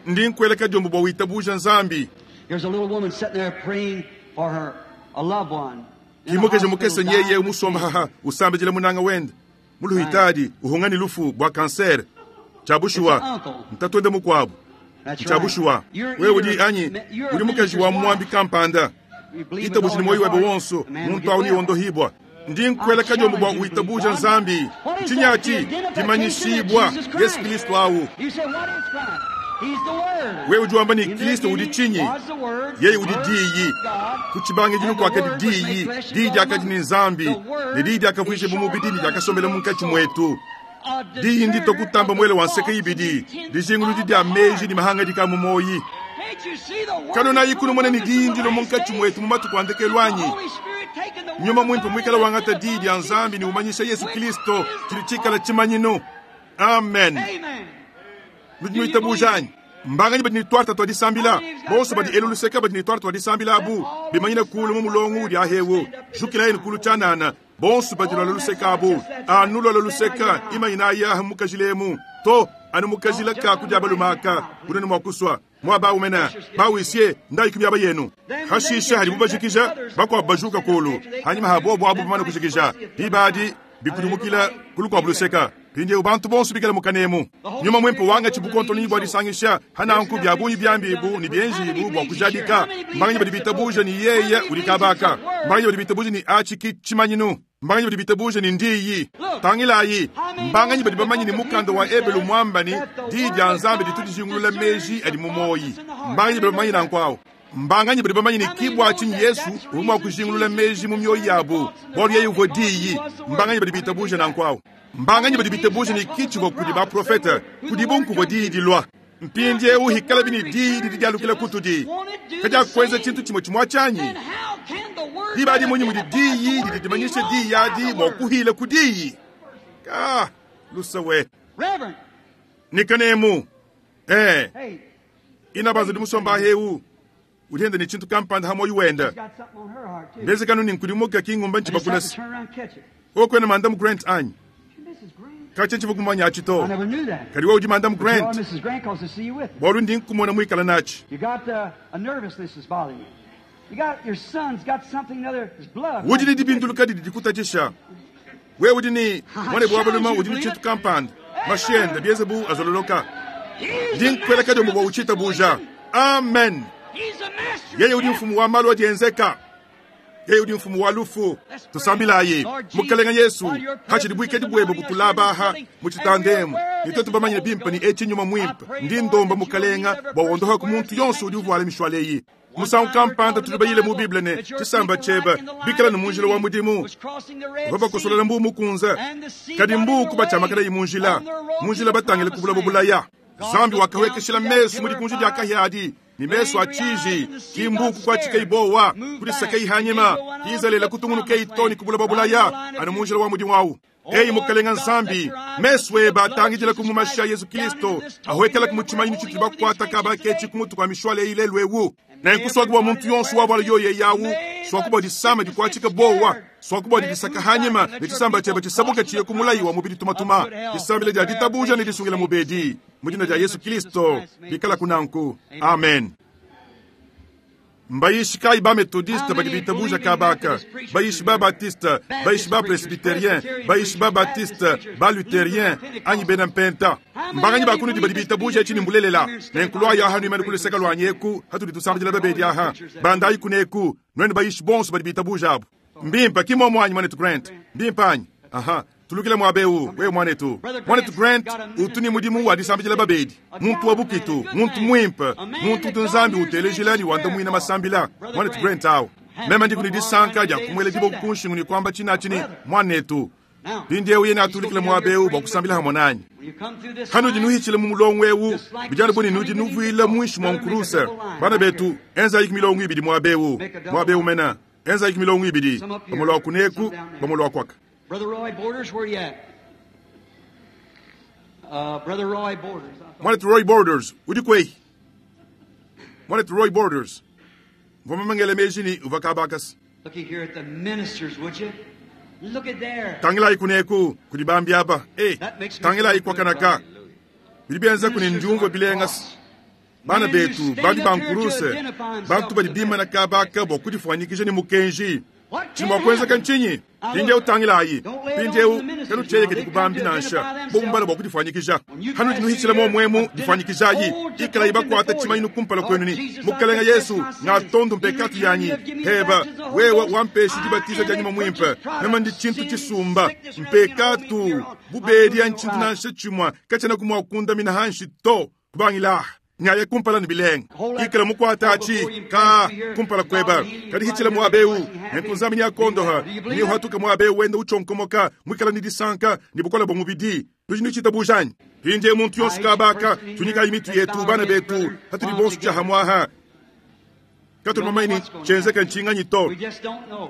ndi nkweleka jombo bwa witabuja nzambi. There's a little woman sitting there praying for her a loved one. Kimokeje mukese nyeye umusomba haha usambejele munanga wenda muluhitadi uhungani lufu bwa kanser chabushuwa mtatwende mukwabo chabushuwa wewe udi anyi uli mukaji wa mwambi kampanda itabuji ni moyo webe wonso muntu auni wondohibwa ndi nkweleka jombo bwa uitabuja nzambi nchinyati dimanyishibwa Yesu Kristo awu wewe ujuamba ni Kristo udi chinyi yeye udi diyi kuchibange jinu kwake di diyi diyi jakati ni nzambi ne diyi jakavwishe bumubidi ni jakasombela munkachi mwetu diyi ndito kutamba mwele wa nseke ibidi dijingulu dia meji ni mahanga dika mumoyi kano na ikunu mwene ni diyi ndilo munkachi mwetu mumatu kwandekelwanyi nyuma mwimpe mwikala wangata diyi dia nzambi ni umanyisha Yesu Kristo chilichikala chimanyino. Amen. Nujinu mbanganyi badi ni twarta twa disambila bonso badi eluluseka badi ni twarta twa disambila abu bimanyina kulu mu mulongo udi ahewo jukila enu kulu chanana bonso badi lwaluluseka abu anu lwaluluseka imanyina ayaha mukajilemu to anu mukajila ka kujabalumaka kunene mwakuswa Muaba awu mene, ba-huissier, ndayi ku miaba yenu. Hashishe hadibu bajikija, bakuabu bajuka kulu. Hanyima ha bobu abu bamane kujikija, diba adi bikudimukila ku lukuabu luseka. Mpindieu bantu bonso bikale mu kanemu. Nyuma Muimpe wangatshi bukontononyi bua disangisha ha nanku bia bungi biambibu ne bienjibu bua kujadika. Mbanganyi badi bitabuja ne yeye udi kabaka? Mbanganyi badi bitabuja ne atshi ki tshimanyinu? Mbanganyi badi bitabuja ne ndiyi? Tangilayi, mbanganyi badi bamanye ne mukanda wa Ebelu muamba ne diyi dia Nzambi ditu dijingulula meji adi mu muoyi? Mbanganyi badi bamanye nanku awu? Mbanganyi badi bamanye ne ki bua tshinyi Yesu uvua mua kujingulula meji mu mioyo yabu, bualu yeye uvua diyi? Mbanganyi badi bitabuja nanku awu? Mbanganyi badi bitabuja ne ki tshivua kudi baprofete, kudibu nkuvua diyi dilua? Mpindieu hikalabi ne diyi didi dialukila kutudi, kadiakuenza tshintu tshimue tshimue atshi anyi? Diba adi munyi mudi diyi didi dimanyisha diyi adi mua kuhila ku diyi? Ka luse we. Ni kanemu. Eh. Ina banza udi musomba eu udi enda ne tshintu kampanda ha muoyo wenda. Mbezekanu ni nkudimuka ki ngumba ntshibakulasa. Okwena Madam Grant anyi? Katshia tshivua kumanya atshi to. Kadi wewe udi Madam Grant. Bualu ndi nkumona muikala natshi. Udi ne dibinduluka didi dikutatshisha. Wewe udi ne muanebe wa balume udi ne tshintu kampanda. Mashi ende bienze bu azololoka. Ndi nkuela kadiombo bua utshitabuja. Amen. Yeye udi mfumu wa malu adi enzeka. Yeye udi mfumu wa lufu. Tusambilayi. Mukelenge Yesu, hatshidi buikadi buebe butulabaha mu tshitandemu, ne tuetu bamanye bimpe ne etshi nyuma muimpe. Ndi ndomba Mukelenga bua wondoha ku muntu yonso udi uvuala mishwala eyi. Musangu kampanda tudi bayile mu Bible ne tshisamba tshiebe bikala ne mu njila wa mudimu bavua bakosolela mbu mukunze, kadi mbu kubatshiamakalayi mu njila, mu njila batangile ku buloba bulaya. Nzambi wakawekeshila mesu mu dikunji dia kahia adi ne mesu a tshiji, ki mbu kukuatshikayi bowa, kudisakayi hanyima, Izalele kutungunukeyi to ne ku buloba bulaya anu mu njila wa mudimu awu. Eyi Mukelenga Nzambi, mesu ebe atangidila ku mumashi a Yesu Kristo, ahwekela ku mutshimanyinu tshitudi bakuata kaba ketshi ku mutu kua mishwala eyi lelu ewu. Nenku suaku bua muntu yonso wavuala yoyo yawu, suaku bua disama dikuatshika bowa, suaku bua didisaka hanyima ne tshisamba tshiebe tshisabuke tshiye ku mulayi wa mubidi tumatuma. Disambila dia ditabuja ne disungila mubedi mu dina dia Yesu Kristo bikala kunanku. Amen. Mbayishi kayi ba Methodiste badi bitabuja kabaka, bayishi ba Baptiste, bayishi ba Presbyterien, bayishi ba Baptiste, ba Lutherien anyi bena Mpenta? Mbanganyi ba kunudi badi bitabuja etshi ne mbulelela? Nenku luayi aha nuimane ku luseke luanyi eku hatudi tusambidila babedi aha. Bandayi kuneku, nuenu bayishi bonso badi bitabuja abu. Mbimpe, ki muomu anyi, muanetu Grant? Mbimpe anyi? Aha. Tulukile muaba eu, wewe muanetu. Muanetu Grant utu ne mudimu wa disambidila babedi, muntu wa bukitu, muntu muimpe, muntu utu Nzambi utelejila ne wandamuina masambila. Muanetu Grant awu. Meme ndiku ne disanka dia kumuela diboko ku nshingu ne kuamba tshinatshi ne muanetu. Mpindieu yene atulikile muaba eu bua kusambila hamue nanyi. Hanudi nuhitshila mu mulongo eu, bidi anu bu ne nudi nuvuila muinshi mua nkuruse. Bana betu, enzayi milongo ibidi muaba eu, muaba eu mena. Enzayi milongo ibidi, bamue lua kuneku, bamue lua kuaka. Brother Roy Borders, where you at? Brother Roy Borders. Mwanetu Roy Borders, udi kweyi? Mwanetu Roy Borders. Mvua mamangele meji ni uvua kabakasa. Looky here at the ministers, would you? Look at there. Tangilayi kuneku kudi bambi aba. Eh, tangilayi kwa kanaka. Bidi bienza kuni ndiumvua bilenga. Bana betu bambi ba nkuruse, bantu badi bimana kabaka bua kudifuanyikija ne mukenji. Tshimua kuenzeka ntshinyi? Mpindieu tangilayi. Mpindieu kanutshieyekedi ku bambi nansha bobu mbala bua kudifuanyikija. Hanudi nuhitshila muomuemu difuanyikijayi. Ikalayi bakuata tshimanyinu kumpala kwenu ni Mukelenge Yesu ngatondu mpekatu yanyi. Heba wewe wampeshi dibatiza dia nyuma muimpe. Meme ndi tshintu tshisumba mpekatu bubedi ya ntshintu nansha tshimua katshiena kumua kundamina hanshi to. Kubangila nyaye kumpala ne bilenga. Ikala mukuata atshi ka kumpala kweba. Kadi hitshila muaba eu nenku Nzambi nyakondoha ni uhatuka muaba eu wenda uchonkomoka mwikala ni disanka ni bukola bwa mubidi. Tudi ni tshitabuja anyi? Pindie muntu yonso kabaka tunyikayi mitu yetu bana betu hatudi bonso tshia hamwaha. Katuli bamanye tshienzeka ntshinganyi to.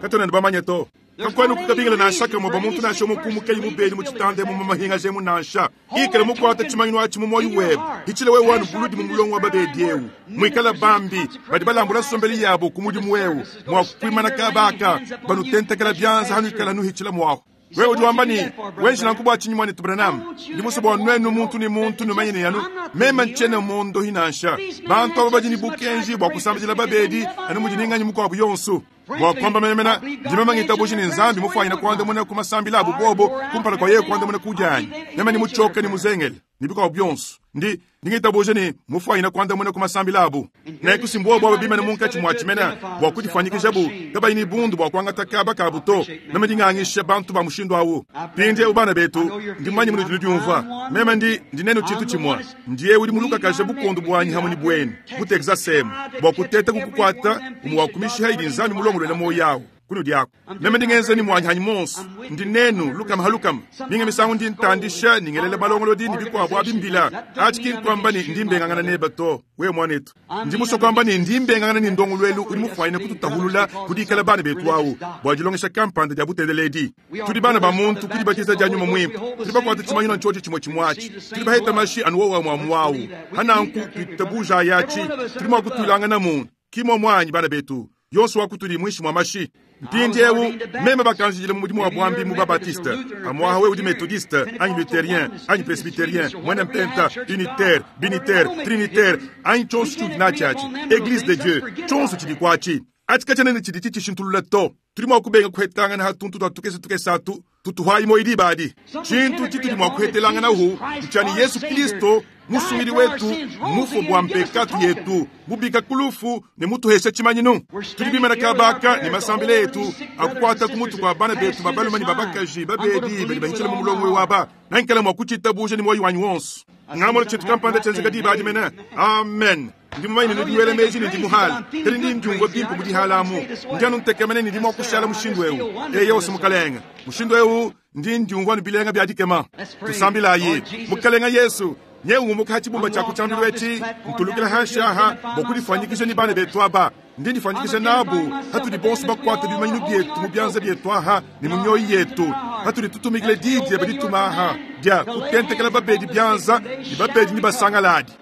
Katuna ne bamanye to. Kakwenu kukabingila nansha kamwe bwa muntu nansha umukumukeyi mubeli mu tshitande mu mahinga jemu nansha. Ikala mukuata tshimanyinu atshi mu moyo webe. Hitshila wewe wanu buludi mu mulongo wa babedi eu. Mwikala bambi badi balambula sombeli yabo ku mudimu eu. Mwa kuimana kabaka banutentekela byanza hanuikala nuhitshila mwaho. Wewe udi wamba ne, Wenji nanku bua tshinyi muanetu Branham? Ndi musue bua nuenu muntu ne muntu numanye ne anu meme ntshiena muondohi nansha. Bantu aba badi ne bukenji bua kusambidila babedi anu mudi ne nganyi mukuabu yonso. Bua kuamba menemene, ndi meme ngitabuja ne Nzambi mufuanyine kuandamuna ku masambila abu bobo kumpala kua yeye kuandamuna ku dianyi. Meme ndi mutshioke ne muzengele ne bikuabu bionso. Ndi ndi ngitabuja ne mufuanyine kuandamuna ku masambila abu. Nenku si mbuobu aba bimane munkatshi mua tshimena bua kudifuanyikijabu kabayi ne bundu bua kuangata kaba kabu to. Meme ndi ngangisha bantu ba mushindu awu. Mpindieu bana betu, ndi mumanye munudi nudiumvua. Meme ndi ndi nenu tshintu tshimue. Ndiye udi mulukakaje bukondo buanyi hamwe ne buenu mu Texas emu bua kuteta kukukuata umue wa ku mishiha idi Nzambi mulongoluele muoyo awu kunudi aku. Meme ndi ngenza ne muanyi hanyi monso. Ndi nenu lukama ha lukama. Minga misangu ndi ntandisha ne ngelela balongolodi ne bikuabu abi mbila. Atshi ki nkuamba ne ndi mbengangana neba to, wewe muanetu. Ndi musue kuamba ne ndi mbengangana ne ndongoluelu udi mufuanyine kututahulula ku dikala bana betu awu bua dilongesha kampanda dia butendeledi. Tudi bana ba muntu ku dibatiza dia Nyuma Muimpe. Tudi bakuate tshimanyinu anu tshiotshi tshimue tshimue atshi. Tudi baheta mashi anu wowu amue amue awu. Ha nanku tuitabujayi atshi. Tudi mua kutuilangana mu ki muomu anyi bana betu, yonso wa kutudi muinshi mua mashi. Mpindieu meme bakanjidile mu mudimu wa buambi mu Babatiste. Pamuaha wewe udi Methodiste anyi Lutherien anyi Presbyterien, muena mpenta, unitaire, binitaire, trinitaire anyi tshionso tshiudi natshi atshi, Eglise de Dieu, tshionso tshidi kuatshi. Atshi katshiena ne tshidi tshitshishintulula to. Tudi mua kubenga kuhetangana ha tuntu tua tukese tukese atu tutuhayi muoyo diba adi. Tshintu tshitudi mua kuhetelanganahu ntshia ne Yesu Kristo Musungidi wetu mufue bua mpekatu yetu, mubika ku lufu ne mutuhesha tshimanyinu. Tudi bimana kabaka ne masambila etu akukuata ku mutu kua bana betu ba balume ne ba bakaji babedi badi bahitshila mu mulongo eu aba. Nankala mua kutshitabuja ne muoyo wanyi wonso. Ngamona tshintu kampanda tshienzeka diba adi mene. Amen. Ndi mumanye ne nudi nuela meji ne ndi muhale, kadi ndi ndiumvua bimpe mu dihala amu. Ndi anu ntekemena ne ndi mua kushala mushindu eu. Eyo, Mukalenge, mushindu eu ndi ndiumvua anu bilenga bia dikema. Tusambilayi. Mukalenge Yesu, nye ungumuka ha tshibumba tshia ku tshiambilu etshi, ntulukila hanshi aha bua kudifuanyikisha ne bana betu aba. Ndi ndifuanyikisha nabu hatudi bonso bakuate bimanyinu bietu mu bianza bietu aha ne mu mioyo yetu, hatudi tutumikila di diebe dituma aha dia kutentekela babedi bianza ne babedi ne basangaladi.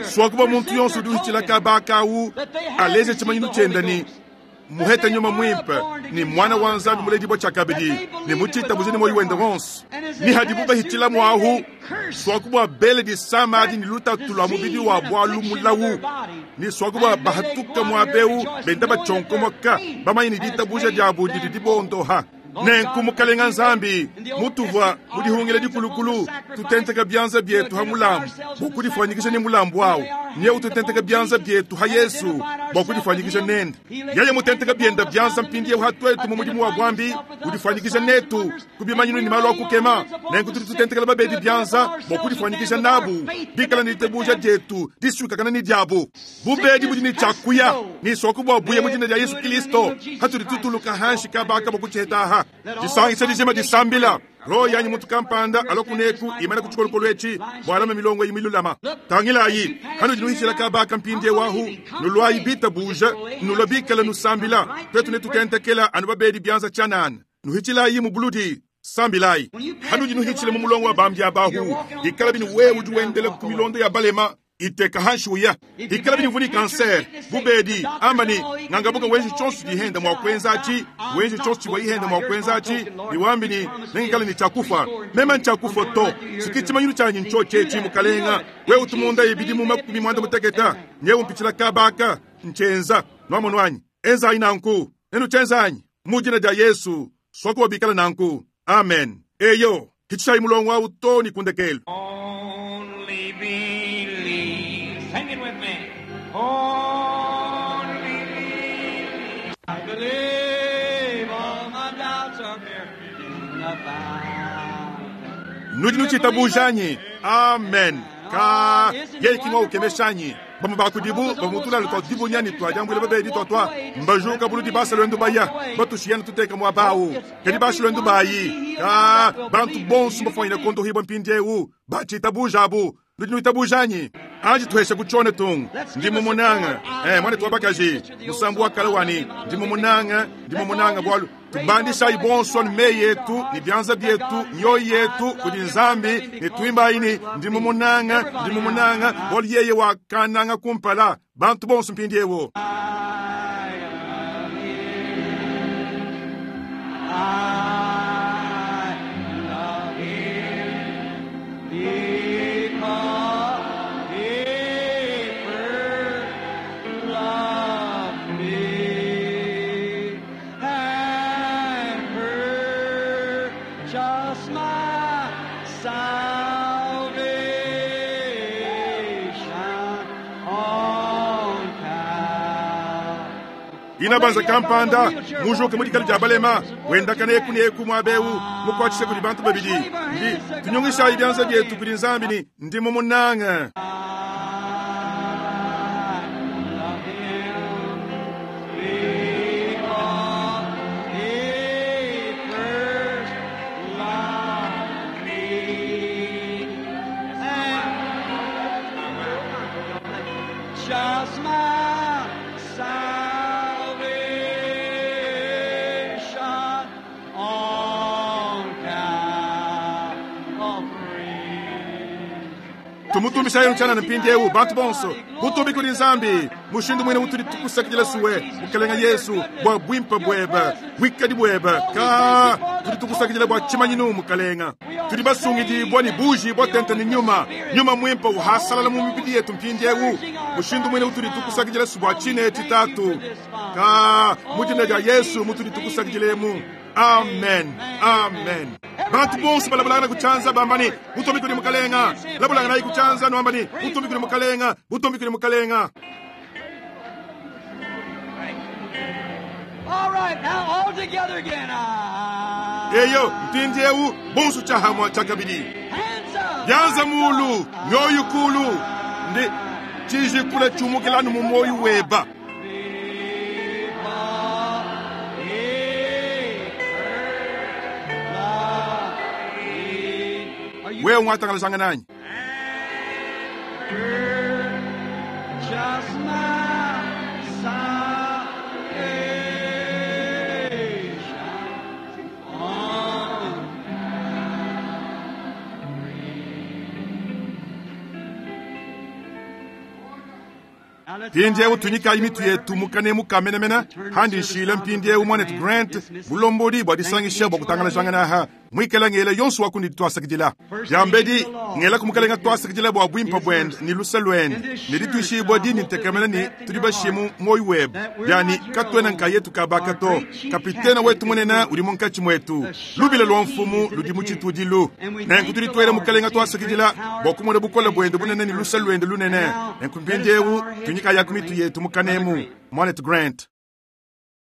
Suakuba muntu yonso udi uhitshila kaba akawu aleje tshimanyinu tshiende ne muheta Nyuma Muimpe ne Mwana wa Nzambi muledibua tshiakabidi ne mutshitabuja ne muoyo wende wonso. Ne hadibu bahitshila muahu, suaku bua bele disama adi ne lutatu lua mubidi wa bualu mulawu, ne suaku bua bahatuka muabeu benda batshionkomoka bamanye ne ditabuja diabu didi dibondoha. Nenku Mukalenga Nzambi, mutuvua mu dihungila dikulukulu, tutenteka bianza bietu ha mulambu bua kudifuanyikisha ne mulambu awu. Nye ututenteka bianza bietu ha Yesu bua kudifuanyikisha nende. Yeye mutenteka bienda bianza mpindieu ha tuetu mu mudimu wa buambi, udifuanyikisha netu ku bimanyinu ne malu a kukema. Nenku tudi tutentekela babedi bianza bua kudifuanyikisha nabu, bikala ne ditabuja dietu disuikakana ne diabu. Bubedi budi ne tshiakuya ne soku bua buya mu dina dia Yesu Kristo, hatudi tutuluka hanshi kabaka bua kutshiheta aha. Disangisha dijima disambila. Roho yanyi muntu kampanda alokuneku imana ku tshikolokolo etshi bua alame milongo eyi milulama. Tangilayi, hanudi nuhitshila kabaka mpindieu ahu, nuluayi bitabuja, nulua bikala nusambila. Tuetu netutentekela anu babedi bianza tshianana. Nuhitshilayi mu buludi, sambilayi. Hanudi nuhitshila mu mulongo wa bambi abahu, ikala binu wewe udi wendela ku milondo ya balema iteka hanshi uya. Ikala binu vuni kanser, bubedi, amba ne ngangabuka wenji tshionso dihenda mua kuenza atshi, wenji tshionso tshivua ihenda mua kuenza atshi, niwambi ne nengikale ne tshiakufa. Meme ntshiakufa to. Siki tshimanyinu tshianyi ntshiotshi etshi, Mukalenga. Wewe utumunda ibidimu 80, nyewe umpitshila kabaka, ntshienza. Nuamonu anyi? Enzayi nanku. Nenutshienza anyi? Mu dina dia Yesu, sokuwa bikala nanku. Amen. Eyo, hitshishayi mulongo awu to ne kundekelu. Only believe. Sing it with me. Only believe. I believe all my doubts are buried in the fountain. Nudi nutshitabuja anyi? Amen. Ka yeye kimwa ukemesha anyi? Bamwe bakudibu bamutula twa dibunya ne twa diambuila babedi twa twa mbajuka buludi basa lwendu baya batushiyana tuteka muaba awu kadi basa lwendu bayi ka bantu bonso bafuanyine kondohibwa mpindieu batshitabuja abu. Nudi nuitabuja anyi? Anji tuhesha kutshone tungu. Ndi mumunanga. Mwana twa bakaji musambu wa kala wani. Ndi mumunanga, ndi mumunanga bwalu tubandishayi bonso ne meyi yetu ne bianza bietu mioyo yetu kudi Nzambi ne tuimbayi ne ndi mumunanga, ndi mumunanga bwalu yeye wakananga kumpala bantu bonso mpindieu. I love him. I Inabanza kampanda mujuke mu dikala dia balema wendakana eku ne eku muaba eu mukuatshisha kudi bantu babidi. Ndi tunyungishayi bianza bietu kudi Nzambi ne ndi mumunange. Just my salvation on Calvary. Tumutumbishayi ntshianana mpindieu bantu bonso butumbi kudi Nzambi mushindu mwine utudi tukusakidila suwe mukalenga Yesu bua buimpe buebe buikadi buebe ka tudi tukusakidila bua tshimanyinu mukalenga tudi basungidibua ne buji bua tente ne nyuma nyuma muimpe uhasalala mu mibidi yetu mpindieu mushindu mwine utudi tukusakidila su bua tshine tshitatu ka mu dina dia Yesu mutudi tukusakidilemu. Amen, amen. Bantu bonso balabulangana kuchanza bambani butumbi kudi mukalenga labulangana kuchanza nwambani butumbi kudi mukalenga butumbi kudi mukalenga. All right, now all together again. Eyo mpindieu bonso tshahamwa tshakabidi Hands up. byanza mulu mioyo kulu ndi tshijikula tshiumukilanu mu moyo weba. Wewe ungatangalazanga nanyi Just my salvation on mpindieu tunyikayi mitu yetu mukane mukamenemena handi nshila mpindieu mwanetu Grant bulombodi bua disangisha bua kutangalazangana aha mwikala ngela yonso wakundi twasakidila yambedi ngela kumukalenga twasakidila bua buimpe buende ni lusa luende ne dituishibua dini ntekemena ni tudi bashimu moyo webe yani katuena nkayetu kabaka to kapitena wetu munene udi munkatshi mwetu lubila lwa mfumu ludi mu tshitudilu nenku tudi tuela mukalenga twasakidila bua kumona bukole buende bunene ni lusa luende lunene nenku mpindieu tunyikayaku mitu yetu mukanemu mwanetu Grant.